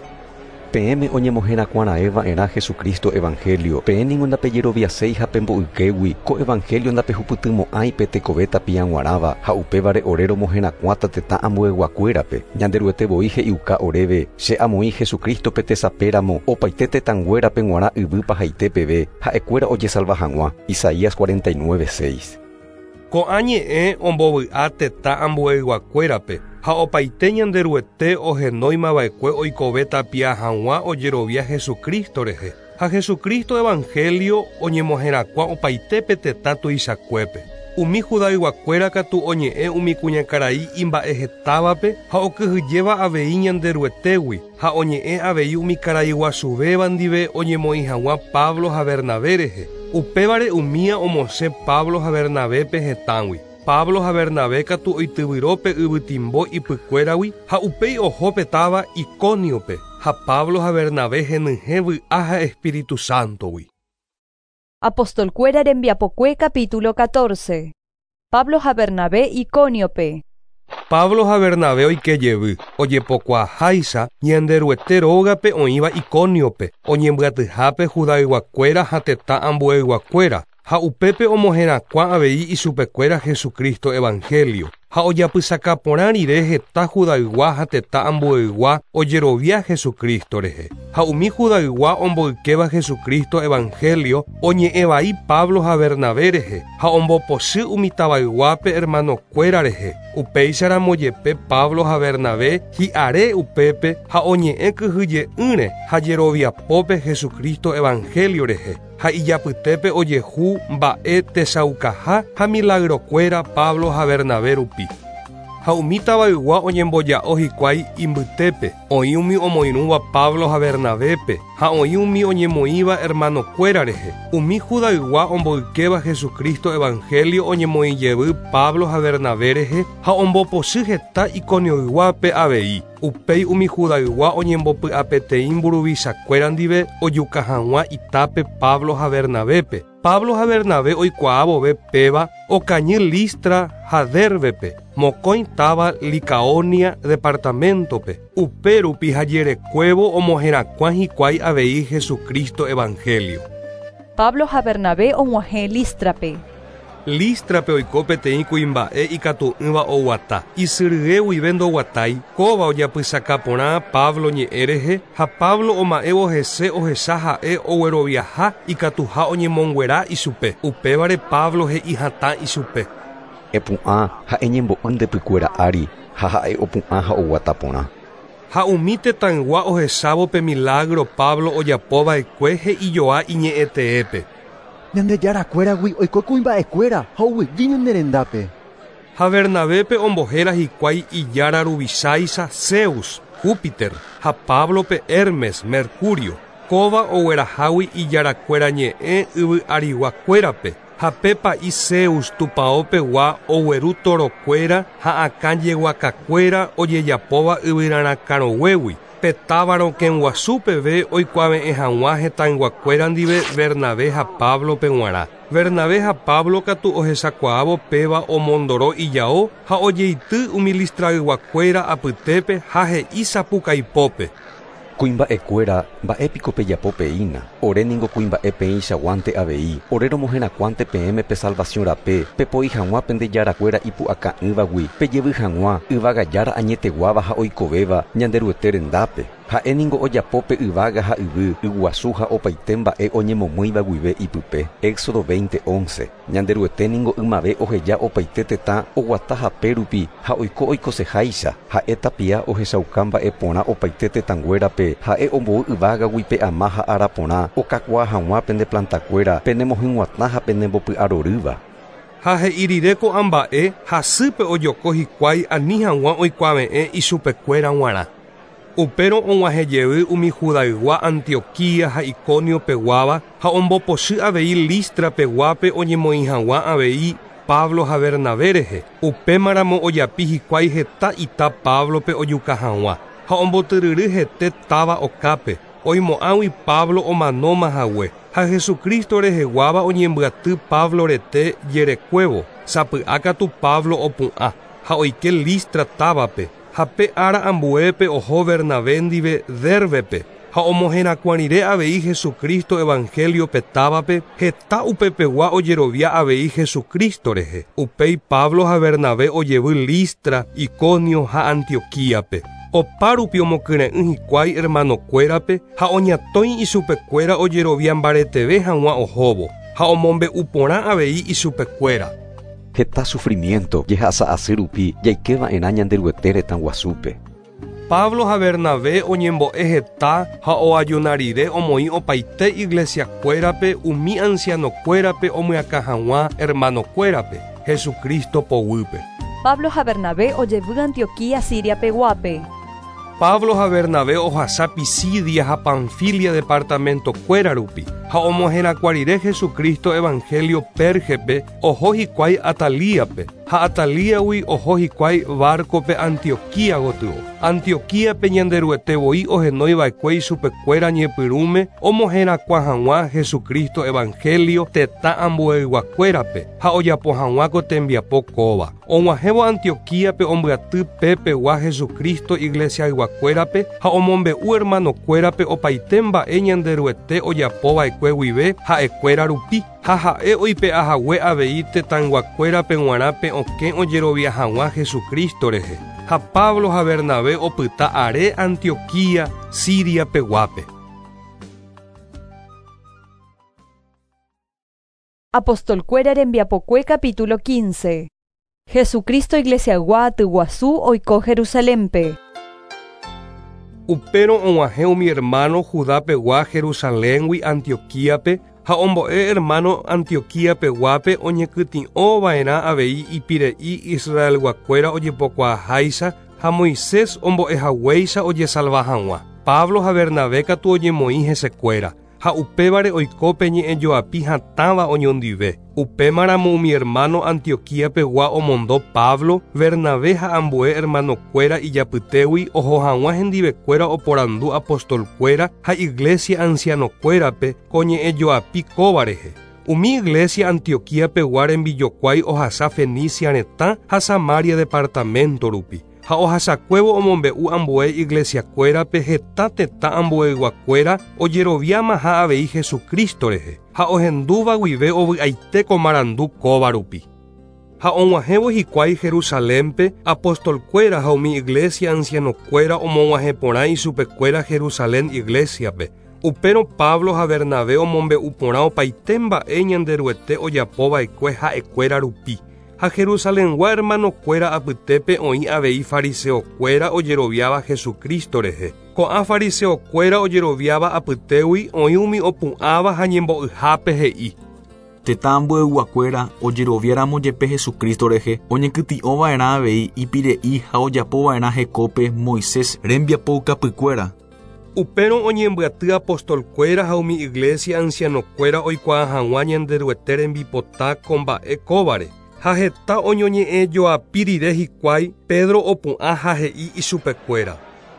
Peẽme oñemoherakuãraẽva'erã Jesucristo evangelio. Peẽ ningo ndapejeroviaséi ha pemboykégui ko evangelio ndapehupytymo'ãi pe tekove tapiag̃uarãva ha upévare ore romoherakuãta tetã ambueyguakuérape. Ñanderuete voi he'iuka oréve che amoĩ Jesucristo pe tesapéramo opaite tetãnguérape g̃uarã yvy pahaite peve ha'ekuéra ojesalva hag̃ua. Isaías cuarenta y nueve seis. Ko'ã ñe'ẽ ombovy'a tetã ambueyguakuérape ha opaite Ñanderuete ohenóimava'ekue oikove tapia hag̃ua ojerovia Jesucristo rehe. Ha Jesucristo evangelio oñemoherakuã opaite pe tetã tuichakuépe. Umi Judayguakuéra katu oñe'ẽ umi kuñakarai imba'ehetávape ha okyhyjéva avei Ñanderuetégui ha oñe'ẽ avei umi karai guasuvéva ndive oñemoĩ hag̃ua Pablo ha Bernabé rehe. Upévare umía omosẽ Pablo ha Bernabépe hetãgui. Pablo ha Bernabé katu oityvyrópe yvytimbo ipykuéragui ha upéi oho táva Icóniope ha Pablo ha Bernabé henyhẽ vy'a ha Espíritu Sántogui. Apostolkuéra rembiapokue capítulo catorce. Pablo ha Bernabé Icóniope. Pablo ha Bernabé oikejevy ojepokuaaháicha Ñanderuete rógape oĩva Icóniope oñembyatyhápe Judayguakuéra ha tetã ambueyguakuéra ha upépe omoherakuã avei isupekuéra Jesucristo evangelio. Ha ojapysaka porã rire heta Judaygua ha tetã ambueygua ojerovia Jesucristo rehe. Ha umi Judaygua omboykéva Jesucristo evangelio oñe'ẽvai Pablo ha Bernabé rehe ha ombopochy umi tavayguápe hermanokuéra rehe. Upéicharamo jepe Pablo ha Bernabé hi'are upépe ha oñe'ẽ kyhyje'ỹre ha jeroviapópe Jesucristo evangelio rehe. Ha ijapytépe ojehu mba'e tesaukaha ha milagrokuéra Pablo ha Bernabé rupi. Ha umi tavaygua oñemboja'o hikuái imbytépe, oĩ umi omoirũva Pablo ha Bernabépe, ha oĩ umi oñemoĩva hermanokuéra rehe. Umi Judaygua omboykéva Jesucristo evangelio oñemoĩ jevy Pablo ha Bernabé rehe ha ombopochy heta Iconioyguápe avei. Upéi umi Judaygua oñembopy'apeteĩ mburuvichakuéra ndive ojuka hag̃ua itápe Pablo ha Bernabépe. Pablo ha Bernabé oikuaa vove péva okañy Listra ha Dérbepe, mokõi táva Licaonia departamentope. Upe rupi ha jerekuévo omoherakuã hikuái avei Jesucristo evangelio. Pablo ha Bernabé og̃uahẽ Lístrape. Lístrape oiko peteĩ kuimba'e ikatu'ỹva oguata. Isyrye guive ndoguatái, kóva ojapysaka porã Pablo ñe'ẽ rehe ha Pablo oma'ẽvo hese ohecha ha'e ogueroviaha ikatuha oñemonguera ichupe. Upévare Pablo he'i hatã ichupe: Epu'ã ha eñembo'y ndepykuéra ári ha ha'e opu'ã ha oguata porã. Ha umi tetãygua ohechávo pe milagro Pablo ojapova'ekue he'ijoa iñe'ẽteépe: Ñandejarakuéragui oiko kuimba'ekuéra ha oguejy ñane rendápe. Ha Bernabépe ombohéra hikuái ijára ruvicháicha Zeus, Júpiter, ha Pablope Hermes, Mercurio. Kóva oguerahágui ijarakuéra ñe'ẽ yvy ariguakuérape. Ha pe pa'i Zeus tupãopegua ogueru torokuéra ha akãjeguakakuéra ojejapóva yvyrarãkarõguégui. Pe táva rokẽguasu peve oikuave'ẽ hag̃ua hetãyguakuéra ndive Bernabé ha Pablope g̃uarã. Bernabé ha Pablo katu ohechakuaávo péva omondoro ijao ha ojeity umi Listrayguakuéra apytépe ha he'i sapukaipópe. Kuimba'ekuéra mba'épiko pejapo peína. Ore ningo kuimba'e peẽichaguánte avei. Ore romoherakuãnte peẽme pe salvación rape, pepoi hag̃ua pende jarakuéra ipu'aka'ỹvagui, pejevy hag̃ua yvagajára añeteguáva ha oikovéva Ñanderuete rendápe. Ha'e ningo ojapo pe yvága ha yvy, yguasu ha opaite mba'e oñemomýiva guive ipype. Éxodo veinte once. Ñanderuete ningo ymave oheja opaite tetã oguata hape rupi ha oiko oikoseháicha. Ha'e tapia ohechauka mba'e porã opaite tetãnguérape. Ha'e ombou yvágagui pe ama ha ára porã okakuaa hag̃ua pende plantakuéra penemohyg̃uatã ha penembopy'arorýva. Ha he'i rire ko'ã mba'e hasýpe ojoko hikuái ani hag̃ua oikuave'ẽ ichupekuéra g̃uarã. Upérõ og̃uahẽjey umi Judaygua Antioquía ha Iconio peguáva ha ombopochy avei Listra peguápe oñemoĩ hag̃ua avei Pablo ha Bernabé rehe. Upémaramo ojapi hikuái heta ita Pablope ojuka hag̃ua ha ombotyryry hete táva okápe oimo'ãgui Pablo omanóma hague. Ha Jesucristo reheguáva oñembyaty Pablo rete jerekuévo. Sapy'a katu Pablo opu'ã ha oike Listra távape. Ha pe ára ambuépe oho Bernabé ndive Dérbepe ha omoherakuã rire avei Jesucristo evangelio pe távape heta upepegua ojerovia avei Jesucristo rehe. Upéi Pablo ha Bernabé ojevy Listra, Iconio ha Antioquíape. Opárupi omokyre'ỹ hikuái hermanokuérape ha oñatõi ichupekuéra ojerovia mbareteve hag̃ua ohóvo ha omombe'u porã avei ichupekuéra. Heta sufrimiento jehasa asy rupi jaikeva'erã Ñanderuete retã guasúpe. Pablo ha Bernabé oñembo'e heta ha oajuna rire omoĩ opaite iglesiakuérape umi ancianokuérape omyakã hag̃ua hermanokuérape Jesucristo poguýpe. Pablo ha Bernabé ojevy Antioquía Siria peguápe. Pablo ha Bernabé ohasa Pisidia ha Panfilia departamentokuéra rupi ha omoherakuã rire Jesucristo evangelio Pérgepe oho hikuái Atalíape ha Atalíagui oho hikuái barcope Antioquía gotyo. Antioquíape Ñanderuete voi ohenoiva'ekue ichupekuéra ñepyrũme omoherakuã hag̃ua Jesucristo evangelio tetã ambueyguakuérape ha ojapo hag̃ua ko tembiapo kóva. Og̃uahẽvo Antioquíape ombyaty pepegua Jesucristo iglesiayguakuérape ha omombe'u hermanokuérape opaite mba'e Ñanderuete ojapova'ekue guive ha'ekuéra rupi. Ha ha'e oipe'ahague avei tetãyguakuérape g̃uarã pe okẽ ojerovia hag̃ua Jesucristo rehe. Ha Pablo ha Bernabé opyta are Antioquía, Siria peguápe. Apostolkuéra rembiapokue capítulo quince. Jesucristo iglesiaygua atyguasu oiko Jerusalénpe. Upérõ og̃uahẽ umi hermano Judapegua Jerusaléngui Antioquíape ha ombo'e hermano Antioquía peguápe oñekytĩ'ova'erã avei ipire'i Israelguakuéra ojepokuaaháicha ha Moisés ombo'ehaguéicha ojesalva hag̃ua. Pablo ha Bernabé katu oñemoĩ hesekuéra ha upévare oiko pe ñe'ẽjoapi hatãva oñondive. Upémaramo umi hermano Antioquía pegua omondo Pablo, Bernabé ha ambue hermanokuéra ijapytégui oho hag̃ua hendivekuéra oporandu apostolkuéra ha iglesia ancianokuérape ko ñe'ẽjoapi kóva rehe. Umi iglesia Antioquía pegua rembijokuái ohasa Fenicia retã ha Samaria departamento rupi. Ha ohasakuévo omombe'u ambue iglesiakuérape heta tetã ambueyguakuéra ojeroviáma ha avei Jesucristo rehe ha ohendúva guive ovy'aite ko marandu kóva rupi. Ha og̃uahẽvo hikuái Jerusalénpe apostolkuéra ha umi iglesia ancianokuéra omog̃uahẽ porã ichupekuéra Jerusalén iglesiape. Upérõ Pablo ha Bernabé omombe'u porã opaite mba'e Ñanderuete ojapova'ekue ha'ekuéra rupi. Ha Jerusalengua hermanokuéra apytépe oĩ avei fariseokuéra ojeroviáva Jesucristo rehe. Ko'ã fariseokuéra ojeroviáva apytégui oĩ umi opu'ãva ha ñembo'yhápe he'i. Tetã ambueyguakuéra ojeroviáramo jepe Jesucristo rehe oñekytĩ'ova'erã avei ipire'i ha ojapova'erã hekópe Moisés rembiapoukapykuéra. Upérõ oñembyaty apostolkuéra ha umi iglesia ancianokuéra oikuaa hag̃ua Ñanderuete rembipota ko mba'e kóvare. Ha heta oñoñe'ẽjoapi rire hikuái Pedro opu'ã ha he'i ichupekuéra.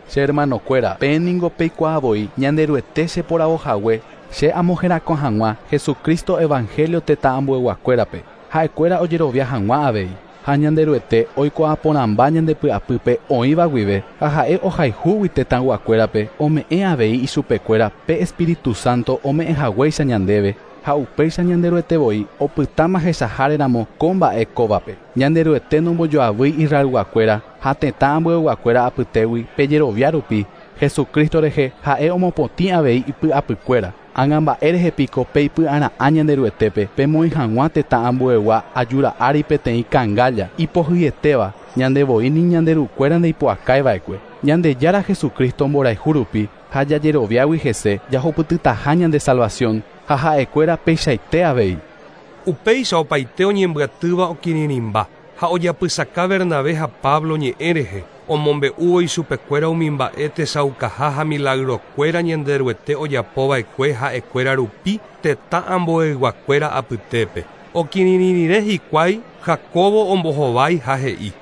Che hermanokuéra, peẽ ningo peikuaavoi Ñanderuete cheporavohague che amoherakuã hag̃ua Jesucristo evangelio tetã ambueguakuérape. Ha'ekuéra ojerovia hag̃ua avei. Ha Ñanderuete oikuaaporãmba ñandepy'apýpe oĩva guive ha ha'e ohayhúgui tetãyguakuérape ome'ẽ avei ichupekuéra pe Espíritu Santo ome'ẽhaguéicha ñandéve ha upéicha Ñanderuete voi opytáma hesaháreramo ko mba'e kóvape. Ñanderuete nombojoavýi Israelguakuéra ha tetã ambueguakuéra apytégui pejerovia rupi Jesucristo rehe ha'e omopotĩ avei ipy'apykuéra. Ág̃a mba'e rehe piko peipy'ara'ã Ñanderuetépe pemoĩ hag̃ua tetã ambuegua ajura'ári peteĩ kangálla ipohýietéva ñandevoi ni ñanderukuéra ndeipu'akaiva'ekue. Ñandejára Jesucristo mborayhu rupi ha jajeroviágui hese jahupytytaha ñande salvación ha ha'ekuéra peichaite avei. Upéicha opaite oñembyatýva okirirĩmba ha ojapysaka Bernabé ha Pablo ñe'ẽ rehe omombe'úvo ichupekuéra umi mba'e tesaukaha ha milagrokuéra Ñanderuete ojapova'ekue ha'ekuéra rupi tetã ambueyguakuéra apytépe. Okirirĩ rire hikuái Jacobo ombohovái ha he'i.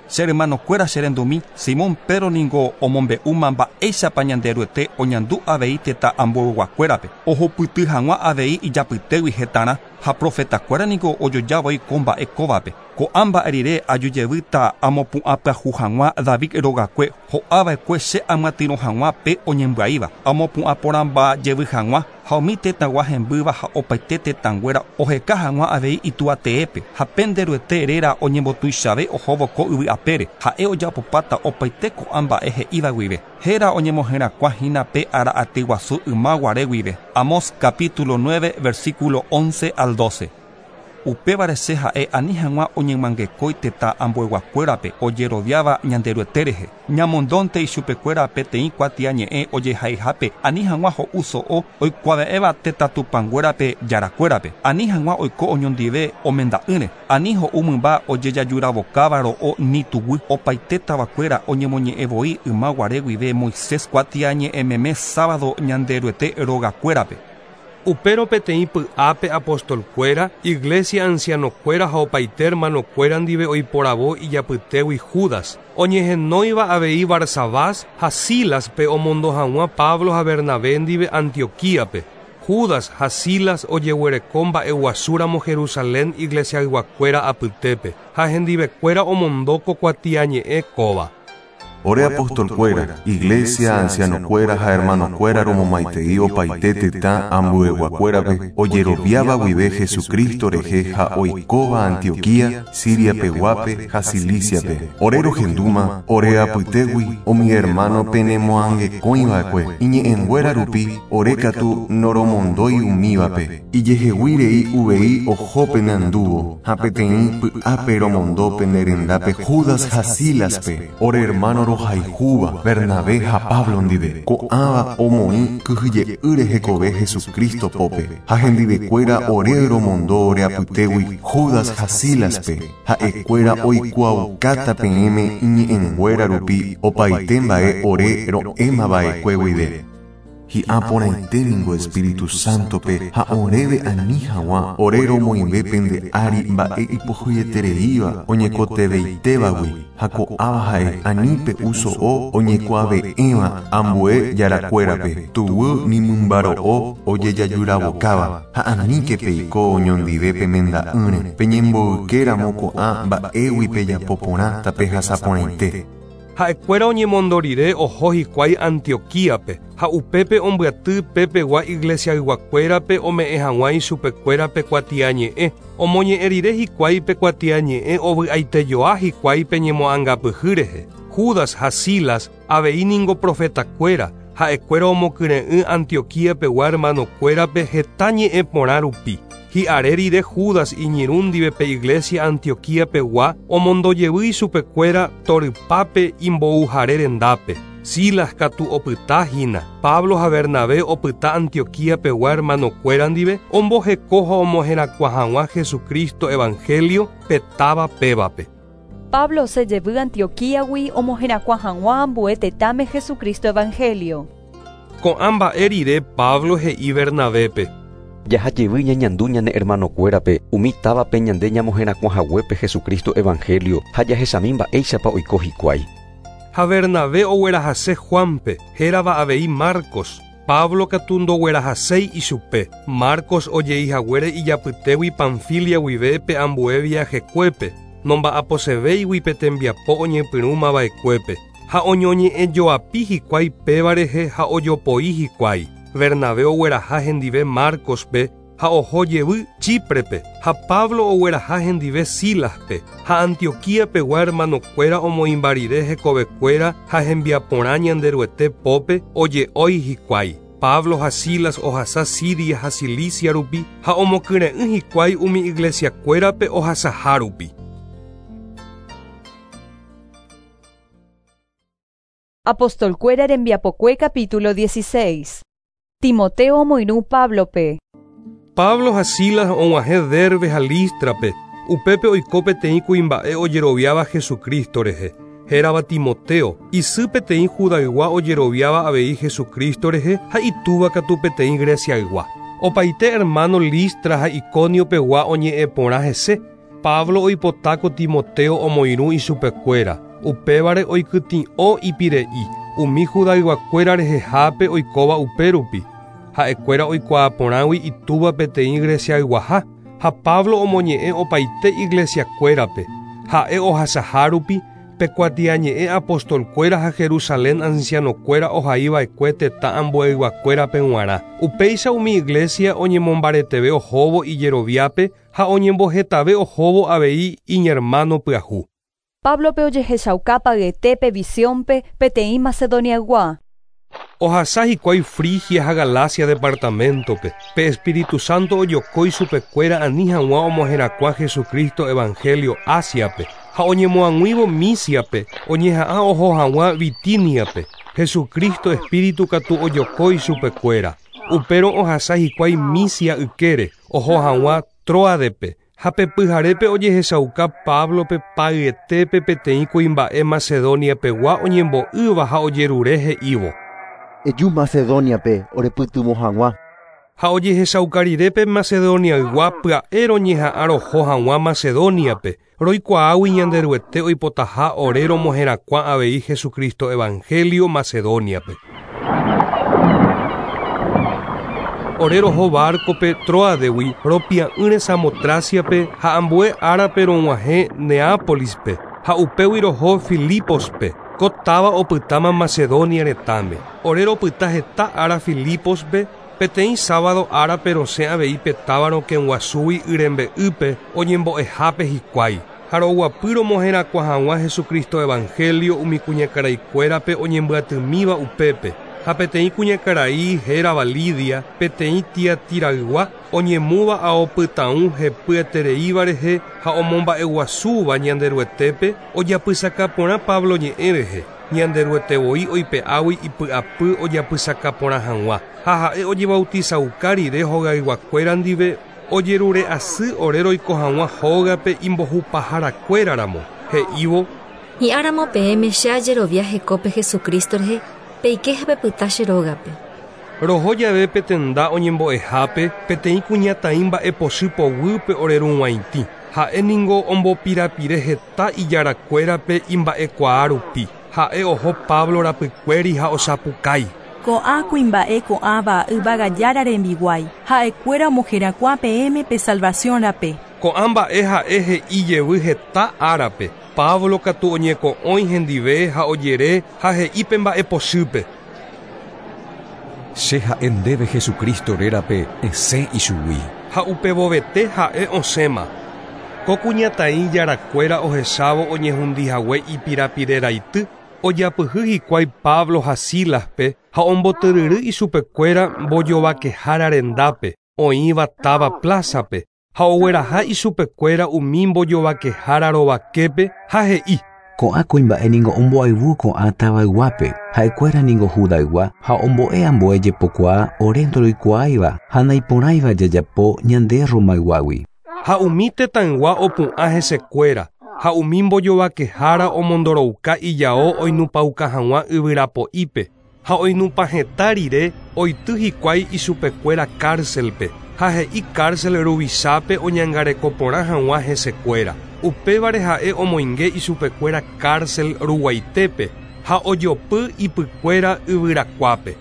Che hermanokuéra che rendumi, Simón Pedro ningo omombe'úma mba'éichapa Ñanderuete oñandu avei tetã ambueyguakuérape ohupyty hag̃ua avei ijapytégui hetarã ha profetakuéra niko ojojavoi ko mba'e kóvape. Ko'ã mba'e rire ajujevýta amopu'ãpyahu hag̃ua David rogakue ho'ava'ekue che amyatyrõ hag̃ua pe oñembyaíva amopu'ãporãmba jevy hag̃ua ha umi tetãgua hembýva ha opaite tetãnguéra oheka hag̃ua avei ituateépe ha Penderuete réra oñembotuichave ohóvo ko yvy apére ha'e ojapopáta opaite ko'ã mba'e he'íva guive. Héra oñemoherakuã hína pe ára aty guasu yma guare guive. Amós capítulo nueve versículo once al doce. Upévare che ha'e ani hag̃ua oñemangekói tetã ambueguakuérape ojeroviáva Ñanderuete rehe. Ñamondónte ichupekuéra peteĩ kuatiañe'ẽ ojehaihápe ani hag̃ua ho'u so'o oikuave'ẽva tetã tupãnguérape jarakuérape. Ani hag̃ua oiko oñondive omenda'ỹre. Ani ho'u mymba ojejajuravokáva ro'o ni tuguy. Opaite tavakuéra oñemoñe'ẽvoi yma guare guive Moisés kuatiañe'ẽmeme sábado Ñanderuete rogakuérape. Upérõ peteĩ py'ápe apostolkuéra, iglesia ancianokuéra ha opaite hermanokuéra ndive oiporavo ijapytégui Judas, oñehenóiva avei Barsabás ha Sílaspe omondo hag̃ua Pablo ha Bernabé ndive Antioquíape. Judas ha Silas ojeguereko mba'eguasúramo Jerusalén iglesiayguakuéra apytépe ha hendivekuéra omondo ko kuatiañe'ẽ kóva. Ore apostolkuéra, iglesia ancianokuéra ha hermanokuéra romomaitei opaite tetã ambueguakuérape ojeroviáva guive Jesucristo rehe ha oikóva Antioquía, Siria peguápe ha Ciliciape. Ore rohendúma, ore apytégui umi hermano penemoangekõiva'ekue iñe'ẽnguéra rupi ore katu noromondói umívape. Ijehegui rei uvei oho peneandúvo ha peteĩ py'ápe romondo penerendápe Judas ha Sílaspe, ore hermano rohayhúva Bernabé ha Pablo ndive. Ko'ãva omoĩ kyhyje'ýre hekove Jesucristo pópe ha hendivekuéra ore romondo ore apytégui Judas ha Sílaspe. Ha'ekuéra oikuaaukáta peẽme iñe'ẽnguéra rupi opaite mba'e ore ro'émava'ekue guive. Hi'ã porãite ningo Espíritu Santope ha oréve ani hag̃ua ore romoĩve pende ári mba'e ipohýietereíva oñekoteveitévagui ha ko'ãva ha'e ani pe'u so'o oñekuave'ẽva ambue jarakuérape tuguy ni mymbaro'o ojejajuravokáva ha aníke peiko oñondive pemenda'ỹre peñemboykéramo ko'ã mba'égui pejapo porã tapehasaporãite. Ha'ekuéra oñemondo rire oho hikuái Antioquíape ha upépe ombyaty pepegua iglesiayguakuérape ome'ẽ hag̃ua ichupekuérape kuatiañe'ẽ. Omoñe'ẽ rire hikuái pe kuatiañe'ẽ ovy'aitejoa hikuái pe ñemo'ãngapyhy rehe. Judas ha Silas avei ningo profetakuéra ha'ekuéra omokyre'ỹ Antioquíapegua hermanokuérape heta ñe'ẽ porã rupi. Hi'are rire Judas iñirũ ndive pe iglesia Antioquíapegua omondojevy ichupekuéra torypápe imbouhare rendápe. Silas katu opyta hína. Pablo ha Bernabé opyta Antioquíapegua hermanokuéra ndive omboheko ha omoherakuã hag̃ua Jesucristo evangelio pe táva pévape. Pablo se jevy Antioquíagui omoherakuã hag̃ua ambue tetãme Jesucristo evangelio. Ko'ã mba'e rire Pablo he'i Bernabepe. Jahajevy ñañandu ñane hermanokuérape umi távape ñande ñamoherakuãhaguépe Jesucristo evangelio ha jahechami mba'éichapa oiko hikuái. Ha Bernabé oguerahase Juanpe, hérava avei Marcos. Pablo katu ndoguerahaséi ichupe. Marcos ojeihaguére ijapytégui Panfilia guive pe ambue viajekuépe, nomba'aposevéigui pe tembiapo oñepyrũmava'ekuépe. Ha oñoñe'ẽjoapi hikuái péva rehe ha ojopoi hikuái. Bernabé ogueraha hendive Marcospe ha oho jevy Chíprepe, ha Pablo ogueraha hendive Silaspe, ha Antioquíapegua hermanokuéra omoĩmba rire hekovekuéra ha hembiaporã Ñanderuete pópe oje'ói hikuái. Pablo ha Silas ohasa Siria ha Cilicia rupi ha omokyre'ỹ hikuái umi iglesiakuérape ohasaha rupi. Apostolkuéra rembiapokue capítulo dieciséis. Timoteo omoirũ Pablope. Pablo ha Silas og̃uahẽ Derbe ha Lístrape, upépe oiko peteĩ kuimba'e ojeroviáva Jesucristo rehe, hérava Timoteo, isy peteĩ Judaygua ojeroviáva avei Jesucristo rehe ha itúva katu peteĩ Greciaygua. Opaite hermano Listra ha Iconiopegua oñe'ẽ porã hese. Pablo oipotáko Timoteo omoirũ ichupekuéra, upévare oikytĩ'o ipire'i, umi Judayguakuéra rehehápe oikóva upérupi. Ha'ekuéra oikuaa porãgui itúva peteĩ Greciayguaha, ha Pablo omoñe'ẽ opaite iglesiakuérape. Ha'e ohasahárupi pe kuatiañe'ẽ apostolkuéra ha Jerusalén ancianokuéra ohaiva'ekue tetã ambueyguakuérape g̃uarã. Upéicha umi iglesia oñemombareteve ohóvo ijeroviápe ha oñembohetave ohóvo avei iñermano pyahu. Pablope ojehechauka payetépe visiónpe peteĩ Macedoniaygua. Ohasa hikuái Frigia ha Galacia departamentope. Pe Espíritu Santo ojokói chupekuéra ani hag̃ua omoherakuã Jesucristo evangelio Asiape. Ha oñemoag̃uívo Misiape, oñeha'ã oho hag̃ua Bitiniape. Jesucristo Espíritu katu ojokói chupekuéra. Upérõ ohasa hikuái Misia ykére, oho hag̃ua Troadepe. Ha pe pyharépe ojehechauka Pablope payetépe peteĩ kuimba'e Macedoniapegua oñembo'ýva ha ojerure he'ívo. Eju Macedoniape orepytyvõ hag̃ua. Ha ojehechauka rire pe Macedoniaygua pya'e roñeha'ã roho hag̃ua Macedoniape, roikuaágui Ñanderuete oipotaha ore romoherakuã avei Jesucristo evangelio Macedoniape. Ore roho barcope Troadegui ropia'ỹre Samotraciape ha ambue árape rog̃uahẽ Neápolispe ha upégui roho Filipospe, ko táva opytáma Macedonia retãme. Ore ropyta heta ára Filipospe, peteĩ sábado árape rosẽ avei pe táva rokẽguasúgui yrembe'ýpe oñembo'ehápe hikuái. Ha roguapy romoherakuã hag̃ua Jesucristo evangelio umi kuñakaraikuérape oñembyatymíva upépe. Ha peteĩ kuñakarai hérava Lidia, peteĩ Tiatiraygua oñemúva aopytãu hepyetereíva rehe ha omomba'eguasúva Ñanderuetépe ojapysaka porã Pablo ñe'ẽ rehe. Ñanderuete voi oipe'águi ipy'apy ojapysaka porã hag̃ua. Ha ha'e ojebautizauka rire hogayguakuéra ndive ojerure asy ore roiko hag̃ua hógape imbohupaharakuéraramo. He'ívo: Hi'áramo peẽme che ajerovia hekópe Jesucristo rehe, peike ha pepyta che rógape. Roho jave pe tenda oñembo'ehápe peteĩ kuñataĩ mba'epochy poguýpe orerug̃uaitĩ. Ha'e ningo ombopirapire heta ijarakuérape imba'ekuaa rupi. Ha'e oho Pablo rapykuéri ha osapukái. Ko'ã kuimba'e ko'ãva yvagajára rembiguái, ha'ekuéra omoherakuã peẽme pe salvación rape. Ko'ã mba'e ha'e he'i jevy heta árape. Pablo katu oñeko'õi hendive ha ojere ha he'i pe mba'epochýpe. Che ha'e ndéve Jesucristo rérape esẽ ichugui. Ha upevovete ha'e osẽma. Ko kuñataĩ jarakuéra ohechávo oñehundihague ipirapireraity, ojapyhy hikuái Pablo ha Silaspe ha ombotyryry ichupekuéra mbojovakehára rendápe, oĩva táva plázape, ha ogueraha ichupekuéra umi mbojovakehára rovaképe ha he'i: Ko'ã kuimba'e ningo omboayvu ko'ã tavayguápe, ha'ekuéra ningo Judaygua ha ombo'e ambue jepokuaa ore ndoroikuaáiva ha naiporãiva jajapo ñande Romayguágui. Ha umi tetãygua opu'ã hesekuéra, ha umi mbojovakehára omondorouka ijao oinupãuka hag̃ua yvyrapo'ípe, Ha oinupãheta rire oity hikuái ichupekuéra cárcelpe ha he'i cárcel ruvichápe oñangareko porã hag̃ua hesekuéra. Upévare ha'e omoinge ichupekuéra cárcel ruguaitépe ha ojopy ipykuéra yvyrakuápe.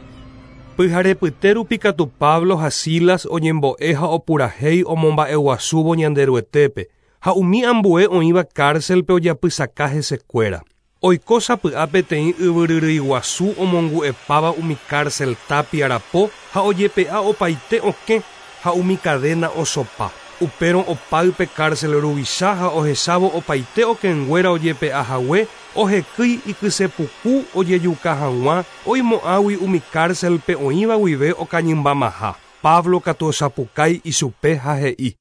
Pyharepyte rupi katu Pablo ha Silas oñembo'e ha opurahéi omomba'eguasúvo Ñanderuetépe ha umi ambue oĩva cárcelpe ojapysaka hesekuéra. Oiko sapy'a peteĩ yvyryrýiguasu omongu'epáva umi cárcel tapiarapo ha ojepe'a opaite okẽ ha umi cadena osopa. Upérõ opáype cárcel ruvicha ha ohechávo opaite okẽnguéra ojepe'a hague ohekýi ikysepuku ojejuka hag̃ua oimo'ãgui umi cárcelpe oĩva guive okañymbamaha. Pablo katu osapukái ichupe ha he'i: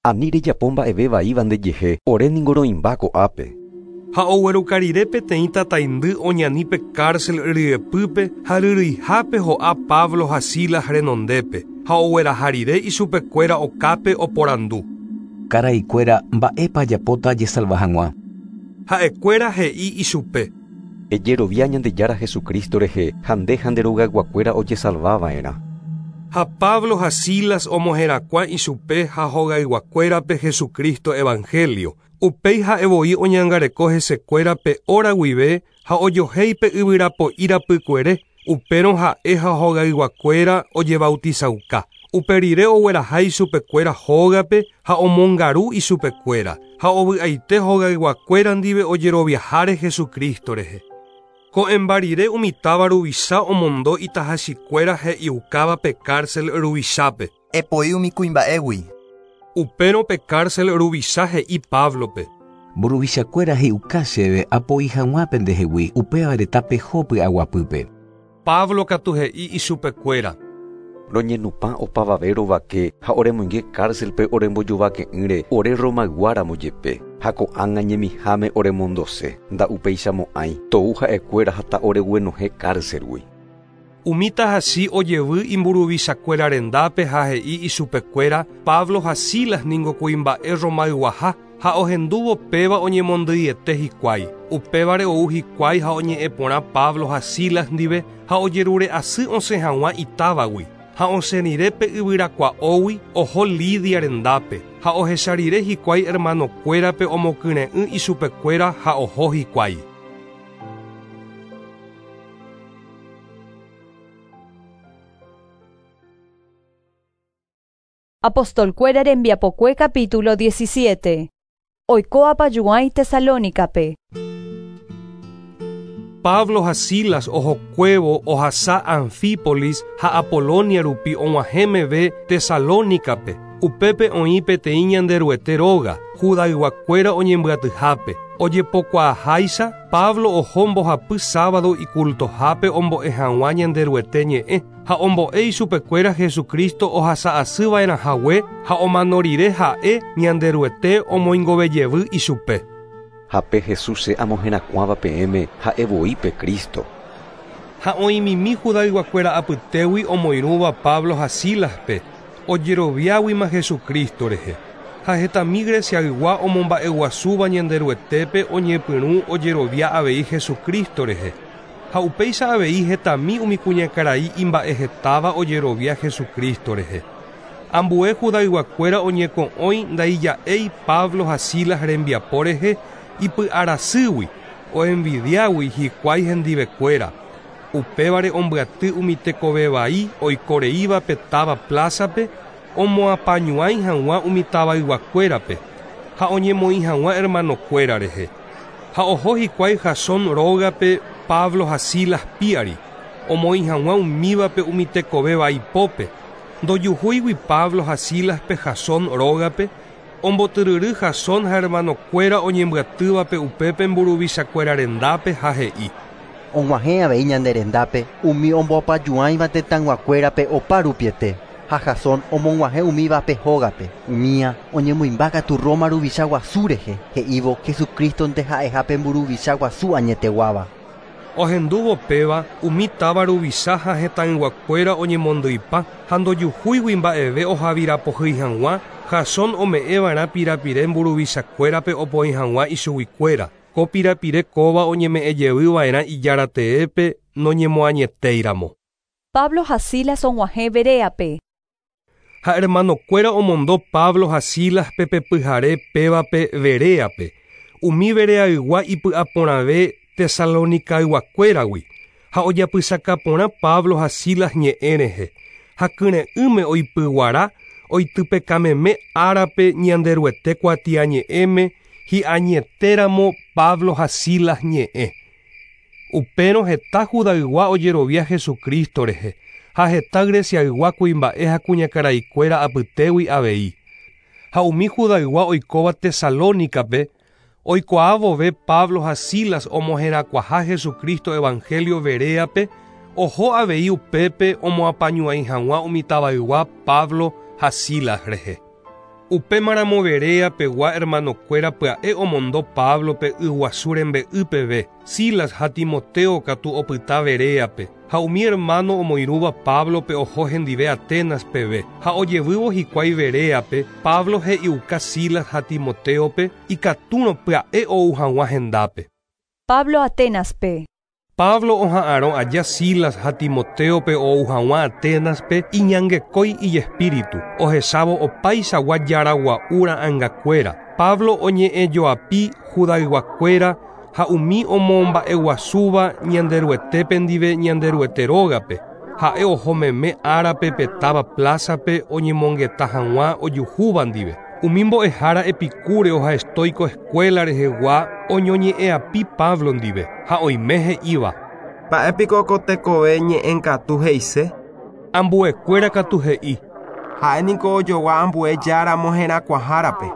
Ani rejapo mba'evévaíva ndejehe, ore ningo roĩmba ko'ápe. Ha ogueruka rire peteĩ tataindy oñani pe cárcel ryepýpe ha ryryihápe ho'a Pablo ha Silas renondépe ha ogueraha rire ichupekuéra okápe oporandu. Karaikuéra mba'épa ajapóta ajesalva hag̃ua. Ha'ekuéra he'i ichupe: Ejerovia Ñandejára Jesucristo rehe ha nde ha nde rogayguakuéra ojesalvava'erã. Ha Pablo ha Silas omoherakuã ichupe ha hogayguakuérape Jesucristo evangelio. Upéi ha'evoi oñangareko hesekuérape hora guive ha ojohéipe yvyrapo'i rapykuere. Upérõ ha'e ha hogayguakuéra ojebautizauka. Upe rire ogueraha ichupekuéra hógape ha omongaru ichupekuéra ha ovy'aite hogayguakuéra ndive ojeroviaháre Jesucristo rehe. Ko'ẽmba rire umi táva ruvicha omondo itahachikuéra he'iukáva pe cárcel ruvichápe. Epoi umi kuimba'égui. Upérõ pe cárcel ruvicha he'i Pablope: Mburuvichakuéra he'iuka chéve apoi hag̃ua pendehegui, upévare tapeho py'aguapýpe. Pablo katu he'i ichupekuéra: Roñenupã opavave rovake ha oremoinge cárcelpe orembojovake'ỹre ore Romayguáramo jepe ha ko'ág̃a ñemiháme oremondose nda'upeichamo'ãi tou ha'ekuéra ha ta'oreguenohẽ cárcelgui. Umi tahachi ojevy imburuvichakuéra rendápe ha he'i ichupekuéra Pablo ha Silas ningo kuimba'e Romayguaha ha ohendúvo péva oñemondýiete hikuái. Upévare ou hikuái ha oñe'ẽ porã Pablo ha Silas ndive ha ojerure asy osẽ hag̃ua itávagui. Ha osẽ rire pe yvyrakua'ógui oho Lidia rendápe ha ohecha rire hikuái hermanokuérape omokyre'ỹ ichupekuéra ha oho hikuái. Apostolkuéra rembiapokue capítulo diecisiete. Oiko apayuãi Tesalónicape. Pablo ha Silas ohokuévo ohasa Anfípolis ha Apolonia rupi og̃uahẽ meve Tesalónicape. Upépe oĩ peteĩ Ñanderuete róga, Judayguakuéra oñembyatyhápe. Ojepokuaaháicha Pablo oho mbohapy sábado icultohápe ombo'e hag̃ua Ñanderuete ñe'ẽ ha ombo'e ichupekuéra Jesucristo ohasa'asyva'erãhague ha omano rire ha'e Ñanderuete omoingovejevy ichupe. Ha pe Jesús che amoherakuãva peẽme ha'evoi pe Cristo. Ha oĩmimi Judayguakuéra apytégui omoirũva Pablo ha Sílaspe ojeroviáguima Jesucristo rehe. Ha hetami Greciaygua omomba'eguasúva Ñanderuetépe oñepyrũ ojerovia avei Jesucristo rehe. Ha upéicha avei hetami umi kuñakarai imba'ehetáva ojerovia Jesucristo rehe. Ambue Judayguakuéra oñeko'õi ndaija'éi Pablo ha Silas rembiapo rehe ipy'arasýgui oenvidiágui hikuái hendivekuéra. Upévare ombyaty umi tekovevai oikoreíva pe táva plázape omoapañuãi hag̃ua umi tavayguakuérape ha oñemoĩ hag̃ua hermanokuéra rehe. Ha oho hikuái Jasón rógape Pablo ha Silas piári omoĩ hag̃ua umívape umi tekovevaipópe. Ndojuhúigui Pablo ha Sílaspe Jasón rógape ombotyryry Jasón ha hermanokuéra oñembyatývape upépe mburuvichakuéra rendápe ha he'i: Og̃uahẽ avei ñande rendápe umi omboapajuãiva tetãyguakuérape opa rupiete ha Jasón omog̃uahẽ umívape hógape. Umía oñemoĩmba katu Roma ruvicha guasu rehe he'ívo Jesucristonte ha'ehápe mburuvicha guasu añeteguáva. Ohendúvo péva umi táva ruvicha ha hetãyguakuéra oñemondýipa ha ndojuhúigui mba'eve ohavirapohýi hag̃ua Jasón ome'ẽva'erã pirapire mburuvichakuérape opoĩ hag̃ua ichuguikuéra. Ko pirapire kóva oñeme'ẽjevyva'erã ijarateépe noñemoañetéiramo. Pablo ha Silas og̃uahẽ Beréape. Ha hermanokuéra omondo Pablo ha Sílaspe pe pyhare pévape Beréape. Umi Bereaygua ipy'aporãve Tesalonicayguakuéragui ha ojapysakaporã Pablo ha Silas ñe'ẽ rehe ha kyre'ỹme oipyguara oitypekameme árape Ñanderuete kuatiañe'ẽme hi'añetéramo Pablo ha Silas ñe'ẽ. Upérõ heta Judaygua ojerovia Jesucristo rehe ha heta Greciaygua kuimba'e ha kuñakaraikuéra apytégui avei. Ha umi Judaygua oikóva Tesalónicape oikuaa vove Pablo ha Silas omoherakuãha Jesucristo evangelio Beréape oho avei upépe omoapañuãi hag̃ua umi tavaygua Pablo ha Silas rehe. Upémaramo Beréapegua hermanokuéra pya'e omondo Pablope yguasu rembe'y peve, Silas ha Timoteo katu opyta Beréape, ha umi hermano omoirũva Pablope oho hendive Atenas peve, ha ojevývo hikuái Beréape, Pablo he'iuka Silas ha Timoteope ikatúrõ pya'e ou hag̃ua hendápe. Pablo Atenaspe. Pablo oha'arõ aja Silas ha Timoteope ou hag̃ua Atenaspe iñangekói ijespíritu, ohechávo opaichagua jaragua'u ra'ãngakuéra. Pablo oñe'ẽjoapi Judayguakuéra ha umi omomba'eguasúva Ñanderuetépe ndive Ñanderuete rógape. Ha'e oho meme árape pe táva plázape oñemongeta hag̃ua ojuhúva ndive. Umi mbo'ehára epicúreo ha estoico escuela rehegua oñoñe'ẽapi Pablo ndive ha oime he'íva. Mba'épiko ko tekove ñe'ẽkatu he'ise? Ambuekuéra katu he'i. Ha'éniko ojogua ambue jára moherakuãhárape.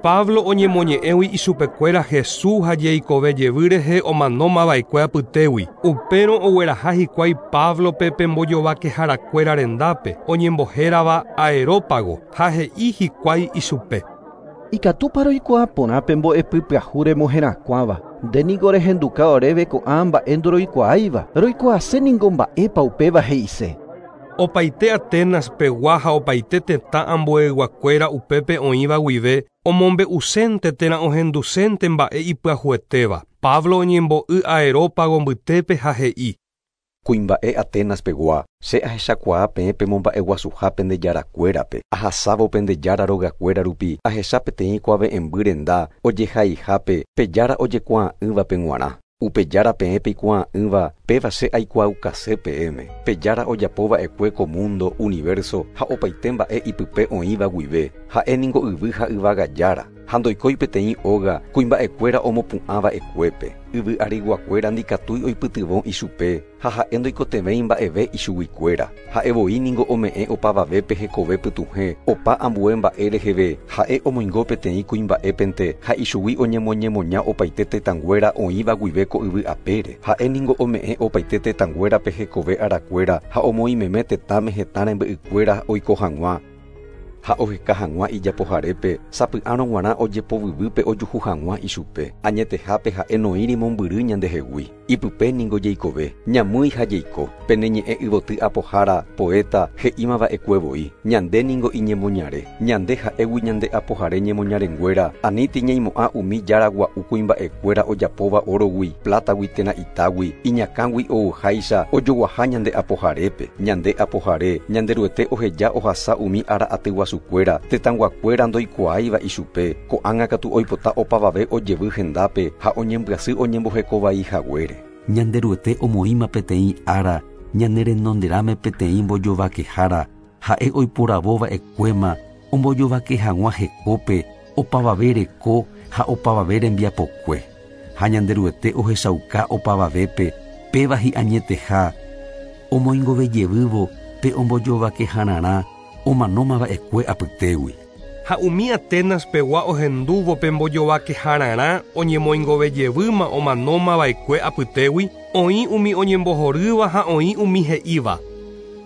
Pablo oñemoñe'ẽgui ichupekuéra Jesús ha jeikove jevy rehe omanómava'ekue apytégui. Upérõ ogueraha hikuái Pablope pe mbojovakeharakuéra rendápe oñembohérava Aerópago ha he'i hikuái ichupe. Ikatúpa roikuaa porã pe mbo'epy pyahu remoherakuãva. Nde niko rehenduka oréve ko'ã mba'e ndoroikuaáiva. Roikuaase niko mba'épa upéva he'ise. Opaite Atenas pegua ha opaite tetã ambueyguakuéra upépe oĩva guive omombe'usénte térã ohendusénte mba'e ipyahuetéva. Pablo oñembo'y Aerópago mbytépe ha he'i. Kuimba'e Atenas pegua, che ahechakuaa peẽ pemomba'eguasuha pende jarakuérape, ahasávo pende jára rogakuéra rupi, ahecha peteĩ kuave'ẽmby renda ojehaihápe pe jára ojekuaa'ỹvape g̃uarã. Upe jára peẽ peikuaa'ỹva péva che aikuaukase peẽme. Pe jára ojapova'ekue ko mundo, universo ha opaite mba'e ipype oĩva guive, ha'e niko yvy ha yvága jára. Ha ndoikói peteĩ óga kuimba'ekuéra omopu'ãva'ekuépe. Yvy ariguakuéra ndikatúi oipytyvõ ichupe ha ha'e ndoikotevẽi mba'eve ichuguikuéra. Ha'e voi niko ome'ẽ opavavépe hekove pytuhẽ opa ambue mba'e reheve ha'e omoingo peteĩ kuimba'épente ha ichugui oñemoñemoña opaite tetãnguéra oĩva guive ko yvy apére. Ha'e niko ome'ẽ opaite tetãnguérape hekove arakuéra ha omoĩmeme tetãme hetã rembe'ykuéra oiko hag̃ua ha oheka hag̃ua ijapoharépe sapy'árõ g̃uarã ojepovyvýpe ojuhu hag̃ua ichupe. Añetehápe ha'e noĩri mombyry ñandehegui. Ipype niko jeikove, ñamýi ha jeiko. Pene ñe'ẽ yvoty apohára, poeta, he'ímava'ekue voi. Ñande niko iñemoñare. Ñande ha'égui ñande apohare ñemoñarenguéra. Aníti ñaimo'ã umi jára gua'u kuimba'ekuéra ojapóva orogui, plátagui térã itágui, iñakãgui ouháicha ojoguaha ñande apoharépe. Ñande apohare, Ñanderuete oheja ohasa umi ára aty guasukuéra, tetãnguakuéra ndoikuaáiva ichupe. Ko'ág̃a katu oipota opavave ojevy hendápe ha oñembyasy oñembohekovai haguére. Ñanderuete omoĩma peteĩ ára ñane renonderãme peteĩ mbojovakehára ha'e oiporavóva'ekuéma ombojovake hag̃ua hekópe opavave reko ha opavave rembiapokue. Ha Ñanderuete ohechauka opavavépe péva hi'añeteha omoingovejevývo pe ombojovakehararã omanómava'ekue apytégui. Ha umi Atenas pegua ohendúvo pe mbojovakehararã oñemoingovejevýma omanómava'ekue apytégui, oĩ umi oñembohorýva ha oĩ umi he'íva.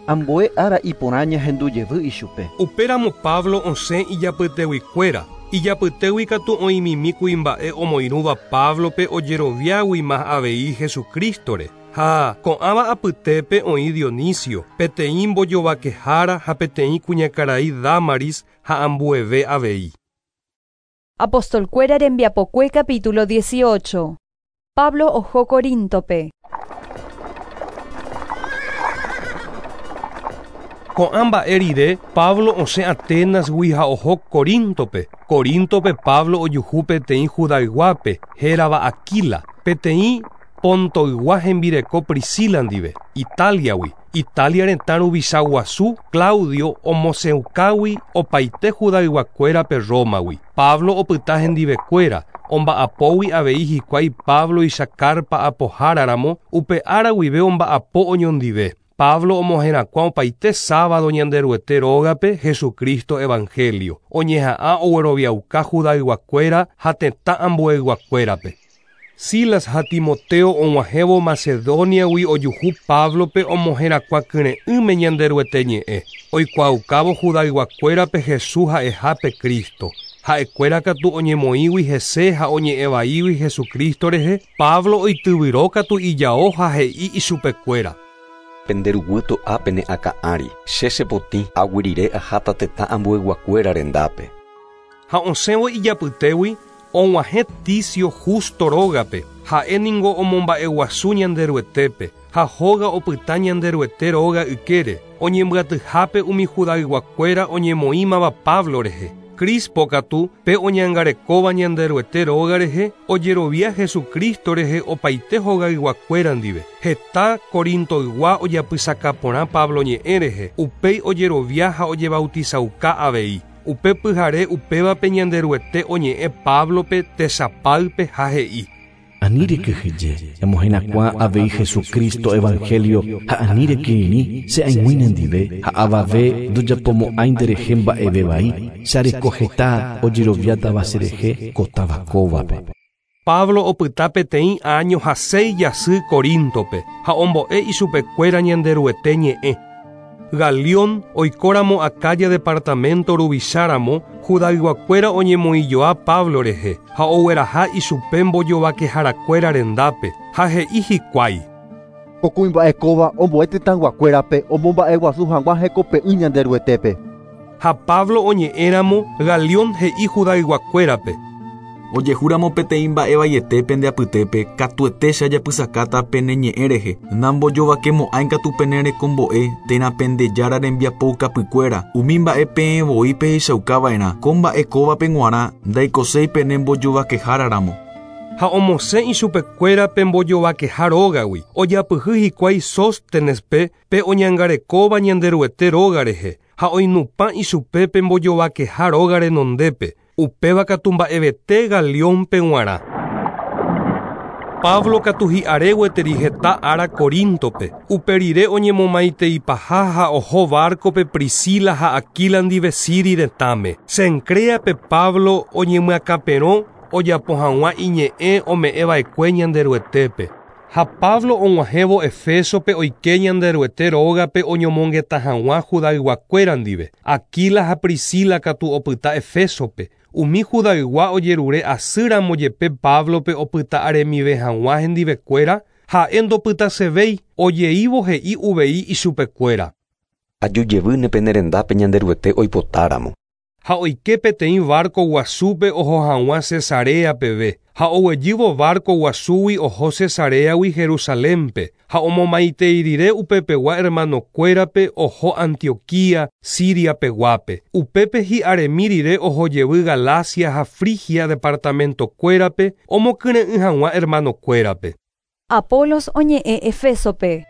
Ambue ára iporã ñahendujevy ichupe. Upéramo Pablo osẽ ijapyteguikuéra. Ijapytégui katu oĩmimi kuimba'e omoirũva Pablope ojeroviáguima avei Jesucristore. Ha ko'ãva apytépe oĩ Dionisio, peteĩ mbojovakehára ha peteĩ kuñakarai Damaris ha ambueve avei. Apostolkuéra rembiapokue capítulo dieciocho. Pablo oho Corintope. Ko'ã mba'e rire Pablo osẽ Atenasgui ha oho Corintope. Corintope Pablo ojuhu peteĩ Judayguápe hérava Aquila, peteĩ Pontoygua hembireko Priscila ndive, Italiagui. Italia retã ruvicha guasu Claudio omosẽukágui opaite Judayguakuérape Romagui. Pablo opyta hendivekuéra, omba'apógui avei hikuái Pabloicha carpa apoháraramo upe ára guive omba'apo oñondive. Pablo omoherakuã opaite sábado Ñanderuete rógape Jesucristo evangelio. Oñeha'ã ogueroviauka Judayguakuéra ha tetã ambueyguakuérape. Silas ha Timoteo og̃uahẽvo Macedoniagui ojuhu Pablope omoherakuã kyre'ỹme Ñanderuete ñe'ẽ. Oikuaaukávo Judayguakuérape Jesús ha'ehápe Cristo. Ha'ekuéra katu oñemoĩgui hese ha oñe'ẽvaígui Jesucristo rehe, Pablo oityvyrókatu ijao ha he'i ichupekuéra. Penderuguy to'ápe ne akã'ári, che chepotĩ aguyrire aháta tetã ambueyguakuéra rendápe. Ha osẽvo ijapytégui og̃uahẽ Ticio Justo rógape, ha'e ningo omomba'eguasu Ñanderuetépe ha hóga opyta Ñanderuete róga ykére, oñembyatyhápe umi Judayguakuéra oñemoĩmava Pablo rehe. Crispo katu pe oñangarekóva Ñanderuete róga rehe, ojerovia Jesucristo rehe opaite hogayguakuéra ndive. Heta Corintoygua ojapysaka porã Pablo ñe'ẽ rehe, upéi ojerovia ha ojebautizauka avei. Upe pyhare upévape Ñanderuete oñe'ẽ Pablope tesapáype ha he'i. Ani rekyhyje, emoherakuã avei Jesucristo evangelio ha ani rekirirĩ che aig̃ui nendive ha avave ndojapomo'ãi nderehe mba'evevai che areko heta ojeroviátava cherehe ko táva kóvape. Pablo opyta peteĩ año ha seis jasy Corintope ha ombo'e ichupekuéra Ñanderuete ñe'ẽ. Galión oikóramo Acaya departamento ruvicháramo, Judayguakuéra oñemoĩjoa Pablo rehe ha ogueraha ichupe mbojovakeharakuéra rendápe ha he'i hikuái. Ko kuimba'e kóva ombo'e tetãyguakuérape omomba'eguasu hag̃ua hekope'ỹ Ñanderuetépe. Ha Pablo oñe'ẽramo, Galión he'i Judayguakuérape. Ojehúramo peteĩ mba'evaiete pende apytépe katuete che ajapysakáta pene ñe'ẽ rehe, nambojovakemo'ãi katu pene rekombo'e térã pende jára rembiapoukapykuéra, umi mba'e peẽ voi pehechaukava'erã, ko mba'e kóvape g̃uarã ndaikoséi pene mbojovakeháraramo. Ha omosẽ ichupekuérape mbojovakeha rógagui, ojapyhy hikuái Sóstenespe pe oñangarekóva Ñanderuete róga rehe, ha oinupã ichupe pe mbojovakeha róga renondépe. Upéva katu mba'evete Galiónpe g̃uarã. Pablo katu hi'are gueteri heta ára Corintope. Upe rire oñemomaiteipaha ha oho barcope Priscila ha Aquila ndive Siria retãme. Cencréape Pablo oñemyakãperõ ojapo hag̃ua iñe'ẽ ome'ẽva'ekue Ñanderuetépe. Ha Pablo og̃uahẽvo Efesope oike Ñanderuete rógape oñomongeta hag̃ua Judayguakuéra ndive. Aquila ha Priscila katu opyta Efesope. Umi Judaygua ojerure asýramo jepe Pablope opyta aremive hag̃ua hendivekuéra, ha'e ndopytasevéi, ojeívo he'i uvei ichupekuéra. Ajujevýne pene rendápe Ñanderuete oipotáramo. Ha oike peteĩ barco guasúpe oho hag̃ua Cesarea peve, ha oguejývo barco guasúgui oho Cesareagui Jerusalénpe, ha omomaitei rire upepegua hermanokuérape oho Antioquía, Siria peguápe. Upépe hi'aremi rire ohojevy Galacia ha Frigia departamentokuérape omokyre'ỹ hag̃ua hermanokuérape. Apolos oñe'ẽ Efesope.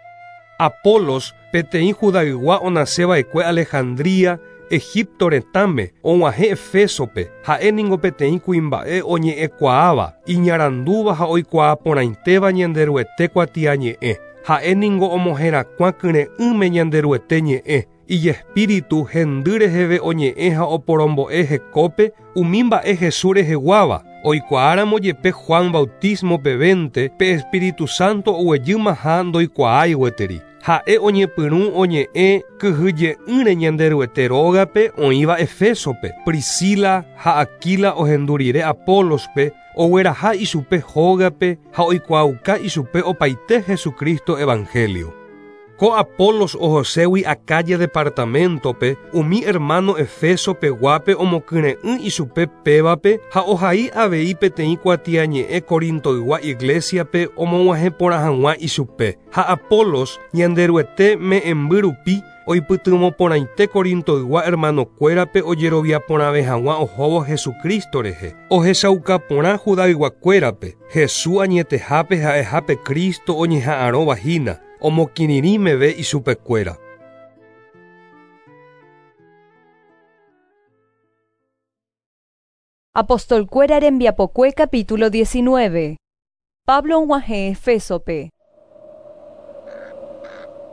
Apolos peteĩ Judaygua onaseva'ekue Alejandría, Egipto retãme, og̃uahẽ Efesope, ha'e ningo peteĩ kuimba'e oñe'ẽkuaáva, iñarandúva ha oikuaa porãitéva Ñanderuete kuatiañe'ẽ. Ha'e ningo omoherakuã kyre'ỹme Ñanderuete ñe'ẽ, ijespíritu hendy reheve oñe'ẽ ha oporombo'e hekópe umi mba'e Jesús reheguáva. Oikuaáramo jepe Juan bautismo pevénte, pe Espíritu Santo oguejýmaha ndoikuaái gueteri. Ha'e oñepyrũ oñe'ẽ kyhyje'ỹre Ñanderuete rógape oĩva Efesope. Priscila ha Aquila ohendu rire Apolospe, ogueraha ichupe hógape ha oikuaauka ichupe opaite Jesucristo evangelio. Ko Apolos ohoségui Acaya departamentope, umi hermano Efesope guápe omokyre'ỹ ichupe pévape ha ohai avei peteĩ kuatiañe'ẽ Corintoygua iglesiape omog̃uahẽ porã hag̃ua ichupe. Ha Apolos Ñanderuete me'ẽmby rupi oipytyvõ porãite Corintoygua hermanokuérape ojerovia porãve hag̃ua ohóvo Jesucristo rehe. Ohechauka porã Judayguakuérape, Jesús añetehápe ha'ehápe Cristo oñeha'ãrõva hína, omokirirĩmeve ichupekuéra. Apostolkuéra rembiapokue capítulo diecinueve. Pablo og̃uahẽ Efesope.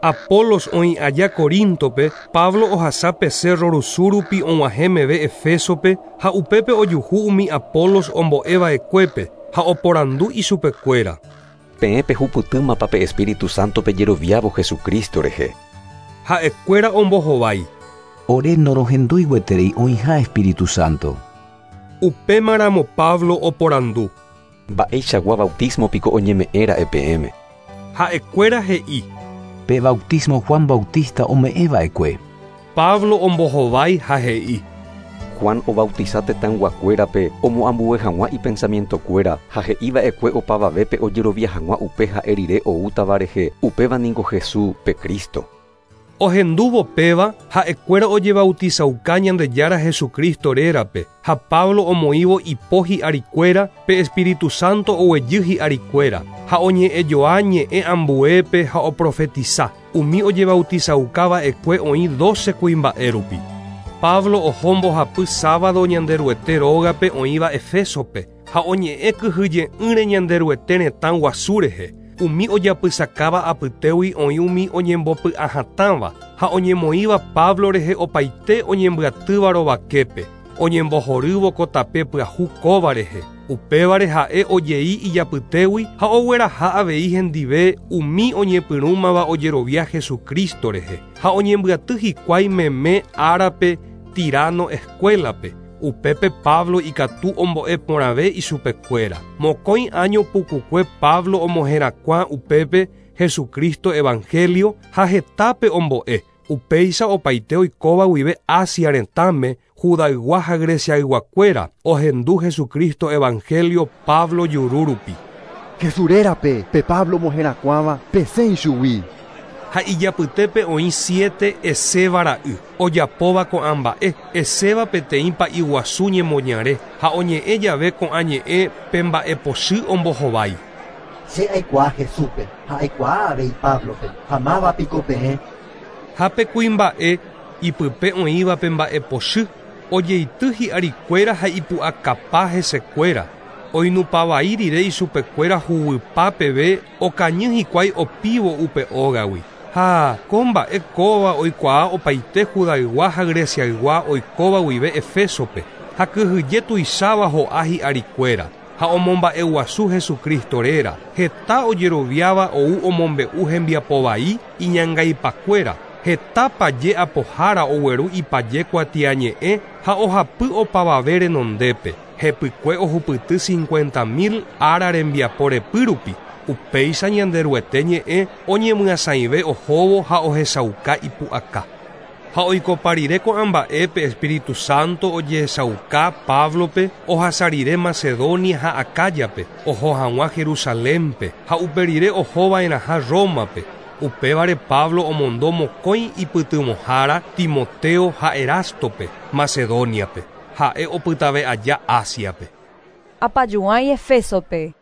Apolos oĩ aja Corintope, Pablo ohasa pe cerro rusu rupi og̃uahẽ meve Efesope ha upépe ojuhu umi Apolos ombo'eva'ekuépe ha oporandu ichupekuéra. Peẽ pehupytýmapa pe Espíritu Santo pejeroviávo Jesucristo rehe. Ha'ekuéra ombohovái. Ore norohendúi gueteri oĩha Espíritu Santo. Upémaramo Pablo oporandu. Mba'eichagua bautismo piko oñeme'ẽra'e peẽme. Ha'ekuéra he'i. Pe bautismo Juan Bautista ome'ẽva'ekue. Pablo ombohovái ha he'i. Juan obautiza tetãyguakuérape omoambue hag̃ua ipensamientokuéra ha he'iva'ekue opavavépe ojerovia hag̃ua upe ha'e rire oútava rehe, upéva ningo Jesús pe Cristo. Ohendúvo péva ha'ekuéra ojebautizauka Ñandejára Jesucristo rérape ha Pablo omoĩvo ipo hi'arikuéra pe Espíritu Santo oguejy hi'arikuéra ha oñe'ẽjoa ñe'ẽ ambuépe ha oprofetiza umi ojebautizaukava'ekue oĩ doce kuimba'e rupi. Pablo oho mbohapy sábado Ñanderuete rógape oĩva Efesope ha oñe'ẽ kyhyje'ỹre Ñanderuete retã guasu rehe. Umi ojapysakáva apytégui oĩ umi oñembopy'ahatãva ha oñemoĩva Pablo rehe opaite oñembyatýva rovaképe, oñembohorývo ko tape pyahu kóva rehe. Upévare ha'e ojei ijapytégui ha ogueraha avei hendive umi oñepyrũmava ojerovia Jesucristo rehe ha oñembyaty hikuái meme árape Tirano escuelape. Upépe Pablo ikatu ombo'e porãve ichupekuéra. Mokõi año pukukue Pablo omoherakuã upépe Jesucristo evangelio ha hetápe ombo'e. Upéicha opaite oikóva guive Asia retãme, Judaygua ha Greciayguakuéra ohendu Jesucristo evangelio Pablo juru rupi. Jesús rérape pe Pablo omoherakuãva pesẽ ichugui. Ha ijapytépe oĩ siete Eseva ra'y ojapóva ko'ã mba'e, Eseva peteĩ pa'i guasu ñemoñare ha oñe'ẽ jave ko'ã ñe'ẽ pe mba'epochy ombohovái. Che aikuaa Jesúspe ha aikuaa avei Pablope ha máva piko peẽ. Ha pe kuimba'e ipype oĩva pe mba'epochy ojeity hi'arikuéra ha ipu'akapa hesekuéra. Oinupavai rire ichupekuéra huguypa peve okañy hikuái opívo upe ógagui. Ha ko mba'e kóva oikuaa opaite Judaygua ha Greciaygua oikóva guive Efesope ha kyhyje tuicháva ho'a hi'arikuéra ha omomba'eguasu Jesucristo réra. Heta ojeroviáva ou omombe'u hembiapovai iñangaipakuéra. Heta paje apohára ogueru ipaje kuatiañe'ẽ ha ohapy opavave renondépe. Hepykue ohupyty cincuenta mil ára rembiapo repy rupi. Upéicha Ñanderuete ñe'ẽ oñemyasãive ohóvo ha ohechauka ipu'aka. Ha oikopa rire ko'ã mba'e pe Espíritu Santo ojehechauka Pablope ohasa rire Macedonia ha Acayape oho hag̃ua Jerusalénpe ha upe rire ohova'erãha Rómape. Upévare Pablo omondo mokõi ipytyvõhára Timoteo ha Erastope Macedoniape ha'e opytave aja Asiape. Apañuãi Efesope.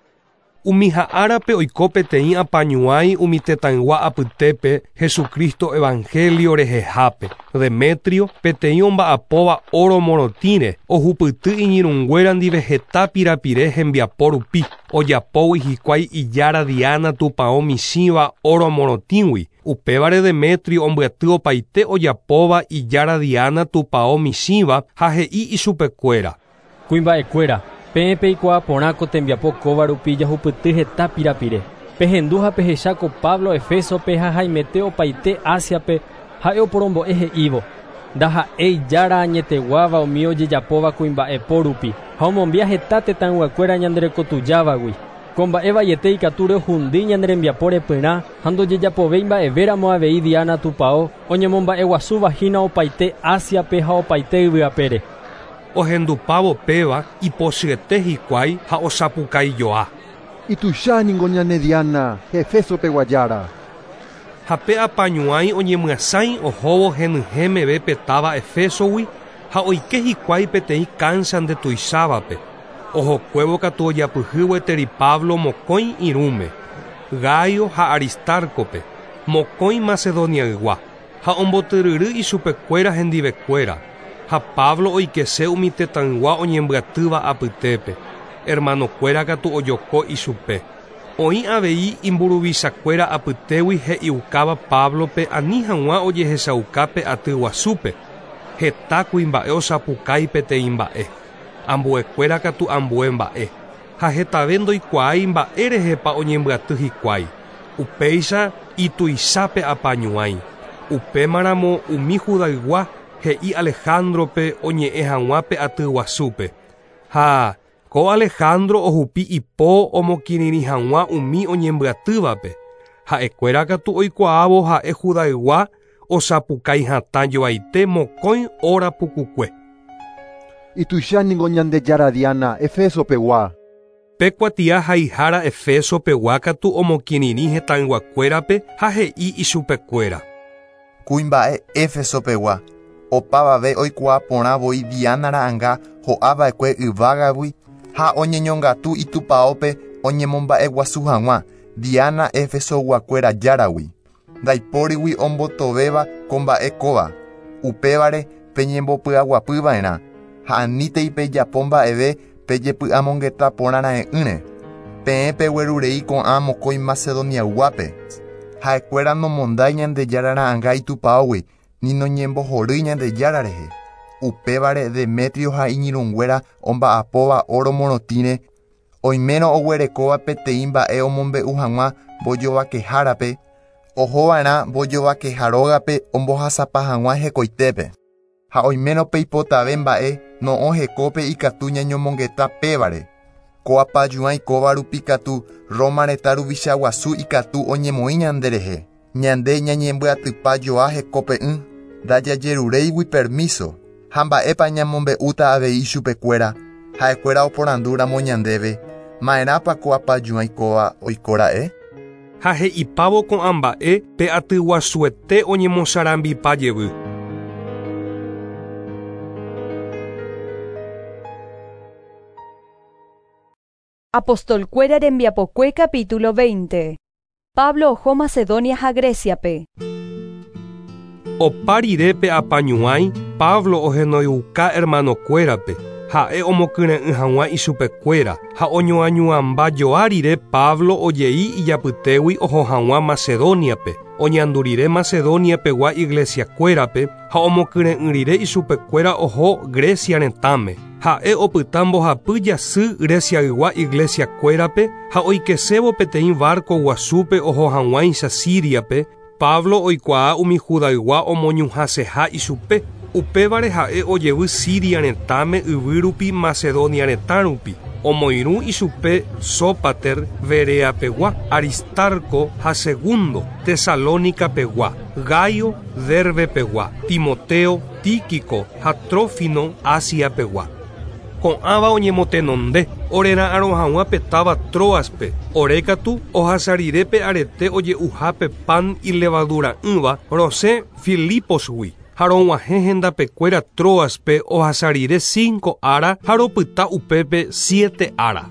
Umi ha'árape oiko peteĩ apañuãi umi tetãygua apytépe Jesucristo evangelio rehehápe. Demetrio peteĩ omba'apóva oro morotĩre ohupyty iñirũnguéra ndive heta pirapire hembiapo rupi ojapógui hikuái ijára Diana tupão michĩva oro morotĩgui. Upévare Demetrio ombyaty opaite ojapóva ijára Diana tupão michĩva ha he'i ichupekuéra. Kuimba'ekuéra, peẽ peikuaa porã ko tembiapo kóva rupi jahupyty heta pirapire. Pehendu ha pehecha ko Pablo Efesope ha haimete opaite Asiape ha'e oporombo'e he'ívo. Ndaha'éi ijára añeteguáva umi ojejapóva kuimba'epo rupi ha omombia heta tetãyguakuéra ñanderekotujávagui. Ko mba'e vaiete ikatu rehundi ñane rembiapo repyrã ha ndojejapovéi mba'evéramo avei Diana tupão oñemomba'eguasúva hína opaite Asiape ha opaite yvyapére. Ohendupávo péva ipochyete hikuái ha osapukaijoa. Ituicha ningo ñane Diana, Efesope guajára. Ha pe apañuãi oñemyasãi ohóvo henyhẽmeve pe táva Efesogui ha oike hikuái peteĩ káncha ndetuichávape. Ohokuévo katu ojapyhy gueteri Pablo mokõi irũme, Gaio ha Aristarcope, mokõi Macedoniaygua, ha ombotyryry ichupekuéra hendivekuéra, ha Pablo oikese umi tetãygua oñembyatýva apytépe, hermanokuéra katu ojoko ichupe. Oĩ avei imburuvichakuéra apytégui he'iukáva Pablope ani hag̃ua ojehechaukápe aty guasúpe, heta kuimba'e osapukái peteĩ mba'e, ambuekuéra katu ambue mba'e, ha hetave ndoikuaái mba'érehepa oñembyaty hikuái, upéicha ituichápe apañuãi. Upémaramo umi Judaygua he'i Alejandrope oñe'ẽ hag̃ua pe aty guasúpe. Ha ko Alejandro ohupi ipo omokirirĩ hag̃ua umi oñembyatývape. Ha'ekuéra katu oikuaávo ha'e Judaygua osapukái hatã joaite mokõi óra pukukue. Ituicha ningo Ñandejára Diana Efesopegua. Pe kuatia haihára Efesopegua katu omokirirĩ hetãyguakuérape ha he'i ichupekuéra. Kuimba'e Efesopegua, opavave oikuaa porã voi Diana ra'ãnga ho'ava'ekue yvágagui ha oñeñongatu itupãópe oñemomba'eguasu hag̃ua Diana Efesoguakuéra járagui. Ndaipórigui ombotovéva ko mba'e kóva, upévare peñembopy'aguapyva'erã ha anítei pejapo mba'eve pejepy'amongeta porãra'e'ỹre. Peẽ peguerurei ko'ã mokõi Macedoniayguápe. Ha'ekuéra nomondái Ñandejára ra'ãnga itupãógui ni noñembohorýi Ñandejára rehe. Upévare Demetrio ha iñirũnguéra omba'apóva oro morotĩre, oimérõ oguerekóva peteĩ mba'e omombe'u hag̃ua mbojovakehárape, ohova'erã mbojovakeharógape ombohasapa hag̃ua hekoitépe. Ha oimérõ peipotave mba'e no'õ hekópe ikatu ñañomongeta pévare. Ko apañuãi kóva rupi katu Roma retã ruvicha guasu ikatu oñemoĩ ñanderehe. Ñande ñañembyatypa joa hekope'ỹ, ndajajeruréigui permiso. Ha mba'épa ñamombe'úta avei ichupekuéra, ha'ekuéra oporandúramo ñandéve, ma'erãpa ko apañuãi kóva oikóra'e? Ha he'ipávo ko'ã mba'e pe aty guasuete oñemosarambipa jevy. Apostolkuéra rembiapokue capítulo veinte. Pablo oho Macedonia ha Greciape. Opa rire pe apañuãi, Pablo ohenoiuka hermanokuérape, ha'e omokyre'ỹ hag̃ua ichupekuéra, ha oñoañuãmba joa rire Pablo ojei ijapytégui oho hag̃ua Macedoniape, oñandu rire Macedoniapegua iglesiakuérape ha omokyre'ỹ rire ichupekuéra oho Grecia retãme. Ha'e opyta mbohapy jasy Greciaygua iglesiakuérape ha oikesévo peteĩ barco guasúpe oho hag̃uáicha Siriape, Pablo oikuaa umi Judaygua omoñuhãseha ichupe. Upévare ha'e ojevy Siria retãme yvy rupi Macedonia retã rupi. Omoirũ ichupe Sópater Bereapegua, Aristarco ha Segundo Tesalonicapegua, Gaio Derbepegua, Timoteo, Tíquico ha Trófino Asiapegua. Ko'ãva oñemotenonde orera'ãrõ hag̃ua pe táva Troaspe, orékatu ohasa rire pe arete oje'uhápe pan ilevadura'ỹva rosẽ Filiposgui. Ha rog̃uahẽ hendapekuéra Troaspe ohasa rire cinco ára ha ropyta upépe siete ára.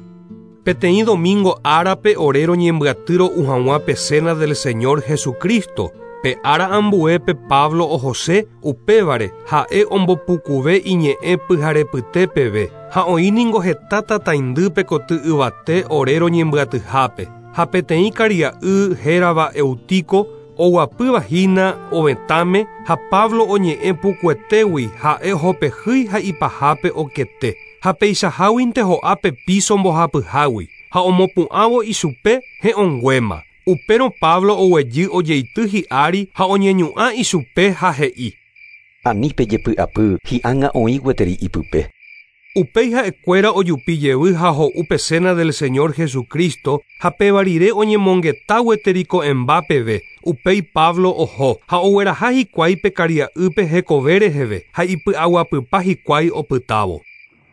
Peteĩ domingo árape ore roñembyaty ro'u hag̃ua pe cena del Señor Jesucristo. Pe ára ambuépe Pablo ohose upévare ha'e ombopukuve iñe'ẽ pyharepyte peve ha oĩ ningo heta tataindýpe koty yvate ore roñembyatyhápe. Ha peteĩ karia'y hérava Eutico oguapýva hína ovetãme ha Pablo oñe'ẽ pukuetégui ha'e ohopehýi ha ipahápe okete. Ha peichaháguinte ho'a pe piso mbohapyhágui ha omopu'ãvo ichupe he'õnguéma. Upérõ Pablo oguejy ojeity hi'ári ha oñeñu'ã ichupe ha he'i. Ani pejepy'apy hi'ág̃a oĩ gueteri ipype. Upéi ha'ekuéra ojupi jevy ha ho'u pe cena del Señor Jesucristo ha péva rire oñemongeta gueteri ko'ẽmba peve. Upéi Pablo oho ha ogueraha hikuái pe karia'ýpe hekove reheve ha ipy'aguapypa hikuái opytávo.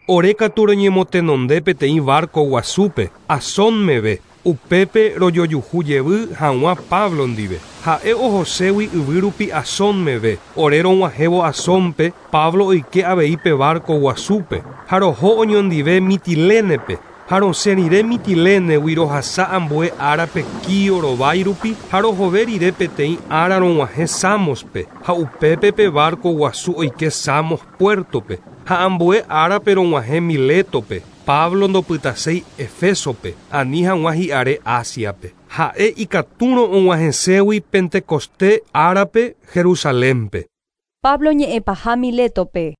Ore katu roñemotenonde peteĩ barco guasúpe, Asón meve, Upépe rojojuhu jevy hag̃ua Pablo ndive. Ha'e ohoségui yvy rupi Asón meve. Ore rog̃uahẽvo Asónpe, Pablo oike avei pe barco guasúpe ha roho oñondive Mitilénepe. Ha rosẽ rire Mitilénegui rohasa ambue árape Quío rovái rupi ha rohove rire peteĩ ára rog̃uahẽ Samospe ha upépe pe barco guasu oike Samos puertope ha ambue árape rog̃uahẽ Miletope. Pablo ndopytaséi Efesope ani hag̃ua hi'are Asiape. Ha'e ikatúrõ og̃uahẽségui Pentecoste árape Jerusalénpe. Pablo ñe'ẽpaha Miletope.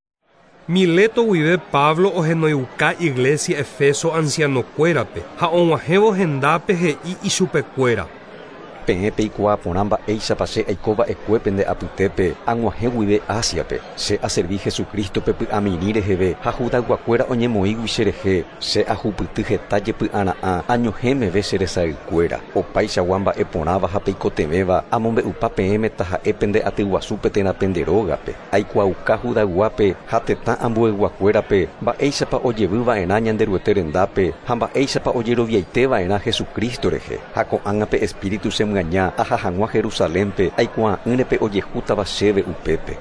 Mileto guive Pablo ohenoiuka iglesia Efeso ancianokuérape ha og̃uahẽvo hendápe he'i ichupekuéra. Peẽ peikuaa porã mba'éichapa che aikova'ekue pende apytépe ag̃uahẽ guive Asiape. Che aservi Jesucristope py'amirĩ reheve ha Judayguakuéra oñemoĩgui cherehe. Che ahupyty heta jepy'ara'ã añohẽ meve che resaykuéra. Opaichagua mba'e porãva ha peikotevẽva amombe'upa peẽme taha'e pende atyguasúpe térã pende rógape. Aikuaauka Judayguápe ha tetã ambueyguakuérape mba'éichapa ojevyva'erã Ñanderuete rendápe ha mba'éichapa ojeroviaiteva'erã Jesucristo rehe. Ha ko'ág̃a pe Espíritu che myaña aha hag̃ua Jerusalénpe aikuaa'ỹre ojehútava chéve upépe.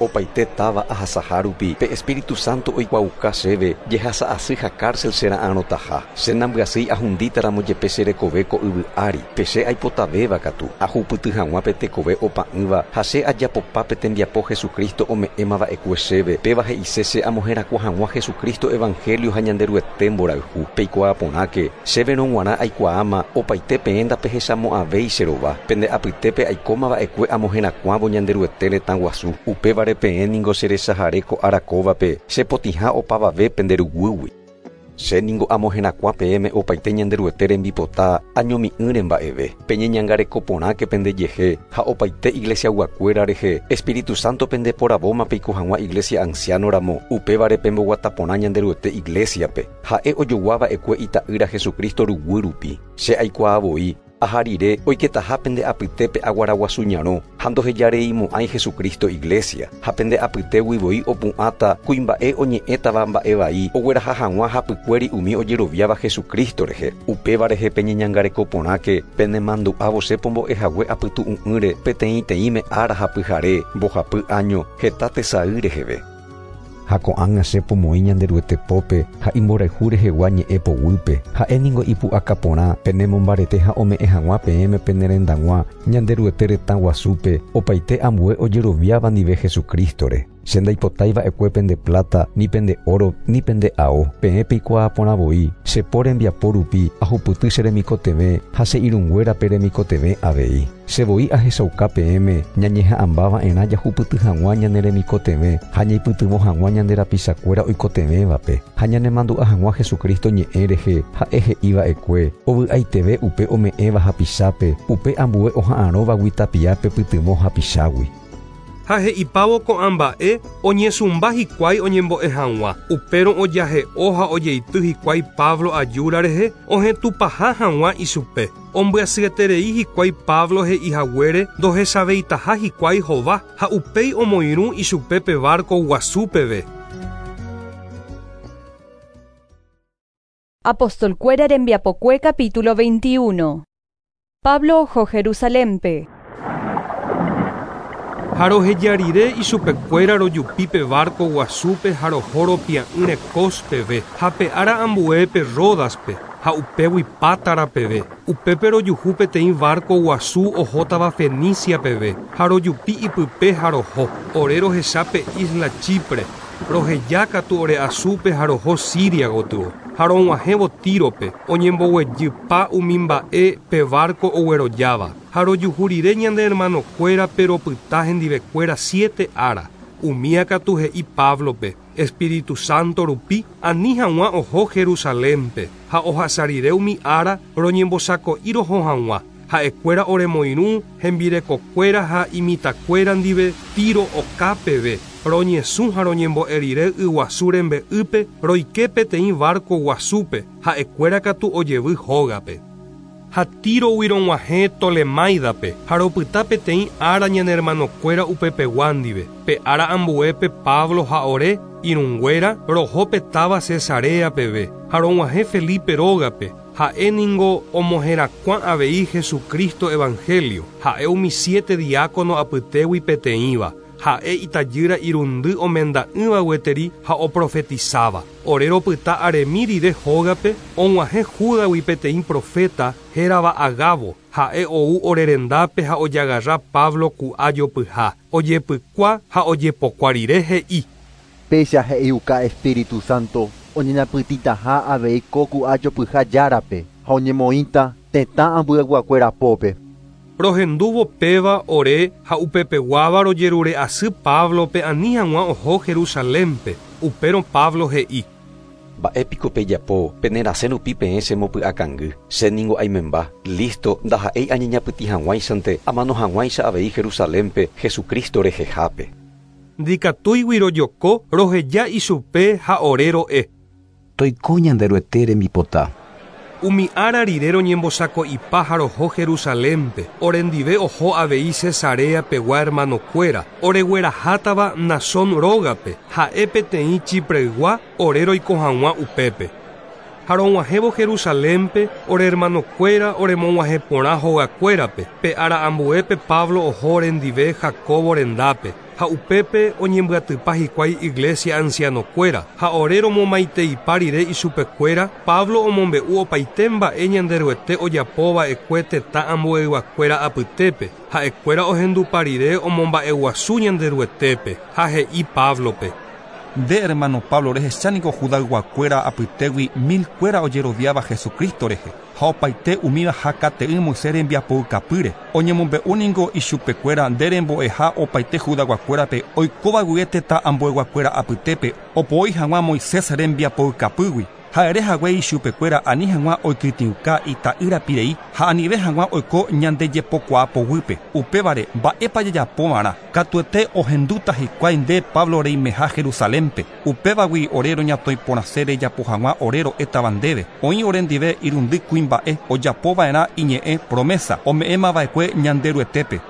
Opaite táva ahasaha rupi pe Espíritu Santo oikuaauka chéve jehasa'asy ha cárcel chera'arõtaha. Che nambyasýi ahundítaramo jepe che rekove ko yvy ári. Pe che aipotavéva katu ahupyty hag̃ua pe tekove opa'ỹva ha che ajapopa pe tembiapo Jesucristo ome'ẽmava'ekue chéve. Péva he'ise che amoherakuã hag̃ua Jesucristo evangelio ha Ñanderuete mborayhu. Peikuaa porãke chéverõ g̃uarã aikuaáma opaite peẽ ndapehechamo'ãvéi che rova. Pende apytépe aikómava'ekue amoherakuãvo Ñanderuete retã guasu. Upévare peẽ ningo cherechahare ko ára kóvape chepotĩha opavave pende ruguýgui. Che ningo amoherakuã peẽme opaite Ñanderuete rembipota añomi'ỹre mba'eve. Peñeñangareko porãke pendejehe ha opaite iglesiaguakuéra rehe. Espíritu Santo pendeporavóma peiko hag̃ua iglesia anciano ramo. Upévare pemboguata porã Ñanderuete iglesiape. Ha'e ojoguava'ekue ita'ýra Jesucristo ruguy rupi. Che aikuaa voi aha rire oiketaha pende apytépe aguaraguasu ñarõ ha ndohejareimo'ãi Jesucristo iglesia. Ha pende apytégui voi opu'ãta kuimba'e oñe'ẽtava mba'e vai ogueraha hag̃ua hapykuéri umi ojeroviáva Jesucristo rehe. Upéva rehe peñeñangareko porãke penemandu'ávo che pombo'ehague apytu'ũ'ỹre peteĩteĩme ára ha pyhare mbohapy año heta tesay reheve. Ha ko'ág̃a che pomoĩ Ñanderuete pópe ha imborayhu rehegua ñe'ẽ poguýpe. Ha'e ningo ipu'aka porã penemombarete ha ome'ẽ hag̃ua peẽme penerendag̃ua Ñanderuete retã guasúpe opaite ambue ojeroviáva ndive Jesucristore. Che ndaipotaiva'ekue pende plata, ni pende oro, ni pende ao. Peẽ peikuaa porã voi che po rembiapo rupi ahupyty che remikotevẽ ha che irũnguérape remikotevẽ avei. Che voi ahechauka peẽme ñañeha'ãmbava'erã jahupyty hag̃ua ñane remikotevẽ ha ñaipytyvõ hag̃ua ñande rapichakuéra oikotevẽvape ha ñanemandu'a hag̃ua Jesucristo ñe'ẽ rehe ha'e he'iva'ekue ovy'aiteve upe ome'ẽva hapichápe upe ambue oha'arõvagui tapiápe pytyvõ hapichágui. Ha he'ipávo ko'ã mba'e oñesũmba hikuái oñembo'e hag̃ua. Upérõ ojahe'o ha ojeity hikuái Pablo ajúra rehe ohetũpaha hag̃ua ichupe. Ombyasyeterei hikuái Pablo he'ihaguére ndohechaveitaha hikuái hova ha upéi omoirũ ichupe pe barco guasu peve. Apostolkuéra rembiapokue capítulo veintiuno. Pablo oho Jerusalénpe. Ha roheja rire ichupekuéra rojupi pe barco guasúpe ha roho ropia'ỹre Cos peve ha pe ára ambuépe Ródaspe ha upégui Pátara peve. Upépe rojuhu peteĩ barco guasu ohótava Fenicia peve ha rojupi ipype ha roho. Ore rohecha pe isla Chipre roheja katu ore asúpe ha roho Siria gotyo. Ha rog̃uahẽvo Tírope oñemboguejypa umi mba'e pe barco oguerojáva. Ha rojuhu rire ñande hermanokuérape ropyta hendivekuéra siete ára. Umía katu he'i Pablope Espíritu Santo rupi ani hag̃ua oho Jerusalénpe ha ohasa rire umi ára roñembosako'i roho hag̃ua. Ha'ekuéra oremoirũ hembirekokuéra ha imitakuéra ndive Tiro oka peve. Roñesũ ha roñembo'e rire yguasu rembe'ýpe roike peteĩ barco guasúpe ha'ekuéra katu ojevy hógape. Ha Tírogui rog̃uahẽ Tolemáidape ha ropyta peteĩ ára ñane hermanokuéra upepegua ndive. Pe ára ambuépe Pablo ha ore irũnguéra roho pe táva Cesarea peve ha rog̃uahẽ Felipe rógape. Ha'e ningo omoherakuã avei Jesucristo evangelio. Ha'e umi siete diácono apytégui peteĩva. Ha'e itajýra irundy omenda'ỹva gueteri ha oprofetizáva. Ore ropyta aremi rire hógape og̃uahẽ Júdagui peteĩ profeta hérava Agabo. Ha'e ou ore rendápe ha ojagarra Pablo ku'a jopyha. Ojepykua ha ojepokua rire he'i. Péicha he'iuka Espíritu Santo oñeñapytĩtaha avei ko ku'a jopyha járape ha oñemoĩta tetã ambueyguakuéra pópe. Rohendúvo péva ore ha upepeguáva rojerure asy Pablope ani hag̃ua oho Jerusalénpe. Upérõ Pablo he'i. Mba'épiko pejapo penerasẽ rupi peẽ chemopy'akangy. Che ningo aimemba. Listo, ndaha'éi añeñapytĩ hag̃uáichante amano hag̃uáicha avei Jerusalénpe Jesucristo rehehápe. Ndikatúigui rojoko roheja ichupe ha ore ro'e. Toiko Ñanderuete rembipota. Umi ára rire roñembosako'ipa ha roho Jerusalénpe. Orendive oho avei Cesarea pegua hermanokuéra. Oreguerahátava Nazón rógape. Ha'e peteĩ Chipreygua ore roiko hag̃ua upépe. Ha rog̃uahẽvo Jerusalénpe ore hermanokuéra oremog̃uahẽ porã hogakuérape. Pe ára ambuépe Pablo oho orendive Jacobo rendápe. Ha upépe oñembyatypa hikuái iglesia ancianokuéra. Ha ore romomaiteipa rire ichupekuéra, Pablo omombe'u opaite mba'e Ñanderuete ojapova'ekue tetã ambueyguakuéra apytépe. Ha'ekuéra ohendupa rire omomba'eguasu Ñanderuetépe. Ha he'i Pablope. Nde hermano Pablo rehechánigo Judayguakuéra apytégui mil kuéra ojeroviáva Jesucristo rehe. Ha opaite umíva hakate'ỹ Moisés rembiapoukapýre. Oñemombe'u ningo ichupekuéra nde rembo'eha opaite Judayguakuérape oikóva guive tetã ambueyguakuéra apytépe opoi hag̃ua Moisés rembiapoukapýgui. Ha'ere hague ichupekuéra ani hag̃ua oikytĩuka ita'ýra pirei ha anive hag̃ua oiko ñandejepokuaa poguýpe. Upévare mba'épa jajapova'erã katuete ohendúta hikuái nde Pablo reimeha Jerusalénpe. Upévagui ore roñatõiporãse rejapo hag̃ua ore ro'étava ndéve. Oĩ orendive irundy kuimba'e ojapova'erã iñe'ẽ promesa ome'ẽmava'ekue Ñanderuetépe.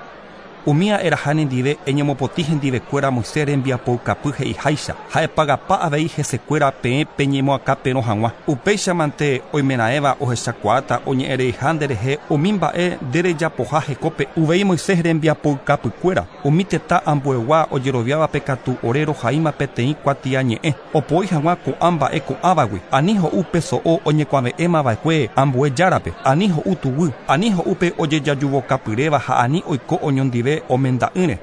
Umía eraha nendive eñemopotĩ hendivekuéra Moisés rembiapoukapy he'iháicha ha epagapa avei hesekuéra peẽ peñemoakãperõ hag̃ua. Upéichamante oimeraẽva ohechakuaáta oñe'ẽreiha nderehe umi mba'e nderejapoha hekópe uvei Moisés rembiapoukapykuéra. Umi tetã ambuegua ojeroviávape katu ore rohaíma peteĩ kuatiañe'ẽ opoi hag̃ua ko'ã mba'e ko'ãvagui. Ani ho'u pe so'o oñekuave'ẽmava'ekue ambue járape, ani ho'u tuguy, ani ho'úpe ojejajuvokapyréva ha ani oiko oñondive omenda'ỹre.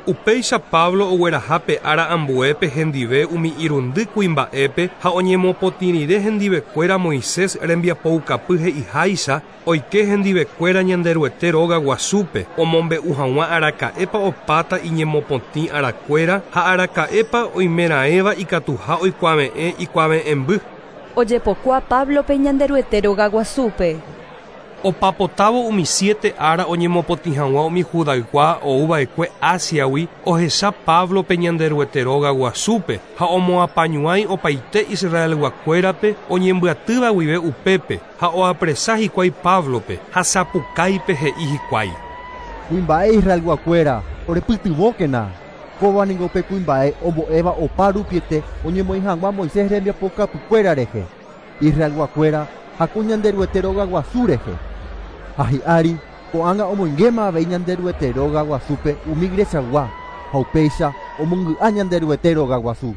Upéicha Pablo ogueraha pe ára ambuépe hendive umi irundy kuimba'épe ha oñemopotĩ rire hendivekuéra Moisés rembiapoukapy he'iháicha oike hendivekuéra Ñanderuete róga guasúpe omombe'u hag̃ua araka'épa opáta iñemopotĩ arakuéra ha araka'épa oimeraẽva ikatuha oikuave'ẽ ikuave'ẽmby. Ojepokua Pablope Ñanderuete róga guasúpe. Opapotávo umi siete ára oñemopotĩ hag̃ua umi Judaygua ouva'ekue Asiagui ohecha Pablope Ñanderuete róga guasúpe ha omoapañuãi opaite Israelguakuérape oñembyatýva guive upépe ha oapresa hikuái Pablope ha sapukáipe he'i hikuái. Kuimba'e Israelguakuéra orepytyvõkena. Kóva ningo pe kuimba'e ombo'éva opa rupiete oñemoĩ hag̃ua Moisés rembiapokapykuéra rehe. Israelguakuéra ha ko Ñanderuete róga guasu rehe. Ha hi'ári ko'ág̃a omoingéma avei Ñanderuete róga guasúpe umi iglesiagua ha upéicha omongy'a Ñanderuete róga guasu.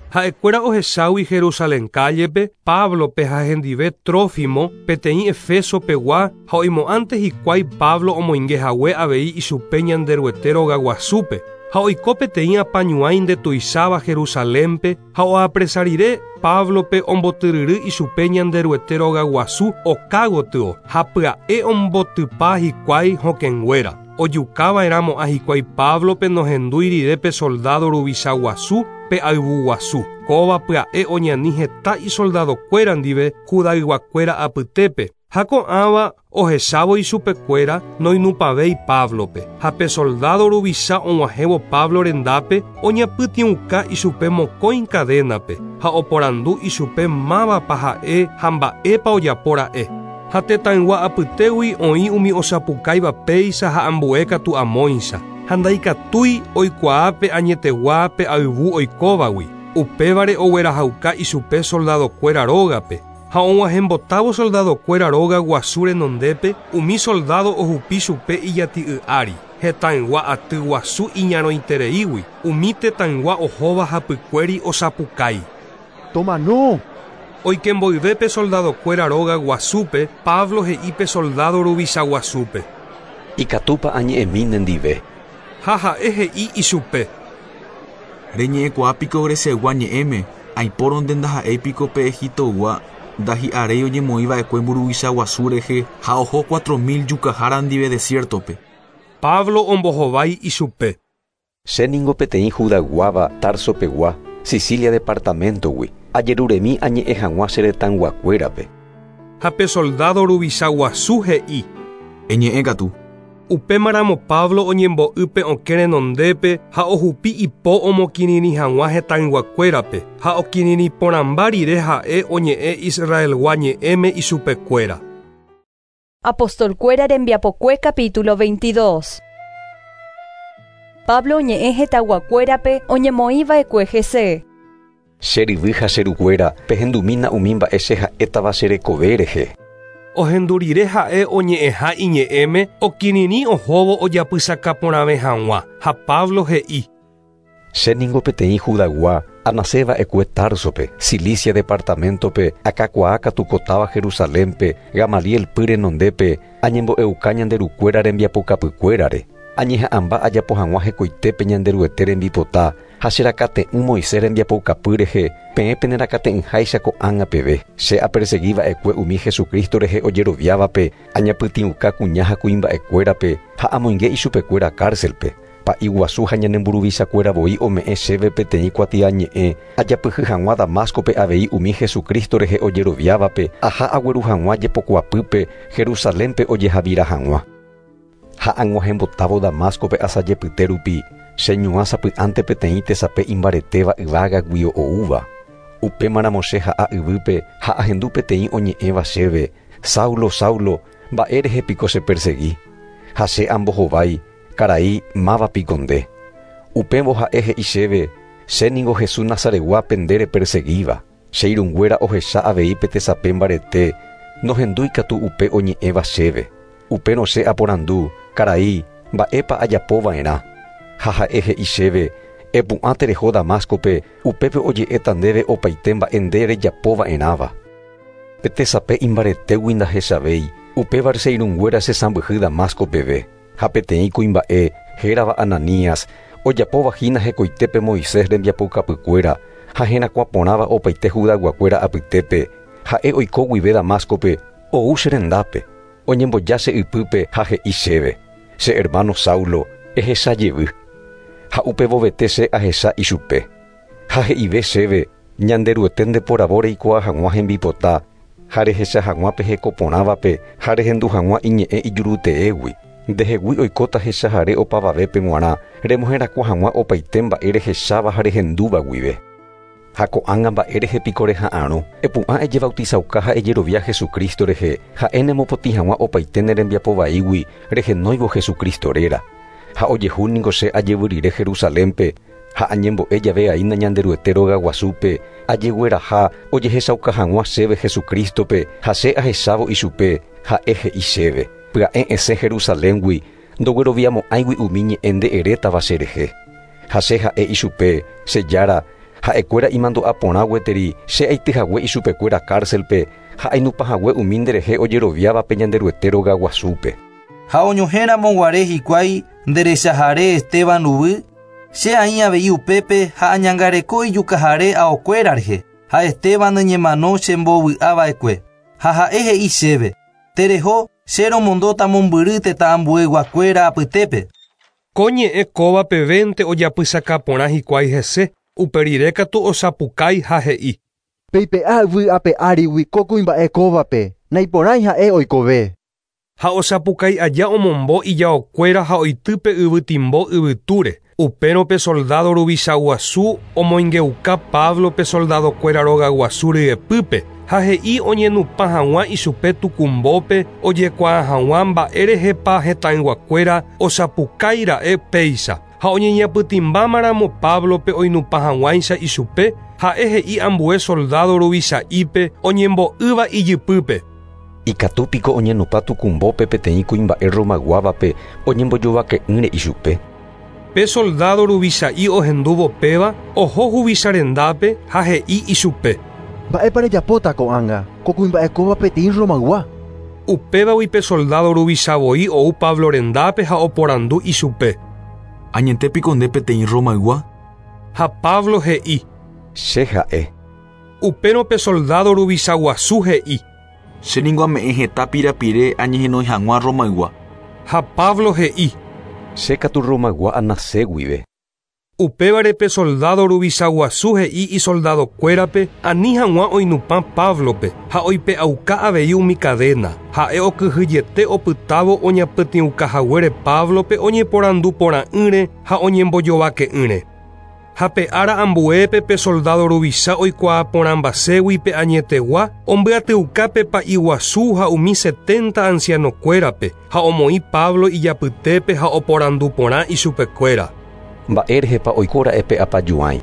Ha'ekuéra ohechágui Jerusalén cállepe Pablope ha hendive Trófimo peteĩ Efeso pegua ha oimo'ãnte hikuái Pablo omoingehague avei ichupe Ñanderuete róga guasúpe. Ha oiko peteĩ apañuãi ndetuicháva Jerusalénpe ha oapresa rire Pablope ombotyryry ichupe Ñanderuete róga guasu oka gotyo ha pya'e ombotypa hikuái hokẽnguéra. Ojukava'erãmo'ã hikuái Pablope nohendúi rire pe soldado ruvicha guasu pe ayvu guasu. Kóva pya'e oñani heta isoldadokuéra ndive Judayguakuéra apytépe. Ha ko'ãva ohechávo ichupekuéra noinupãvéi Pablope. Ha pe soldado ruvicha og̃uahẽvo Pablo rendápe oñapytĩuka ichupe mokõi cadénape ha oporandu ichupe mávapa ha'e ha mba'épa ojapora'e. Ha tetãygua apytégui oĩ umi osapukáiva péicha ha ambue katu amóicha. Ha ndaikatúi oikuaápe añeteguápe ayvu oikóvagui. Upévare oguerahauka ichupe soldadokuéra rógape. Ha og̃uahẽmbotávo soldadokuéra róga guasu renondépe, umi soldado ohupi chupe ijati'y ári. Hetãygua aty guasu iñarõitereígui, umi tetãygua ohóva hapykuéri osapukái. Tomano! Oike mboyve soldadokuéra róga guasúpe, Pablo he'i pe soldado ruvicha guasúpe. Ikatúpa añe'ẽmi nendive. Ha ha'e he'i ichupe. Reñe'ẽkuaa piko Greciaygua ñe'ẽme, aipórõnte ndaha'éi piko pe Egiptoygua ndahi'aréi oñemoĩva'ekue mburuvicha guasu rehe ha oho cuatro mil jukahára ndive desiertope. Pablo ombohovái ichupe. Che ningo peteĩ Judayguáva Tarsopegua, Sicilia departamentogui, ajeruremi añe'ẽ hag̃ua che retãyguakuérape. Ha pe soldado ruvicha guasu he'i. Eñe'ẽ katu. Upémaramo Pablo oñembo'ýpe okẽ renondépe ha ohupi ipo omokirirĩ hag̃ua hetãyguakuérape ha okirirĩ porãmba rire ha'e oñe'ẽ Israelgua ñe'ẽme ichupekuéra. Apostolkuéra rembiapokue capítulo veintidós. Pablo oñe'ẽ hetãyguakuérape oñemoĩva'ekue hese. Che ryvy ha che rukuéra pehendumína umi mba'e che ha'étava che rekove rehe. Ohendu rire ha'e oñe'ẽha iñe'ẽme okirirĩ ohóvo ojapysaka porãve hag̃ua ha Pablo he'i. Che ningo peteĩ Judaygua anaseva'ekue Tarsope, Cilicia departamentope, akakuaa katu kotáva Jerusalénpe, Gamaliel py renondépe, añembo'euka ñanderukuéra rembiapokapykuérare. Añeha'ãmba ajapo hag̃ua hekoitépe Ñanderuete rembipota ha cherakate'ỹ Moisés rembiapoukapy rehe, peẽ penerakate'ỹháicha ko'ág̃a peve. Che aperseguiva'ekue umi Jesucristo rehe ojeroviávape, añapytĩuka kuña ha kuimba'ekuérape ha amoinge ichupekuéra cárcelpe. Pa'i guasu ha ñanemburuvichakuéra voi ome'ẽ chéve peteĩ kuatiañe'ẽ ajapyhy hag̃ua Damascope avei umi Jesucristo rehe ojeroviávape aha agueru hag̃ua jepokuapýpe Jerusalénpe ojehavira hag̃ua. Ha ag̃uahẽmbotávo Damascope asajepyte rupi, cheñuã sapy'ánte peteĩ tesape imbaretéva yvágagui oúva. Upémaramo che ha'a yvýpe ha ahendu peteĩ oñe'ẽva chéve, Saulo, Saulo, mba'e rehe piko chepersegui. Ha che ambohovái, karai máva piko nde. Upévo ha'e he'i chéve, che ningo Jesús Nazaretgua nde reperseguíva. Che irũnguéra ohecha avei pe tesape mbarete, nohendúi katu upe oñe'ẽva chéve. Upérõ che aporandu, karai, mba'épa ajapova'erã. Ha ha'e he'i chéve, epu'ã tereho Damascope, upépe oje'éta ndéve opaite mba'e nde rejapova'erãva. Pe tesape imbaretégui ndahechavéi, upévare che irũnguéra chesãmbyhy Damasco peve. Ha peteĩ kuimba'e hérava Ananías, ojapóva hína hekoitépe Moisés rembiapoukapykuéra ha herakuã porãva opaite Judayguakuéra apytépe, ha'e oiko guive Damascope, ou che rendápe. Oñemboja che ypýpe ha he'i chéve, che hermano Saulo, ehecha jevy. Ha upevovete che ahecha ichupe. Ha he'ive chéve, Ñanderuete ndeporavo reikuaa hag̃ua hembipota, ha rehecha hag̃ua pe heko porãvape ha rehendu hag̃ua iñe'ẽ ijuruteégui. Ndehegui oikóta hechahare opavavépe g̃uarã, remoherakuã hag̃ua opaite mba'e rehecháva ha rehendúva guive. Ha ko'ág̃a mba'e rehe piko reha'arõ, epu'ã ejebautizauka ha ejerovia Jesucristo rehe, ha'e nemopotĩ hag̃ua opaite ne rembiapo vaígui rehenóivo Jesucristo réra. Ha ojehu ningo che ajevy rire Jerusalénpe, ha añembo'e jave aína Ñanderuete róga guasúpe, ajegueraha ojehechauka hag̃ua chéve Jesucristope ha che ahechávo ichupe, ha'e he'i chéve. Pya'e esẽ Jerusaléngui, ndogueroviamo'ãigui umi ñe'ẽ nde'erétava che rehe. Ha che ha'e ichupe, che jára, ha'ekuéra imandu'a porã gueteri che aityhague ichupekuéra cárcelpe ha ainupahague umi nderehe ojeroviávape Ñanderuete róga guasúpe. Ha oñohẽramo guare hikuái nderechahare Esteban ruguy, che aĩ avei upépe ha añangareko ijukahare aokuéra rehe, ha Esteban ñemano chembovy'ava'ekue. Ha ha'e he'i chéve, tereho che romondóta mombyry tetã ambueyguakuéra apytépe. Ko ñe'ẽ kóva pevénte ojapysaka porã hikuái hese, upe rire katu osapukái ha he'i. Peipe'a yvy ape árigui ko kuimba'e kóvape, naiporãi ha'e oikove. Ha osapukái aja omombo ijaokuéra ha oitýpe yvytimbo yvytúre. Upérõ pe soldado ruvicha guasu omoingeuka Pablo pe soldadokuéra róga guasu ryepýpe ha he'i oñenupã hag̃ua ichupe tukumbópe ojekuaa hag̃ua mba'e rehepa hetãyguakuéra osapukáira'e péicha. Ha oñeñapytĩmbámaramo Pablope oinupã hag̃uáicha ichupe, Ha'e he'i ambue soldado ruvicha'ipe oñembo'ýva ijypýpe. Ikatu piko oñenupã tukumbópe peteĩ kuimba'e Romaguávape oñembojovake'ỹre ichupe. Pe soldado ruvicha'i ohendúvo péva oho huvicha rendápe ha he'i ichupe. Mba'épa rejapóta ko'ág̃a ko kuimba'e kóva peteĩ Romaygua. Upévagui pe soldado ruvicha voi ou Pablo rendápe ha oporandu ichupe. Añete piko nde peteĩ Romaygua. Ha Pablo he'i. Che ha'e. Upérõ pe soldado ruvicha guasu he'i. Che ningo ame'ẽ heta pirapire añehenói hag̃ua Romaygua. Ha Pablo he'i. Che katu Romaygua anase guive. Upévare pe soldado ruvicha guasu he'i isoldadokuérape ani hag̃ua oinupã Pablope ha oipe'auka avei umi cadena. Ha'e okyhyjete opytávo oñapytĩukahaguére Pablope oñeporandu porã'ỹre ha oñembojovake'ỹre. Ha pe ára ambuépe pe soldado ruvicha oikuaa porãmbaségui pe añetegua ombyatyuka pe pa'i guasu ha umi setenta ancianokuérape ha omoĩ Pablo ijapytépe ha oporandu porã ichupekuéra. Mba'érehepa oikóra'e pe apajuãi.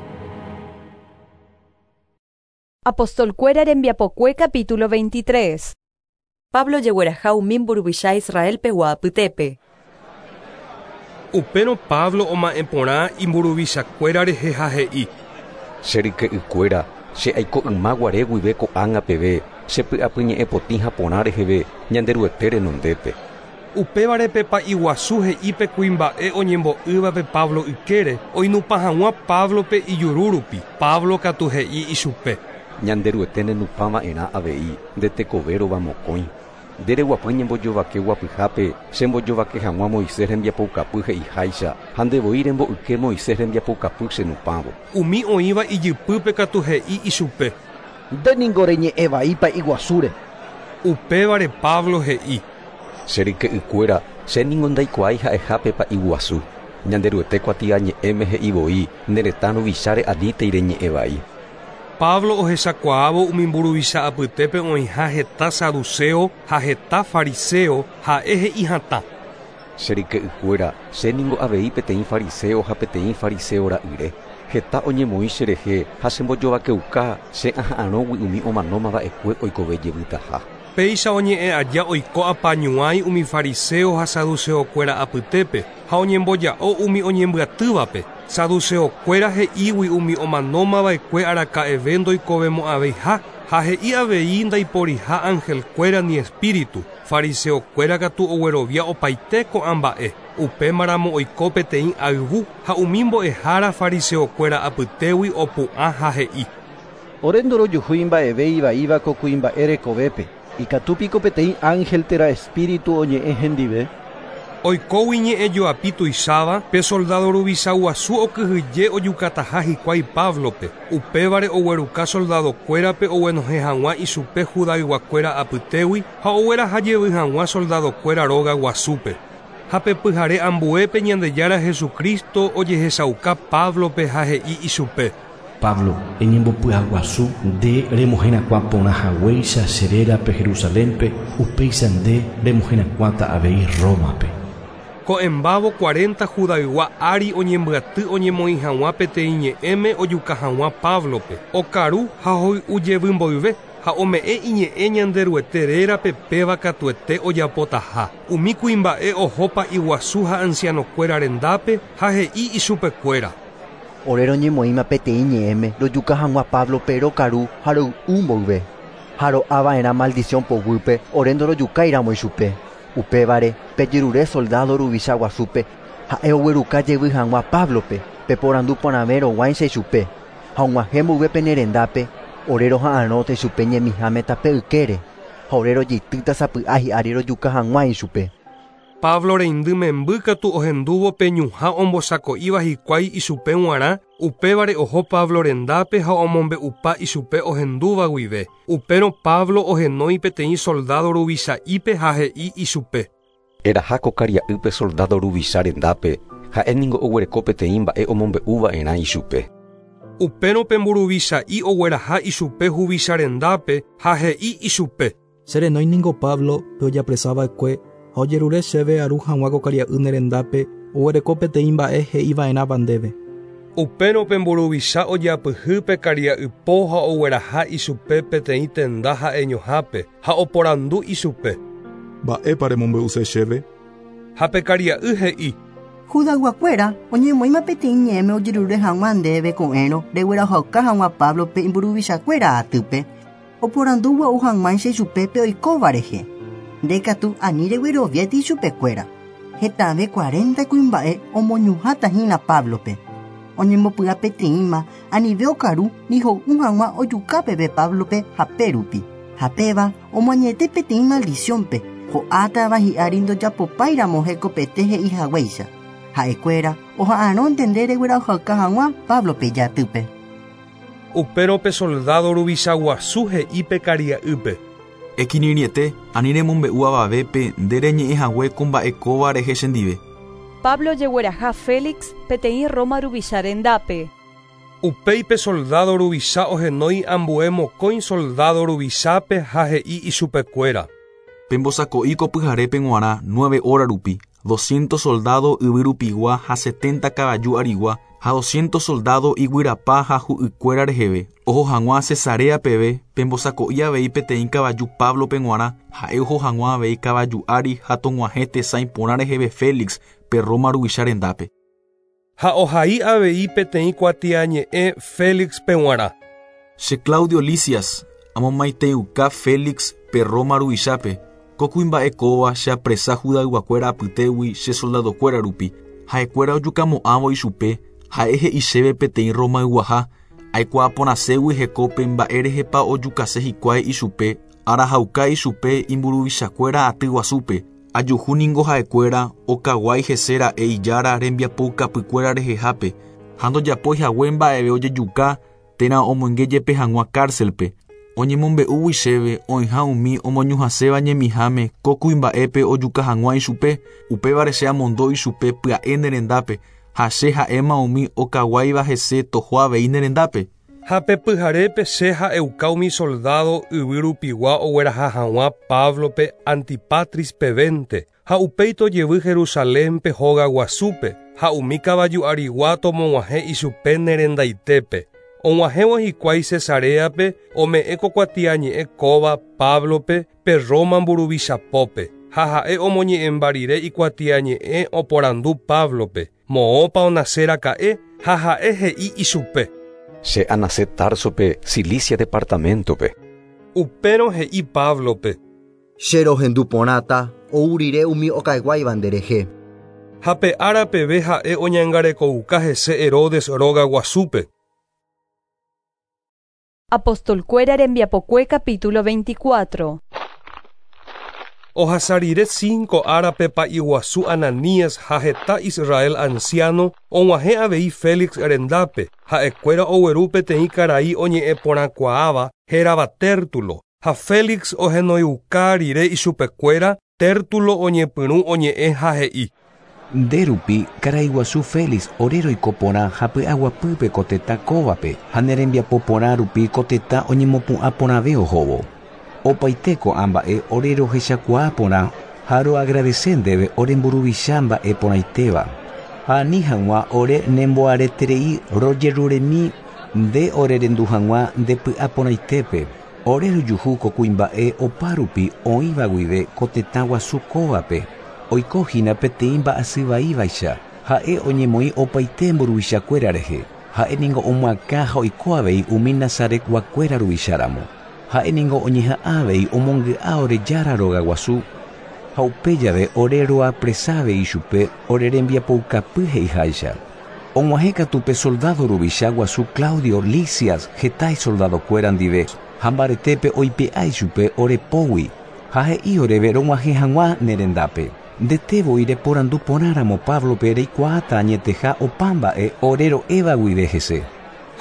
Apostolkuéra rembiapokue capítulo veintitrés. Pablo jegueraha umi mburuvicha Israelpegua apytépe. Upérõ Pablo oma'ẽ porã imburuvichakuéra rehe ha he'i. Che ryke'ykuéra, che aiko yma guare guive ko'ág̃a peve, che py'apyñe'ẽ potĩ ha porã reheve Ñanderuete renondépe. Upévare pe pa'i guasu he'i pe kuimba'e oñembo'ývape Pablo ykére oinupã hag̃ua Pablope ijuru rupi. Pablo katu he'i ichupe. Ñanderuete nenupãva'erã avei nde tekovérova mokõi. Nde reguapy ñembojovake guapyhápe chembojovake hag̃ua Moisés rembiapoukapy he'iháicha ha ndevoi rembo'yke Moisés rembiapoukapy chenupãvo. Umi oĩva ijypýpe katu he'i ichupe. Nde ningo reñe'ẽ vai pa'i guasúre. Upévare Pablo he'i. Che ryke'ykuéra, che ningo ndaikuaái ha'ehápe pa'i guasu. Ñanderuete kuatiañe'ẽme he'i voi ne retã ruvicháre anítei reñe'ẽ vai. Pablo ohechakuaávo umi mburuvicha apytépe oĩha heta saduceo ha heta fariseo ha'e he'i hatã. Che ryke'ykuéra, che ningo avei peteĩ fariseo ha peteĩ fariseo ra'yre. Heta oñemoĩ cherehe ha chembojovakeuka che aha'arõgui umi omanómava'ekue oikove jevytaha. Péicha oñe'ẽ aja oiko apañuãi umi fariseo ha saduceokuéra apytépe ha oñemboja'o umi oñembyatývape. Saduceokuéra he'ígui umi omanómava'ekue araka'eve ndoikovemo'ãveiha ha he'i avei ndaiporiha angelkuéra ni espíritu. Fariseokuéra katu oguerovia opaite ko'ã mba'e. Upémaramo oiko peteĩ ayvu ha umi mbo'ehára fariseokuéra apytégui opu'ã ha he'i. Ore ndorojuhúi mba'eve ivaíva ko kuimba'e rekovépe. Ikatu piko peteĩ ángel térã espíritu oñe'ẽ hendive. Oikógui ñe'ẽ joapi tuicháva, pe soldado ruvicha guasu okyhyje ojukataha hikuái Pablope. Upévare ogueruka soldadokuérape oguenohẽ hag̃ua ichupe judayguakuéra apytégui ha ogueraha jevy hag̃ua soldadokuéra róga guasúpe. Ha pe pyhare ambuépe Ñandejára Jesucristo ojehechauka Pablope ha he'i ichupe. Pablo, eñembopy'aguasu nde remoherakuã porã haguéicha che rérape Jerusalénpe, upéicha nde remoherakuãta avei Rómape. Ko'ẽmbávo cuarenta judaygua ári oñembyaty oñemoĩ hag̃ua peteĩ ñe'ẽme ojuka hag̃ua Pablope. Okaru ha hoy'u jevy mboyve ha ome'ẽ iñe'ẽ Ñanderuete rérape péva katuete ojapotaha. Umi kuimba'e oho pa'i guasu ha ancianokuéra rendápe ha he'i ichupekuéra. Ore roñemoĩma peteĩ ñe'ẽme rojuka hag̃ua Pablope rokaru ha roy'u mboyve. Ha ro'ava'erã maldición poguýpe ore ndorojukáiramo ichupe. Upévare pejerure soldado ruvicha guasúpe ha'e ogueruka jevy hag̃ua Pablope peporandu porãve roguáicha ichupe. Ha og̃uahẽ mboyve pene rendápe ore roha'arõta ichupe ñemiháme tape ykére ha ore rojeitýta sapy'a hi'ári rojuka hag̃ua ichupe. Pablo reindy memby katu ohendúvo pe ñuhã ombosako'íva hikuái ichupe g̃uarã, upévare oho Pablo rendápe ha omombe'upa ichupe ohendúva guive. Upérõ Pablo ohenói peteĩ soldado ruvicha'ípe ha he'i ichupe. Eraha ko karia'ýpe soldado ruvicha rendápe, ha'e ningo oguereko peteĩ mba'e omombe'uva'erã ichupe. Upérõ pe mburuvicha'i ogueraha ichupe huvicha rendápe ha he'i ichupe. Che renói ningo Pablo pe ojapresava'ekue ha ojerure chéve aru hag̃ua ko karia'y ne rendápe oguereko peteĩ mba'e he'iva'erãva ndéve. Upérõ pe mburuvicha ojapyhy pe karia'ypo ha ogueraha ichupe peteĩ tenda ha'eñohápe ha oporandu ichupe. Mba'épa remombe'use chéve? Ha pe karia'y he'i. Judayguakuéra oñemoĩma peteĩ ñe'ẽme ojerure hag̃ua ndéve ko'ẽrõ reguerahauka hag̃ua Pablope imburuvichakuéra atýpe oporandugua'u hag̃uáicha ichupe pe oikóva rehe. Nde katu ani regueroviáti ichupekuéra. Hetave cuarenta kuimba'e omoñuhãta hína Pablope. Oñembopy'a peteĩma anive okaru ni ho'u hag̃ua ojuka peve Pablope hape rupi. Hapéva omoañete peteĩ maldiciónpe ho'átava hi'ári ndojapopáiramo hekopete he'i haguéicha. Ha'ekuéra oha'arõnte nde reguerahauka hag̃ua Pablope ijatýpe. Upérõ pe soldado ruvicha guasu he'i pe karia'ýpe. Ekirirĩete ani remombe'u avavépe nde reñe'ẽhague ko mba'e kóva rehe chendive. Pablo ojegueraha Félix peteĩ Roma ruvicha rendápe. Upéi pe soldado ruvicha ohenói ambue mokõi soldado ruvichápe ha he'i ichupekuéra. Pembosako'i ko pyharépe g̃uarã nueve hora rupi, doscientos soldado yvyrupigua ha setenta kavaju arigua ha doscientos soldado iguyrapa ha hu'ykuéra reheve. Oho hag̃ua Cesarea peve pembosako'i avei peteĩ kavaju Pablope g̃uarã ha'e oho hag̃ua avei kavaju ári ha tog̃uahẽ tesãi porã reheve Félix pe Roma ruvicha rendápe. Ha ohai avei peteĩ kuatiañe'ẽ Félixpe g̃uarã. Che Claudio Lisias, amomaiteiuka Félix pe Roma ruvichápe. Ko kuimba'e kóva che apresa Judayguakuéra apytégui che soldadokuéra rupi. Ha'ekuéra ojukamo'ãvo ichupe, ha'e he'i chéve peteĩ Romayguaha, aikuaaporãségui hekópe mba'érehepa ojukase hikuái ichupe, arahauka ichupe imburuvichakuéra aty guasúpe. Ajuhu ningo ha'ekuéra okaguái hese ra'e ijára rembiapoukapykuéra rehehápe ha ndojapói hague mba'eve ojejuka térã omoinge jepe hag̃ua cárcelpe. Oñemombe'úgui chéve oĩha umi omoñuhãséva ñemiháme ko kuimba'épe ojuka hag̃ua ichupe, upévare che amondo ichupe pya'e ne rendápe ha che ha'éma umi okaguáiva hese toho avei ne rendápe. Ha pe pyharépe che ha'euka umi soldado yvyrupigua ogueraha hag̃ua Pablope Antipatris pevénte ha upéi tojevy Jerusalénpe hóga guasúpe ha umi kavaju arigua tomog̃uahẽ ichupe ne rendaitépe. Og̃uahẽvo hikuái Cesareape ome'ẽ ko kuatiañe'ẽ kóva Pablope pe Roma mburuvichapópe ha ha'e omoñe'ẽmba rire ikuatiañe'ẽ oporandu Pablope moõpa onaseraka'e ha ha'e he'i ichupe. Che anase Tarsope, Cilicia departamentope. Upérõ he'i Pablope. Che rohendu porãta ou rire umi okaguáiva nderehe. Ha pe ára peve ha'e oñangarekouka hese Herodes róga guasúpe. Apostolkuéra rembiapokue capítulo veinticuatro. Ohasa rire cinco árape pa'i guasu Ananías ha heta Israel anciano og̃uahẽ avei Félix rendápe ha'ekuéra ogueru peteĩ karai oñe'ẽporãkuaáva hérava Tértulo ha Félix ohenoiuka rire ichupekuéra Tértulo oñepyrũ oñe'ẽ ha he'i. Nde rupi karai guasu Félix ore roiko porã ha py'aguapýpe ko tetã kóvape ha ne rembiapo porã rupi ko tetã oñemopu'ã porãve ohóvo. Opaite ko'ã mba'e ore rohechakuaa porã ha roagradece ndéve ore mburuvicha mba'e porãitéva. Ha ani hag̃ua ore nemboareterei rojeruremi nde orerendu hag̃ua nde py'a porãitépe. Ore rojuhu ko kuimba'e opa rupi oĩva guive ko tetã guasu kóvape. Oiko hína peteĩ mba'asyvaívaicha ha'e oñemoĩ opaite mburuvichakuéra rehe. Ha'e ningo omoakã ha oiko avei umi Nazaretguakuéra ruvicháramo. Ha'e ningo oñeha'ã avei omongy'a ore jára róga guasu ha upe jave ore roapresave ichupe ore rembiapoukapy he'iháicha. Og̃uahẽ katu pe soldado ruvicha guasu Claudio Lisias heta isoldadokuéra ndive ha mbaretépe oipe'a ichupe ore pógui ha he'i oréve rog̃uahẽ hag̃ua ne rendápe. Ndete voi reporandu porãramo Pablope reikuaáta añeteha opa mba'e ore ro'éva guive hese.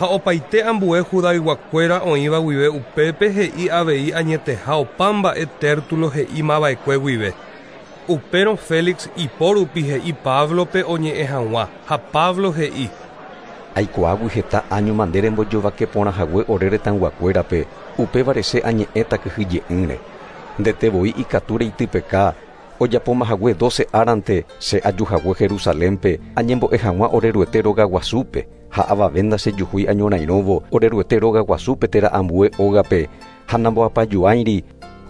Ha opaite ambue Judayguakuéra oĩva guive upépe he'i avei añeteha opa mba'e Tértulo he'imava'ekue guive. Upérõ Félix ipo rupi he'i Pablope oñe'ẽ hag̃ua ha Pablo he'i. Aikuaágui heta áñoma nde rembojovake porã hague ore retãyguakuérape upévare che añe'ẽta kyhyje'ỹre. Ndete voi ikatu reitypeka ojapóma hague doce árante che aju hague Jerusalénpe añembo'e hag̃ua ore Ruete róga guasúpe. Ha avave ndachejuhúi añorairõvo oreruete róga guasúpe térã ambue ógape ha namboapajuáiri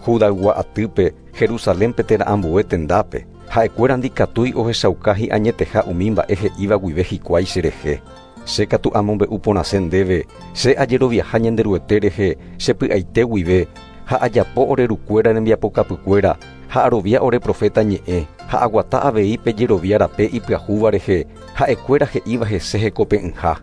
Judaygua atýpe Jerusalénpe térã ambue tendápe. Ha'ekuéra ndikatúi ohechauka hi'añeteha umi mba'e he'íva guive hikuái cherehe. Che katu amombe'u porãse ndéve, che ajeroviaha Ñanderuete rehe chepy'aite guive ha ajapo orerukuéra rembiapokapykuéra ha arovia ore profeta ñe'ẽ ha aguata avei pe jerovia rape ipyahúva rehe ha'ekuéra he'íva hese hekope'ỹha.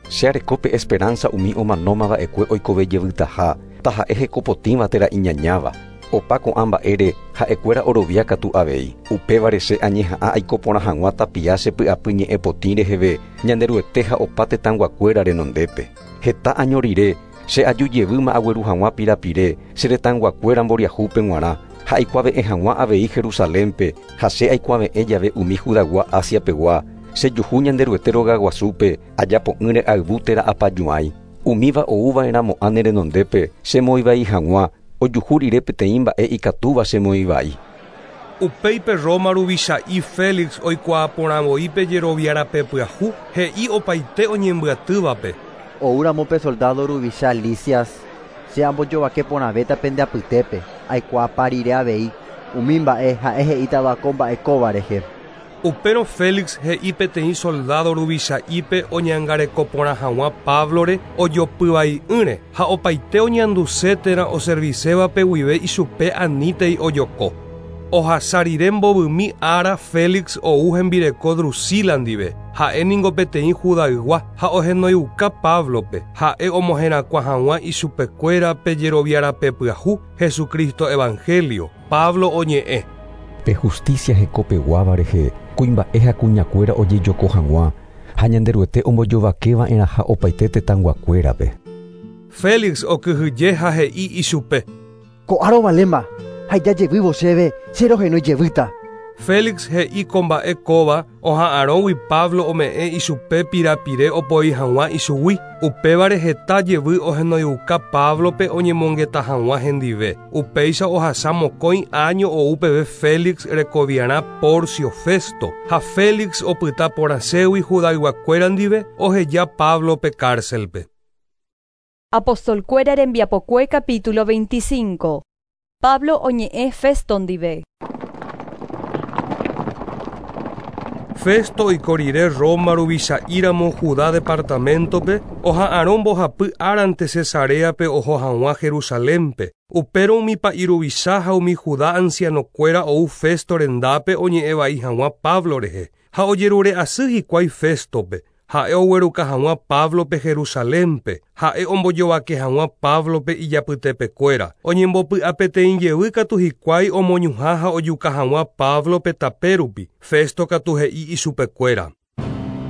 Che arekópe esperanza umi omanómava'ekue oikove jevytaha taha'e hekopotĩva térã iñañáva. Opa ko'ã mba'ére ha'ekuéra orovia katu avei. Upévare che añeha'ã aiko porã hag̃ua tapia chepy'apy ñe'ẽ potĩ reheve Ñanderuete ha opa tetãyguakuéra renondépe. Heta año rire che aju jevýma agueru hag̃ua pirapire che retãyguakuéra mboriahúpe g̃uarã ha aikuave'ẽ hag̃ua avei Jerusalénpe ha che aikuave'ẽ jave umi Judaygua Asiapegua chejuhu Ñanderuete rogaguasúpe ajapo'ỹre ayvu térã apajuãi. Umíva ouva'erãmo'ã ne renondépe chemoĩvai hag̃ua ojuhu rire peteĩ mba'e ikatúva chemoĩvai. Upéipe Roma ruvicha'i Félix oikuaaporãvoi pe jerovia rape pyahu he'i opaite oñembyatývape. Oúramo pe soldado ruvicha Lisias, che ambojovake porãvéta pende apytépe, aikuaapa rire avei umi mba'e ha'e he'ítava ko mba'e kóva rehe. Upérõ Félix he'i peteĩ soldado ruvicha'ípe oñangareko porã hag̃ua Pablore ojopyvai'ỹre ha opaite oñanduse térã oservisévape guive ichupe anítei ojoko. Ohasa rire mbovymi ára Félix ou hembireko Drusila ndive, ha'e ningo peteĩ Judaygua ha ohenoiuka Pablope, ha'e omoherakuã hag̃ua ichupekuéra pe jerovia rape pyahu Jesucristo Evangelio. Pablo oñe'ẽ. Pe justicia hekopeguáva rehe kuimba'e ha kuñakuéra ojejoko hag̃ua ha Ñanderuete ombojovakeva'erãha opaite tetãyguakuérape. Félix okyhyje ha he'i ichupe. Ko'áro valéma ha ijajevývo chéve che rohenói jevýta. Félix he'i ko mba'e kóva oha'arõgui Pablo ome'ẽ ichupe pirapire opoi hag̃ua ichugui. Upévare heta jevy ohenoiuka Pablope oñemongeta hag̃ua hendive. Upéicha ohasa mokõi año ou peve Félix rekoviarã Porcio Festo ha Félix opyta porãségui Judayguakuéra ndive oheja Pablope cárcelpe. Apostolkuéra rembiapokue capítulo veinticinco. Pablo oñe'ẽ Festo ndive. Festo oiko rire Roma ruvicha'íramo Judá departamentope oha'arõ mbohapy árante Cesareape oho hag̃ua Jerusalénpe. Upérõ umi pa'i ruvicha ha umi Judá ancianokuéra ou Festo rendápe oñe'ẽvai hag̃ua Pablo rehe ha ojerure asy hikuái Festope. Ha'e ogueruka hag̃ua Pablope Jerusalénpe, ha'e ombojovake hag̃ua Pablope ijapytepekuéra. Oñembopy'a peteĩ jevy katu hikuái omoñuhã ha ojuka hag̃ua Pablope tapérupi. Festo katu he'i ichupekuéra.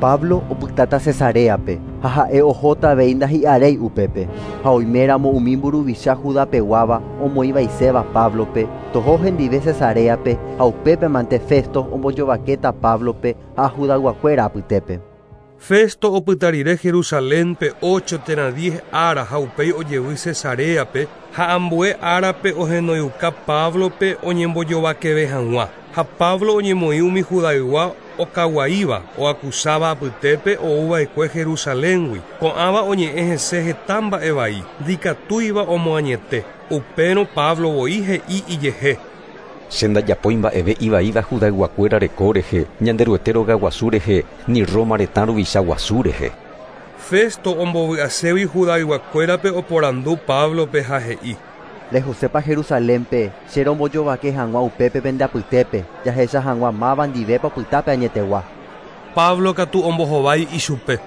Pablo opytáta Cesareape ha ha'e ohóta avei ndahi'aréi upépe ha oiméramo umi mburuvicha Judapeguáva omoĩvaiséva Pablope toho hendive Cesareape ha upépemante Festo ombojovakéta Pablope ha Judayguakuéra apytépe. Festo opyta rire Jerusalénpe ocho térã diez ára ha upéi ojevy Cesareape ha ambue árape ohenoiuka Pablope oñembojovakeve hag̃ua. Ha Pablo oñemoĩ umi Judaygua okaguaíva oakusáva apytépe ouva'ekue Jerusaléngui. Ko'ãva oñe'ẽ hese heta mba'evai, ndikatúiva omoañete. Upérõ Pablo voi he'i ijehe. Che ndajapói mba'eve ivaíva Judayguakuéra reko rehe, Ñanderuete rogaguasu rehe, ni Roma retã ruvicha guasu rehe. Festo ombovy'aségui Judayguakuérape oporandu Pablope ha he'i. Rehosépa Jerusalénpe che rombojovake hag̃ua upépe pende apytépe jahecha hag̃ua máva ndivépa opytápe añetegua. Pablo katu ombohovái ichupe.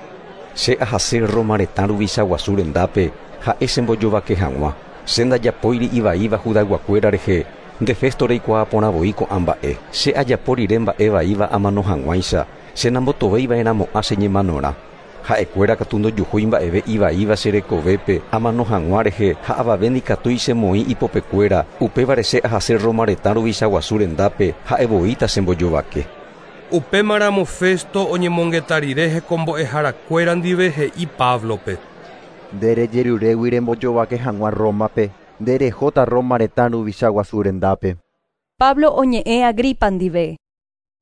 Che ahase Roma retã ruvicha guasu rendápe ha'e chembojovake hag̃ua. Che ndajapóiri ivaíva Judayguakuéra rehe. Nde Festo reikuaaporãvoi ko'ã mba'e. Che ajapo rire mba'e vaíva amano hag̃uáicha, che nambotovéiva'erãmo'ã che ñemanorã. Ha'ekuéra katu ndojuhúi mba'eve ivaíva che rekovépe amano hag̃ua rehe ha avave ndikatúi chemoĩ ipopekuéra. Upévare che ahase Roma retã ruvicha guasu rendápe ha'evoíta chembojovake. Upémaramo Festo oñemongeta rire hekombo'eharakuéra ndive he'i Pablope. Nde rejerurégui rembojovake hag̃ua Rómape, nde rehóta Roma retã ruvicha guasu rendápe. Pablo oñe'ẽ Agripa ndive.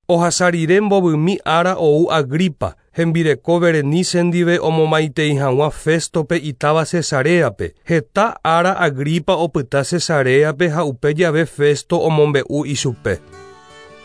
Ohasa rire mbovymi ára ou Agripa, hembireko Berenice ndive omomaitei hag̃ua Féstope itáva Cesareape. Heta ára Agripa opyta Cesareape ha upe jave Festo omombe'u ichupe.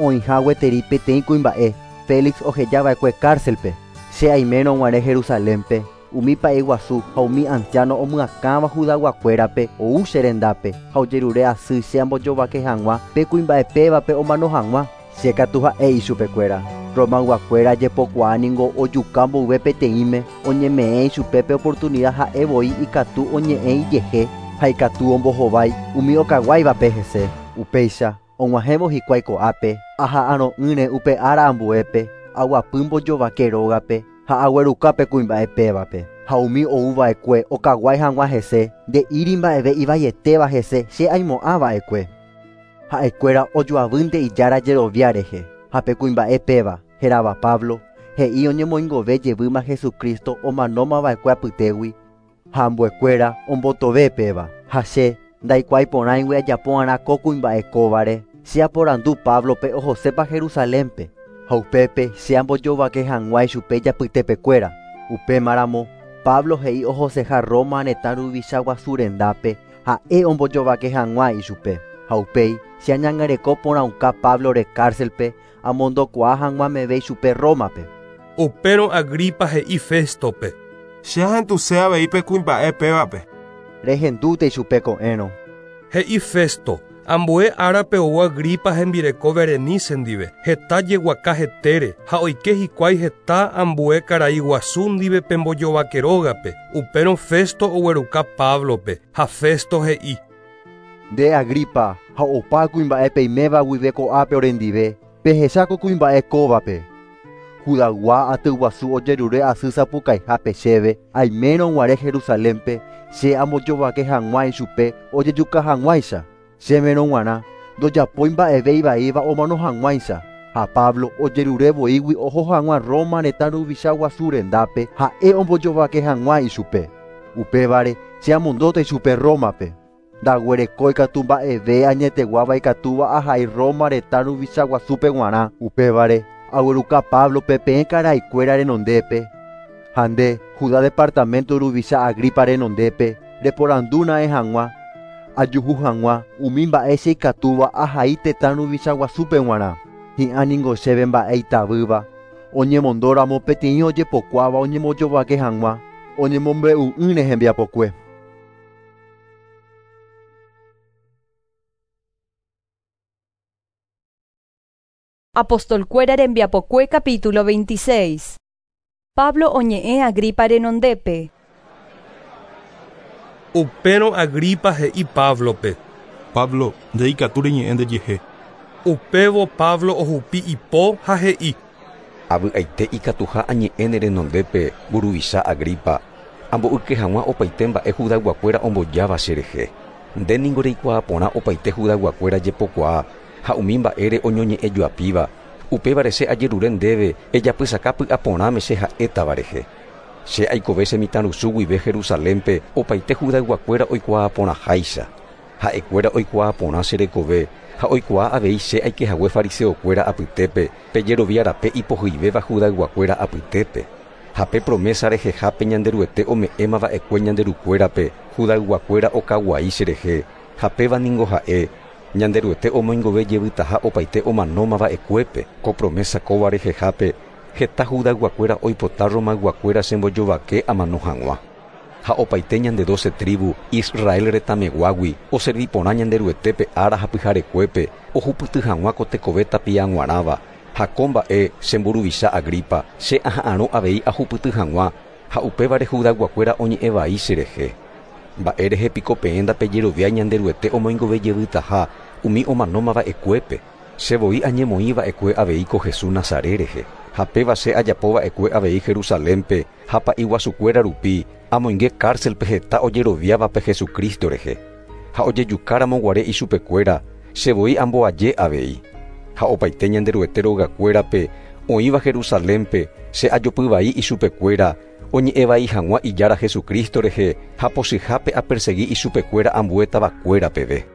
Oĩha gueteri peteĩ kuimba'e Félix ohejava'ekue cárcelpe. Che aimérõ guare Jerusalénpe, umi pa'iguasu ha umi anciano omyakãva Judayguakuérape ou che rendápe ha ojerure asy che ambojovake hag̃ua pe kuimba'epévape omano hag̃ua. Che katu ha'e ichupekuéra. Romayguakuéra jepokuaa ningo ojuka mboyve peteĩme oñeme'ẽ ichupe pe oportunidad ha'e voi ikatu oñe'ẽ ijehe ha ikatu ombohovái umi okaguáivape hese. Upéicha og̃uahẽvo hikuái ko'ápe aha'arõ'ỹre upe ára ambuépe aguapy mbojovake rógape ha aguerukápe kuimba'epévape. Ha umi ouva'ekue okaguái hag̃ua hese nde'íri mba'eve ivaietéva hese che aimo'ãva'ekue. Ha'ekuéra ojoavýnte ijára jerovia rehe ha pe kuimba'epéva hérava Pablo he'i oñemoingove jevýma Jesucristo omanómava'ekue apytégui ha ambuekuéra ombotove péva. Ha che ndaikuái porãigui ajapo'arã ko kuimba'e kóvare che aporandu Pablope ohosépa Jerusalénpe ha upépe che ambojovake hag̃ua ichupe ijapytepekuéra. Upémaramo Pablo he'i ohoseha Roma retã ruvicha guasu rendápe ha'e ombojovake hag̃ua ichupe. Ha upéi che añangareko porãuka Pablore cárcelpe amondokuaa hag̃ua meve ichupe Rómape. Upérõ Agripa he'i Féstope. Che ahenduse avei pe kuimba'e pévape. Rehendúta ichupe ko'ẽrõ. He'i Festo. Ambue árape ou Agripa hembireko Berenice ndive, heta jeguaka hetére ha oike hikuái heta ambue karai guasu ndive pe mbojovake rógape. Upérõ Festo ogueruka Pablope ha Festo he'i: Nde Agripa ha opa kuimba'e peiméva guive ko'ápe orendive, pehecháko kuimba'e kóvape. Judaygua atyguasu ojerure asy sapukaihápe chéve aimérõ guare Jerusalénpe che ambojovake hag̃ua ichupe ojejuka hag̃uáicha. Chéverõ g̃uarã ndojapói mba'eve ivaíva omano hag̃uáicha. Ha Pablo ojerure voígui oho hag̃ua Roma retã ruvicha guasu rendápe ha'e ombojovake hag̃ua ichupe. Upévare che amondóta ichupe Rómape. Ndaguerekói katu mba'eve añeteguáva ikatúva ahai Roma retã ruvicha guasúpe g̃uarã. Upévare agueruka Pablope peẽ karaikuéra renondépe. Ha nde Judá departamento ruvicha Agripa renondépe reporandúna'e hag̃ua ajuhu hag̃ua umi mba'e che ikatúva ahai tetã ruvicha guasúpe g̃uarã. Hi'ã ningo chéve mba'e itavýva oñemondóramo peteĩ ojepokuáva oñembojovake hag̃ua oñemombe'u'ỹre hembiapokue. Apostolkuéra rembiapokue capítulo veintiséis. Pablo oñe'ẽ Agripa renondépe. Upérõ Agripa he'i Pablope. Pablo, nde ikatu reñe'ẽ ndejehe. Upévo Pablo ohupi ipo ha he'i: Avy'aite ikatuha añe'ẽ ne renondépe mburuvicha Agripa, amboyke hag̃ua opaite mba'e Judayguakuéra ombojáva cherehe. Nde ningo reikuaa porã opaite Judayguakuéra jepokuaa ha umi mba'ére oñoñe'ẽjoapíva. Upévare che ajerure ndéve ejapysaka py'aporãme che ha'étava rehe. Che aikove che mitãrusu guive Jerusalénpe opaite Judayguakuéra oikuaa porãháicha. Ha'ekuéra oikuaa porã che rekove ha oikuaa avei che aikehague fariseokuéra apytépe pejeroviarape ipohyivéva Judayguakuéra apytépe. Ha pe promesa rehehápe Ñanderuete ome'ẽmava'ekue Ñanderukuérape Judayguakuéra okaguai cherehe ha péva ningo ha'e Ñanderuete omoingove jevytaha opaite omanómava'ekuépe. Ko promesa kóva rehehápe heta Judayguakuéra oipota Romayguakuéra chembojovake amano hag̃ua. Ha opaite ñande doce tribu Israel retãmeguágui oservi porã Ñanderuetépe ára ha pyharekuépe ohupyty hag̃ua ko tekove tapiag̃uarãva. Ha ko mba'e che mburuvicha Agripa che aha'arõ avei ahupyty hag̃ua ha upévare Judayguakuéra oñe'ẽvai cherehe. Mba'e rehe piko peẽ ndapejerovia Ñanderuete omoingove jevytaha umi omanómava'ekuépe. Che voi añemoĩva'ekue avei ko Jesús Nazaret rehe. Ha péva che ajapova'ekue avei Jerusalénpe ha pa'iguasukuéra rupi amoinge cárcelpe heta ojeroviávape Jesucristo rehe. Ha ojejukáramo guare ichupekuéra che voi amboaje avei. Ha opaite Ñanderuete rogakuérape oĩva Jerusalénpe che ajopyvai ichupekuéra oñe'ẽvai hag̃ua ijára Jesucristo rehe ha pochyhápe apersegui ichupekuéra ambue tavakuéra peve.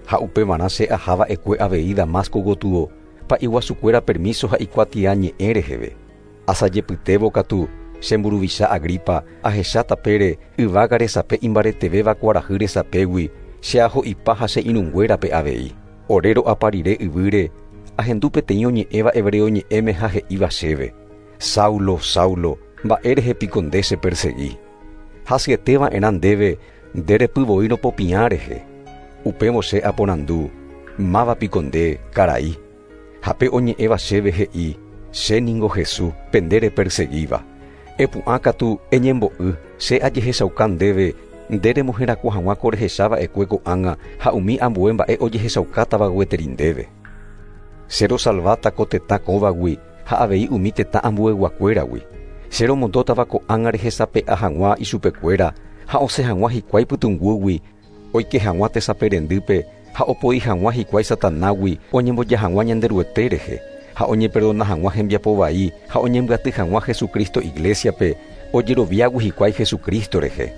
Ha upevarã che ahava'ekue avei Damasco gotyo Pa'i guasukuéra permiso ha ikuatia ñe'ẽ reheve. Asajepytévo katu che mburuvicha Agripa ahecha tapére yvága resape imbaretevéva kuarahy resapégui che aho'ipa ha che irũnguérape avei. Ore ro'apa rire yvýre ahendu peteĩ oñe'ẽva hebreo ñe'ẽme ha he'íva chéve: Saulo, Saulo, mba'érehe piko nde chepersegui. Hasyetéva'erã ndéve nde repyvoi ropopiã rehe. Upévo che aporandu: Máva piko nde, karai. Ha pe oñe'ẽva chéve he'i: Che ningo Jesús, pe nde reperseguíva. Epu'ã katu eñembo'y, che ajehechauka ndéve nde remoherakuã hag̃ua ko rehechava'ekue ko'ág̃a ha umi ambue mba'e ojehechaukátava gueteri ndéve. Che rosalváta ko tetã kóvagui ha avei umi tetã ambueguakuéragui. Che romondótava ko'ág̃a rehesape'a hag̃ua ichupekuéra ha osẽ hag̃ua hikuái pytũnguýgui oike hag̃ua tesaperendýpe ha opoi hag̃ua hikuái Satanágui oñemboja hag̃ua Ñanderuete rehe ha oñeperdona hag̃ua hembiapo vai ha oñembyaty hag̃ua Jesucristo iglesiape ojeroviágui hikuái Jesucristo rehe.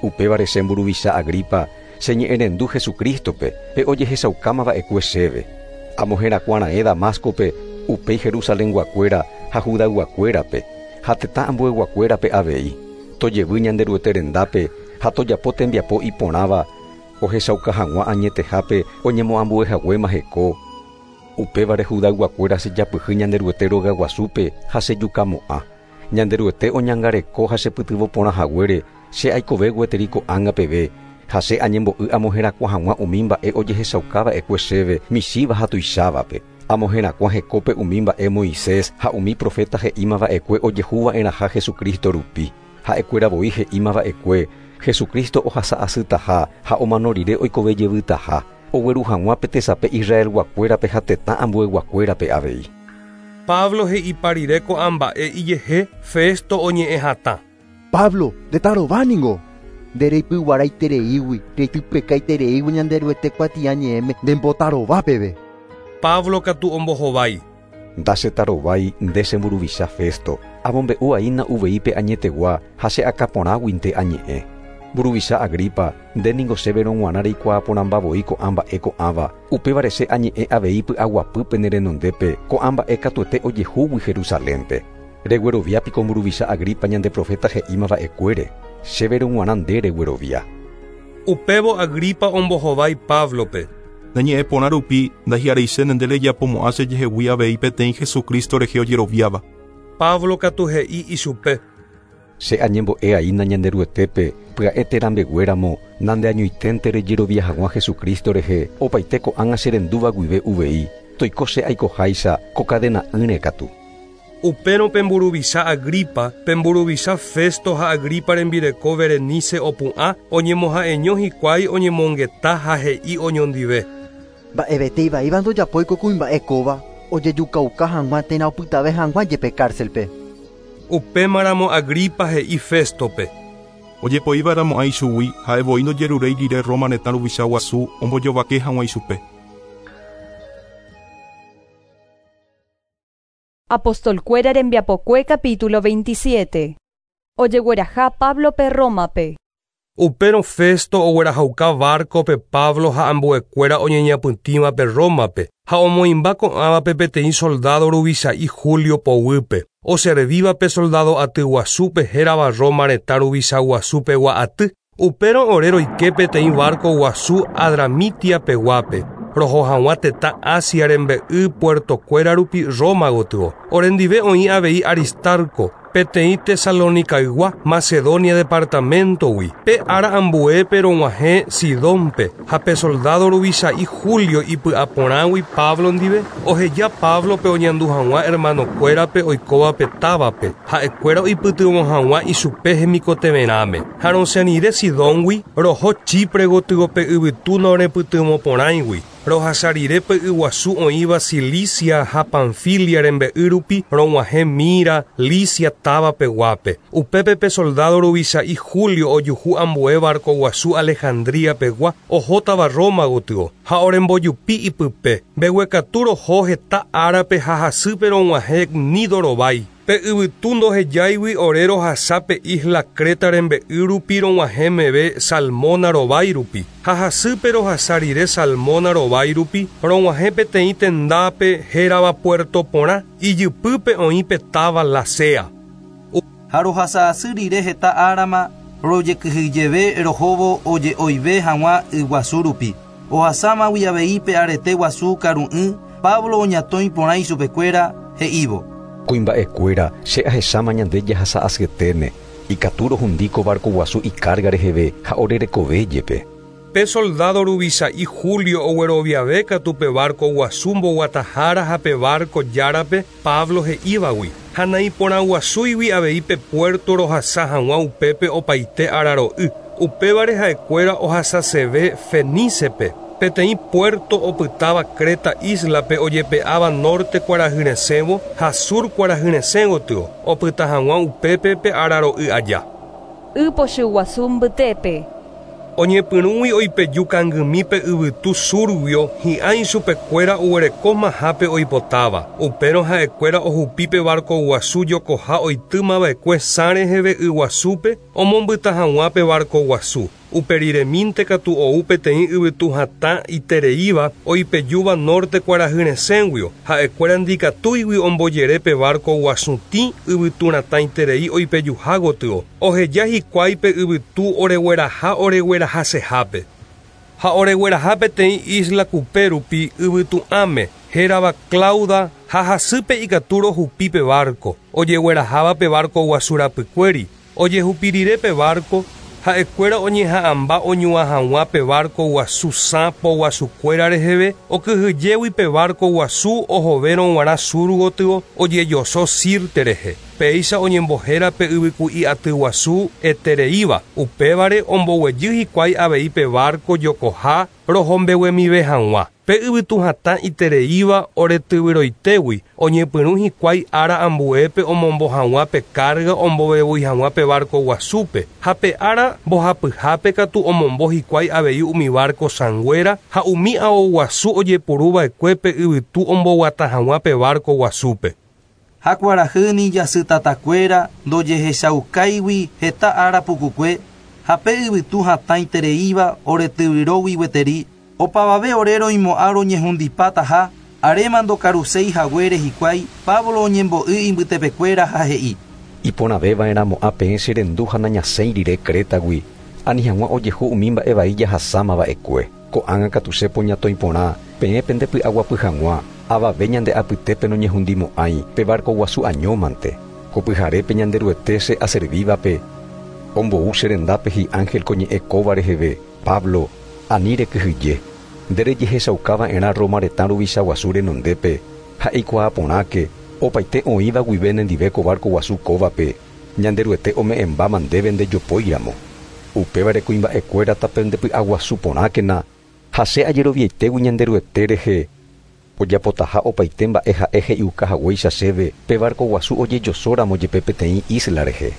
Upévare che mburuvicha Agripa cheñe'ẽrendu Jesucristope pe ojehechaukámava'ekue chéve. Amoherakuãra'ẽ Damascope upéi Jerusalenguakuéra ha Judayguakuérape ha tetã ambueguakuérape avei. Tojevy Ñanderuete rendápe ha tojapo tembiapo iporãva ohechauka hag̃ua añetehápe oñemoambuehaguéma heko. Upévare Judayguakuéra chejapyhy Ñanderuete rogaguasúpe ha chejukamo'ã. Ñanderuete oñangareko ha chepytyvõ porã haguére che aikove gueteri ko'ág̃a peve ha che añembo'y amoherakuã hag̃ua umi mba'e ojehechaukava'ekue chéve michĩva ha tuichávape. Amoherakuã hekópe umi mba'e Moisés ha umi profeta he'ímava'ekue ojehuva'erãha Jesucristo rupi. Ha'ekuéra voi he'ímava'ekue Jesucristo ohasa'asytaha ha omano rire oikove jevytaha ogueru hag̃ua pe tesape Israelguakuérape ha tetã ambueguakuérape avei. Pablo he'ipa rire ko'ã mba'e ijehe Festo oñe'ẽ hatã. Pablo, ndetarováningo. Nde reipyguaraitereígui, reitypekaitereígui Ñanderuete kuatia ñe'ẽme ndembotarova peve. Pablo katu ombohovái. Ndachetarovái nde che mburuvicha Festo. Amombe'u'aína uvei pe añetegua ha che akãporãguinte añe'ẽ. Mburuvicha Agripa, nde ningo chéverõ g̃uarã reikuaa porãmbavoi ko'ã mba'e ko'ãva. Upévare che añe'ẽ avei py'aguapýpe ne renondépe ko'ã mba'e katuete ojehúgui Jerusalénpe. Reguerovia piko mburuvicha Agripa ñande profeta he'ímava'ekuére. Chéverõ g̃uarã nde reguerovia. Upévo Agripa ombohovái Pablope. Neñe'ẽ porã rupi ndahi'areichéne nde rejapomo'ã chejehegui avei peteĩ Jesucristo rehe ojeroviáva. Pablo katu he'i ichupe. Che añembo'e'aína Ñanderuetépe pya'e térã mbeguéramo nandeañoiténte rejerovia hag̃ua Jesucristo rehe opaite ko'ág̃a cherendúva guive uvei toiko che aikoháicha ko kadena'ỹre katu. Upérõ pe mburuvicha Agripa, pe mburuvicha Festo ha Agripa rembireko Berenice opu'ã oñemoha'eño hikuái oñemongeta ha he'i oñondive. Mba'evete ivaíva ndojapói ko kuimba'e kóva ojejukauka hag̃ua térã opytave hag̃ua jepe cárcelpe. Upémaramo Agripa he'i Festope. Ojepoívaramo'ã ichugui ha'evoi ndojeruréi rire Roma retã ruvicha guasu ombojovake hag̃ua ichupe. Apostolkuéra rembiapokue capítulo veintisiete. Ojegueraha Pablope Rómape. Upérõ Festo oguerahauka barcope Pablo ha ambuekuéra oñeñapytĩvape Rómape ha omoĩmba ko'ãvape peteĩ soldado ruvicha'i Julio poguýpe oservívape soldado aty guasúpe hérava Roma retã ruvicha guasupegua aty. Upérõ ore roike peteĩ barco guasu Adramitia peguápe roho hag̃ua tetã Asia rembe'y puertokuéra rupi Roma gotyo. Orendive oĩ avei Aristarco, peteĩ Tesalonicaygua Macedonia departamentogui. Pe ára ambuépe rog̃uahẽ Sidónpe ha pe soldado ruvicha'i Julio ipy'aporãgui Pablo ndive oheja Pablope oñandu hag̃ua hermanokuérape oikóvape távape ha'ekuéra oipytyvõ hag̃ua ichupe hemikotevẽrãme. Ha rosẽ rire Sidóngui roho Chipre gotyo pe yvytu norepytyvõporãigui. Rohasa rire pe yguasu oĩva Cilicia ha Panfilia rembe'y rupi rog̃uahẽ Mira, Licia táva peguápe. Upépe pe soldado ruvicha'i Julio ojuhu ambue barco guasu Alejandría pegua ohótava Roma gotyo ha orembojupi ipype. Mbeguekatu roho heta árape ha hasýpe rog̃uahẽ Gnido rovái. Pe yvytu ndohejáigui ore rohasa pe isla Creta rembe'y rupi rog̃uahẽ meve Salmona rovái rupi. Ha hasýpe rohasa rire Salmona rovái rupi rog̃uahẽ peteĩ tendápe hérava Puerto Porã, ijypýpe oĩ pe táva Lasea. Ha rohasa asy rire heta árama rojekyhyjeve rohóvo oje'oive hag̃ua yguasu rupi. Ohasámagui avei pe arete guasu karu'ỹ, Pablo oñatõi porã ichupekuéra he'ívo. Kuimba'ekuéra che ahecháma ñande jahasa asyeténe, ikatu rohundi ko barco guasu icarga reheve ha orerekove jepe. Pe soldado ruvicha'i Julio ogueroviave katu pe barco guasu mboguatahára ha pe barco járape Pablo he'ívagui. Ha naiporãguasúigui avei pe puerto rohasa hag̃ua upépe opaite araro'y. Upévare ha'ekuéra ohasaseve Fenícepe, peteĩ puerto opytáva Creta islape ojepe'áva norte kuarahyresẽvo ha sur kuarahyresẽ gotyo, opyta hag̃ua upépe pe araro'y aja. Ypochy guasu mbytépe. Oñepyrũgui oipeju kangymi pe yvytu surguio hi'ã ichupekuéra oguerekómahápe oipotáva. Upérõ ha'ekuéra ohupi pe barco guasu jokoha oitýmava'ekue sã reheve yguasúpe omombyta hag̃ua pe barco guasu. Uperiremínte katu ou peteĩ yvytu hatã itereíva oipejúva norte kuarahyresẽguio, ha'ekuéra ndikatúigui ombojere pe barco guasutĩ yvytu ratãiterei oipejuha gotyo. Oheja hikuái pe yvytu oregueraha oreguerahasehápe. Ha oregueraha peteĩ isla kupe rupi yvytu'ãme hérava Clauda ha hasýpe ikatu rohupi pe barco, ojegueraháva pe barco guasu rapykuéri. Ojehupi rire pe barco, ha'ekuéra oñeha'ãmba oñuã hag̃ua pe barco guasu sã poguasukuéra reheve, okyhyjégui pe barco guasu ohovérõ g̃uarã sur gotyo ojejoso Sirte rehe. Péicha oñembohéra pe yvyku'i aty guasu etereíva, upévare omboguejy hikuái avei pe barco jokoha rohombeguemive hag̃ua. Pe yvytu hatã itereíva oretyvyroitégui oñepyrũ hikuái ára ambuépe omombo hag̃ua pe carga ombovevúi hag̃ua pe barco guasúpe, ha pe ára mbohapyhápe katu omombo hikuái avei umi barco sãnguéra ha umi ao guasu ojepuruva'ekue pe yvytu omboguata hag̃ua pe barco guasúpe. Ha kuarahyni jasytatakuéra ndojehechaukáigui heta ára pukukue, ha pe yvytu hatãitereíva oretyvyrógui gueteri, opavave ore roimo'ã roñehundipátaha, aréma ndokaruséi haguére hikuái, Pablo oñembo'y imbytepekuéra ha he'i. Iporãvéva'erãmo'ã peẽ cherendu ha nañasẽi rire Crétagui, ani hag̃ua ojehu umi mba'evai jahasámava'ekue. Ko'ág̃a katu che poñatõi porã, peẽ pendepy'aguapy hag̃ua, avave ñande apytépe noñehundimo'ãi pe barco guasu añómante. Ko pyharépe Ñanderuete che aservívape, ombou che rendápe hi'ángel ko ñe'ẽ kóva reheve, Pablo, ani rekyhyje, nde rejehechaukava'erã Roma retã ruvicha guasu renondépe, ha eikuaa porãke, opaite oĩva guive nendive ko barco guasu kóvape, Ñanderuete ome'ẽmbáma ndéve ndejopóiramo. Upévare kuimba'ekuéra tapendepy'aguasu porãkena, ha che ajeroviaitégui Ñanderuete rehe, ojapotaha opaite mba'e ha'e he'iuka haguéicha chéve pe barco guasu ojejosóramo jepe peteĩ isla rehe.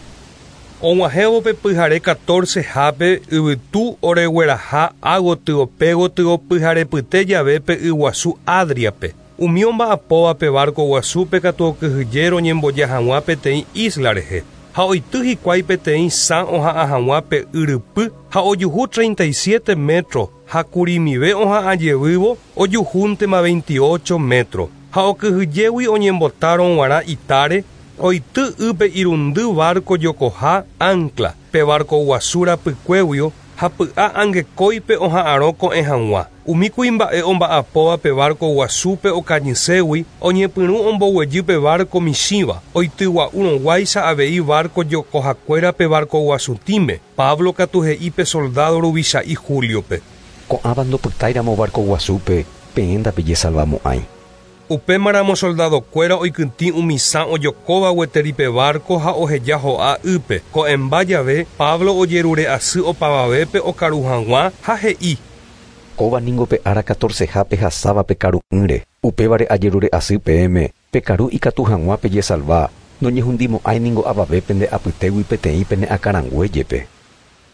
Og̃uahẽvo pe pyhare catorce-hápe yvytu oregueraha ágotyo pégotyo pyharepyte jave pe yguasu Adriape. Umi omba'apóva pe barco guasúpe katu okyhyje roñemboja hag̃ua peteĩ isla rehe. Ha oity hikuái peteĩ sã oha'ã hag̃ua pe yrypy ha ojuhu treinta y siete metro ha kurimive oha'ã jevývo ojuhúntema veintiocho metro. Ha okyhyjégui oñembotárõ g̃uarã itáre, oity ýpe irundy barco jokoha ancla, pe barco guasu rapykuéguio ha py'a angekóipe oha'ãrõ ko'ẽ hag̃ua. Umi kuimba'e omba'apóva pe barco guasúpe okañységui oñepyrũ omboguejy pe barco michĩva, oitygua'úrõguáicha avei barco jokohakuéra pe barco guasutĩme. Pablo katu he'i pe soldado ruvicha'i Juliope. Ko'ãva ndopytáiramo barco guasúpe, peẽ ndapejesalvamo'ãi. Upémaramo soldadokuéra oikytĩ umi sã ojokóva gueteri pe barco ha oheja ho'a ýpe. Ko'ẽmba jave, Pablo ojerure asy opavavépe okaru hag̃ua ha he'i. Kóva ningo pe ára catorcehápe hasáva pe karu'ỹre, upévare ajerure asy peẽme, pe karu ikatu hag̃ua pejesalva, noñehundimo'ãi ningo avave pende apytégui peteĩ pene akãrangue jepe.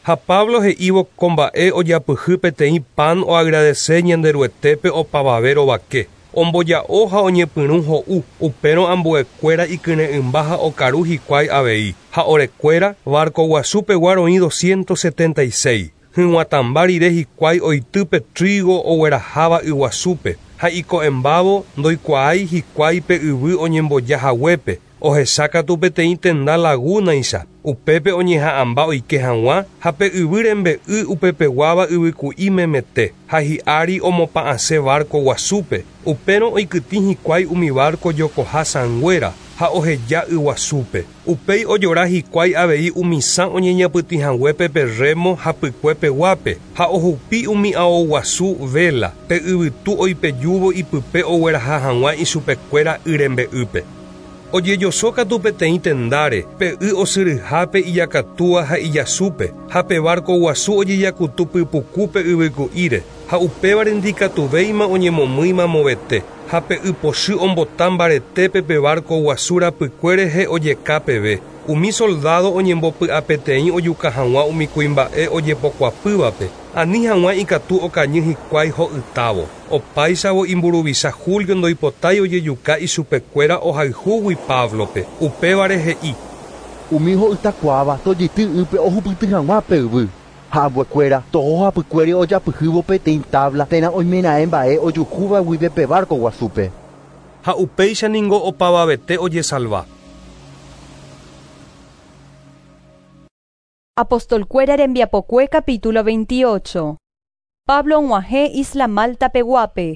Ha Pablo he'ívo ko mba'e ojapyhy peteĩ pan oagradece Ñanderuetépe opavave rovake. Omboja'o ha oñepyrũ ho'u, upérõ ambuekuéra ikyre'ỹmba ha okaru hikuái avei. Ha orekuéra barco guasúpegua roĩ doscientos setenta y seis. Hyg̃uatãmba rire hikuái oitýpe trigo ogueraháva yguasúpe ha iko'ẽmbávo ndoikuaái hikuái pe yvy oñembojahaguépe, ohechákatu peteĩ tenda lagúnaicha, upépe oñeha'ãmba oike hag̃ua ha pe yvy rembe'y upepeguáva yvyku'i memete ha hi'ári omopa'ãse barco guasúpe, upérõ oikytĩ hikuái umi barco jokoha sãnguéra ha oheja yguasúpe. Upéi ojora hikuái avei umi sã oñeñapytĩhaguépe pe remo hapykuepeguápe ha ohupi umi ao guasu vela pe yvytu oipejúvo ipype ogueraha hag̃ua ichupekuéra y rembe'ýpe. Ojejosókatu peteĩ tendáre, pe y osyryhápe ijakatúa ha ijasúpe, ha pe barco guasu ojejakutu pypukúpe yvyku'íre, ha upévare ndikatuvéima oñemomýima movete, ha pe ypochy ombota mbaretépe pe barco guasu rapykue rehe ojeka peve. Umi soldado oñembopy'apeteĩ ojuka hag̃ua umi kuimba'e ojepokuapývape, ani hag̃ua ikatu okañy hikuái ho'ytávo. Opáichavo imburuvicha Julio ndoipotái ojejuka ichupekuéra ohayhúgui Pablope. Upévare he'i: Umi ho'ytakuaáva tojety ýpe ohupyty hag̃ua pe yvy. Ha ambuekuéra toho hapykuéri ojapyhývo peteĩ tabla térã oimeraẽ mba'e ojuhúva guive pe barco guasúpe. Ha upéicha ningo opavavete ojesalva. Apostolkuéra rembiapokue capítulo veintiocho. Pablo og̃uahẽ Isla Malta peguápe.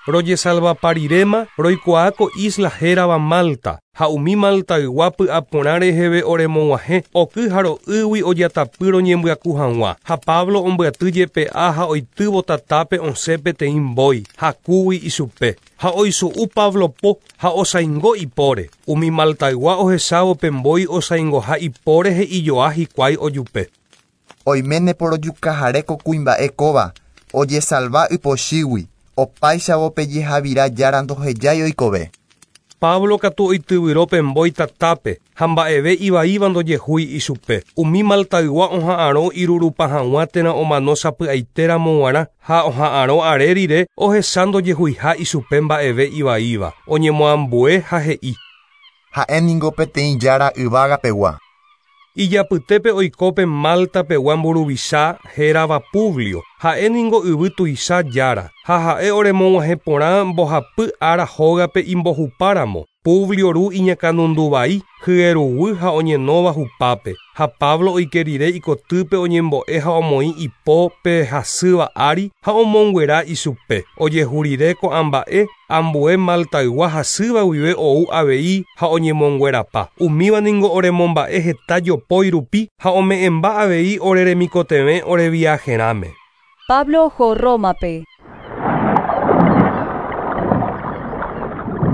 Rojesalvapariréma roikuaáko isla hérava Malta, ha umi Maltaygua py'aporã reheve oremog̃uahẽ oky ha ro'ýgui ojatapy roñembyaku hag̃ua, ha Pablo ombyaty jepe'a ha oitývo tatápe osẽ peteĩ mbói, hakúgui ichupe, ha oisu'u Pablo po ha osaingo ipóre. Umi Maltaygua ohechávo pe mbói osaingoha ipóre he'ijoa hikuái ojupe. Oiméne porojukaháre ko kuimba'e kóva, ojesalva ypochýgui. Opáichavo pejehavira jára ndohejái oikove. Pablo katu oityvyrópe mbói tatápe ha mba'eve ivaíva ndojehúi ichupe. Umi Maltaygua oha'ãrõ irurupa hag̃ua térã omano sapy'aitéramo g̃uarã ha oha'ãrõ are rire ohecha ndojehuiha ichupe mba'eve ivaíva. Oñemoambue ha he'i: Ha'éningo peteĩ jára yvágapegua. Ijapytépe oikópe Maltapegua mburuvicha hérava Publio, ha'éningo yvy tuicha jára, ha ha'e oremog̃uahẽ porã mbohapy ára hógape imbohupáramo. Publio ru iñakãnunduvai, hyeruguy ha oñenóva hupápe, ha Pablo oike rire ikotýpe oñembo'e ha omoĩ ipo pe hasýva ári ha omonguera ichupe. Ojehu rire ko'ã mba'e, ambue Maltaygua hasýva guive ou avei ha oñemonguerapa. Umíva ningo oremomba'e heta jopói rupi ha ome'ẽmba avei oreremikotevẽ oreviajerãme. Pablo oho Rómape.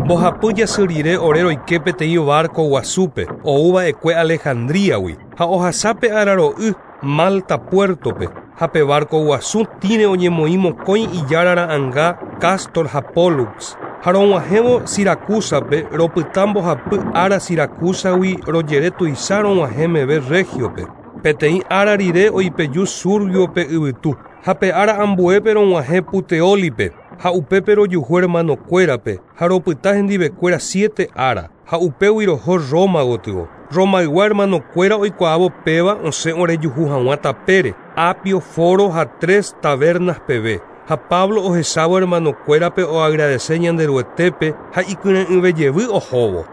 Mbohapy jasy rire ore roike peteĩ barco guasúpe oúva'ekue Alejandríagui ha ohasápe araro'y Malta puertope, ha pe barco guasu tĩre oñemoĩ mokõi ijára ra'ãnga Castor ha Pollux. Ha rog̃uahẽvo Siracusape ropyta mbohapy ára Siracusagui rojere tuicha rog̃uahẽ meve Regiope. Peteĩ ára rire oipeju Surgiope yvytu, ha pe ára ambuépe rog̃uahẽ Puteólipe, ha upépe rojuhu hermanokuérape ha ropyta hendivekuéra siete ára, ha upégui roho Roma gotyo. Romaygua hermanokuéra oikuaávo péva osẽ orejuhu hag̃ua tapére, Apio, Foro ha Tres Tabernas peve. Ha Pablo ohechávo hermanokuérape oagradece Ñanderuetépe ha ikyre'ỹvejevy ohóvo.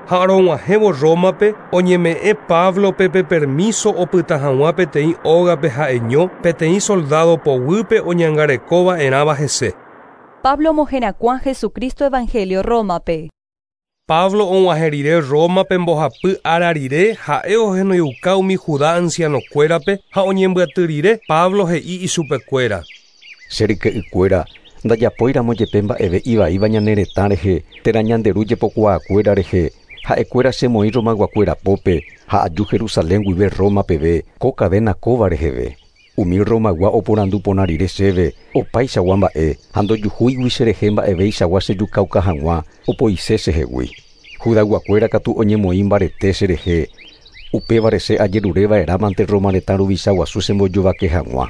Ha rog̃uahẽvo Rómape oñeme'ẽ Pablope pe permiso opyta hag̃ua peteĩ ógape ha'eño peteĩ soldado poguýpe oñangarekova'erãva hese. Pablo omoherakuã Jesucristo Evangelio Rómape. Pablo og̃uahẽ rire Rómape mbohapy ára rire ha'e ohenoiuka umi Judá ancianokuérape ha oñembyaty rire Pablo he'i ichupekuéra: Che ryke'ykuéra, ndajapóiramo jepe mba'eve ivaíva ñane retã rehe térã ñanderu jepokuaakuéra rehe, ha'ekuéra chemoĩ Romayguakuéra pópe ha aju Jerusalén guive Roma peve ko cadena kóva reheve. Umi Romaygua oporandu porã rire chéve opaichagua mba'e ha ndojuhúigui cherehe mba'eveichagua chejukauka hag̃ua opoise chehegui. Judayguakuéra katu oñemoĩ mbarete cherehe, Upévare che ajerureva'erãmante Roma retã ruvicha guasu chembojovake hag̃ua.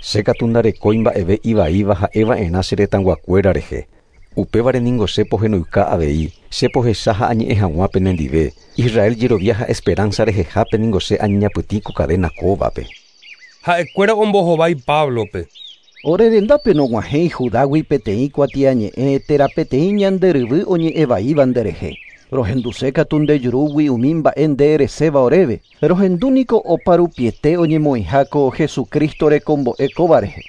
Che katu ndarekói mba'eve ivaíva ha'eva'erã che retãyguakuéra rehe. Upévare ningo che pohenoika avei, che pohecha ha añe'ẽ hag̃ua penendive. Israel jerovia ha esperanza rehehápe ningo che añeñapytĩ ko cadena kóvape. Ha'ekuéra ombohovái Pablope. Ore rendápe nog̃uahẽi Judágui peteĩ kuatiañe'ẽ térã peteĩ ñanderyvy oñe'ẽvaíva nderehe. Rohenduse katu ndejurúgui umi mba'e nde ereséva oréve. Rohendúniko oparupiete oñemoĩha ko Jesucristo rekombo'e kóva rehe.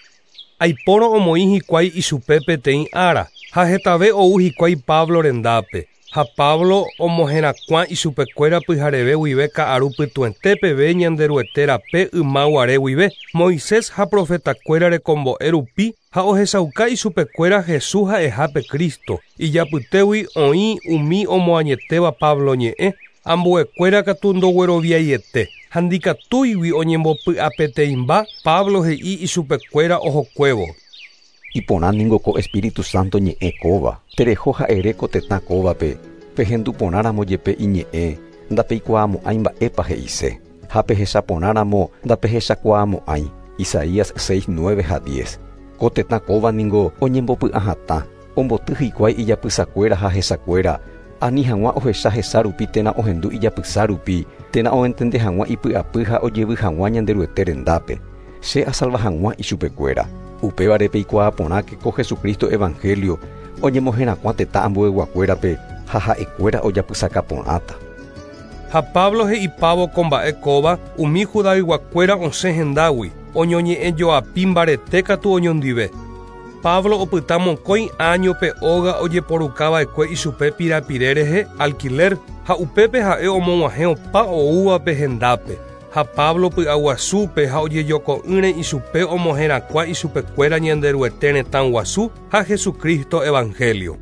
Aipórõ omoĩ hikuái ichupe peteĩ ára ha hetave ou hikuái Pablo rendápe. Ha Pablo omoherakuã ichupekuéra pyhareve guive ka'aru pytuete peve Ñanderuete rape ymaguare guive Moisés ha profetakuéra rekombo'e rupi ha ohechauka ichupekuéra Jesús ha'ehápe Cristo. Ijapytégui oĩ umi omoañetéva Pablo ñe'ẽ, ambuekuéra katu ndogueroviaiete. Ha ndikatúigui oñembopy'apeteĩmba Pablo he'i ichupekuéra ohokuévo. Iporã ningo ko Espíritu Santo ñe'ẽ kóva. Tereho ha'ere ko tetã kóvape, pehendu porãramo jepe iñe'ẽ, ndapeikuaamo'ãi mba'épa he'ise. Ha pehechaporãramo ndapehechakuaamo'ãi. Isaías seis, nueve ha diez. Ko tetã kóva ningo oñembopy'ahatã, omboty hikuái ijapysakuéra ha hesakuéra, ani hag̃ua ohecha hesa rupi térã ohendu ijapysa rupi, térã oentende hag̃ua ipy'apy ha ojevy hag̃ua Ñanderuete rendápe. Che asalva hag̃ua ichupekuéra. Upévare peikuaa porãke ko Jesucristo evangelio oñemoherakuã tetã ambueyguakuérape ha ha'ekuéra ojapysaka porãta. Ha Pablo he'ipávo ko mba'e kóva umi judayguakuéra osẽ hendágui, oñoñe'ẽjoapi mbarete katu oñondive. Pablo opyta mokõi áñope óga ojeporukava'ekue ichupe pirapire rehe alquiler ha upépe ha'e omog̃uahẽ opa oúvape hendápe. Ha Pablo py'aguasúpe ha ojejoko'ỹre ichupe omoherakuã ichupekuéra Ñanderuete retã guasu ha Jesucristo evangelio.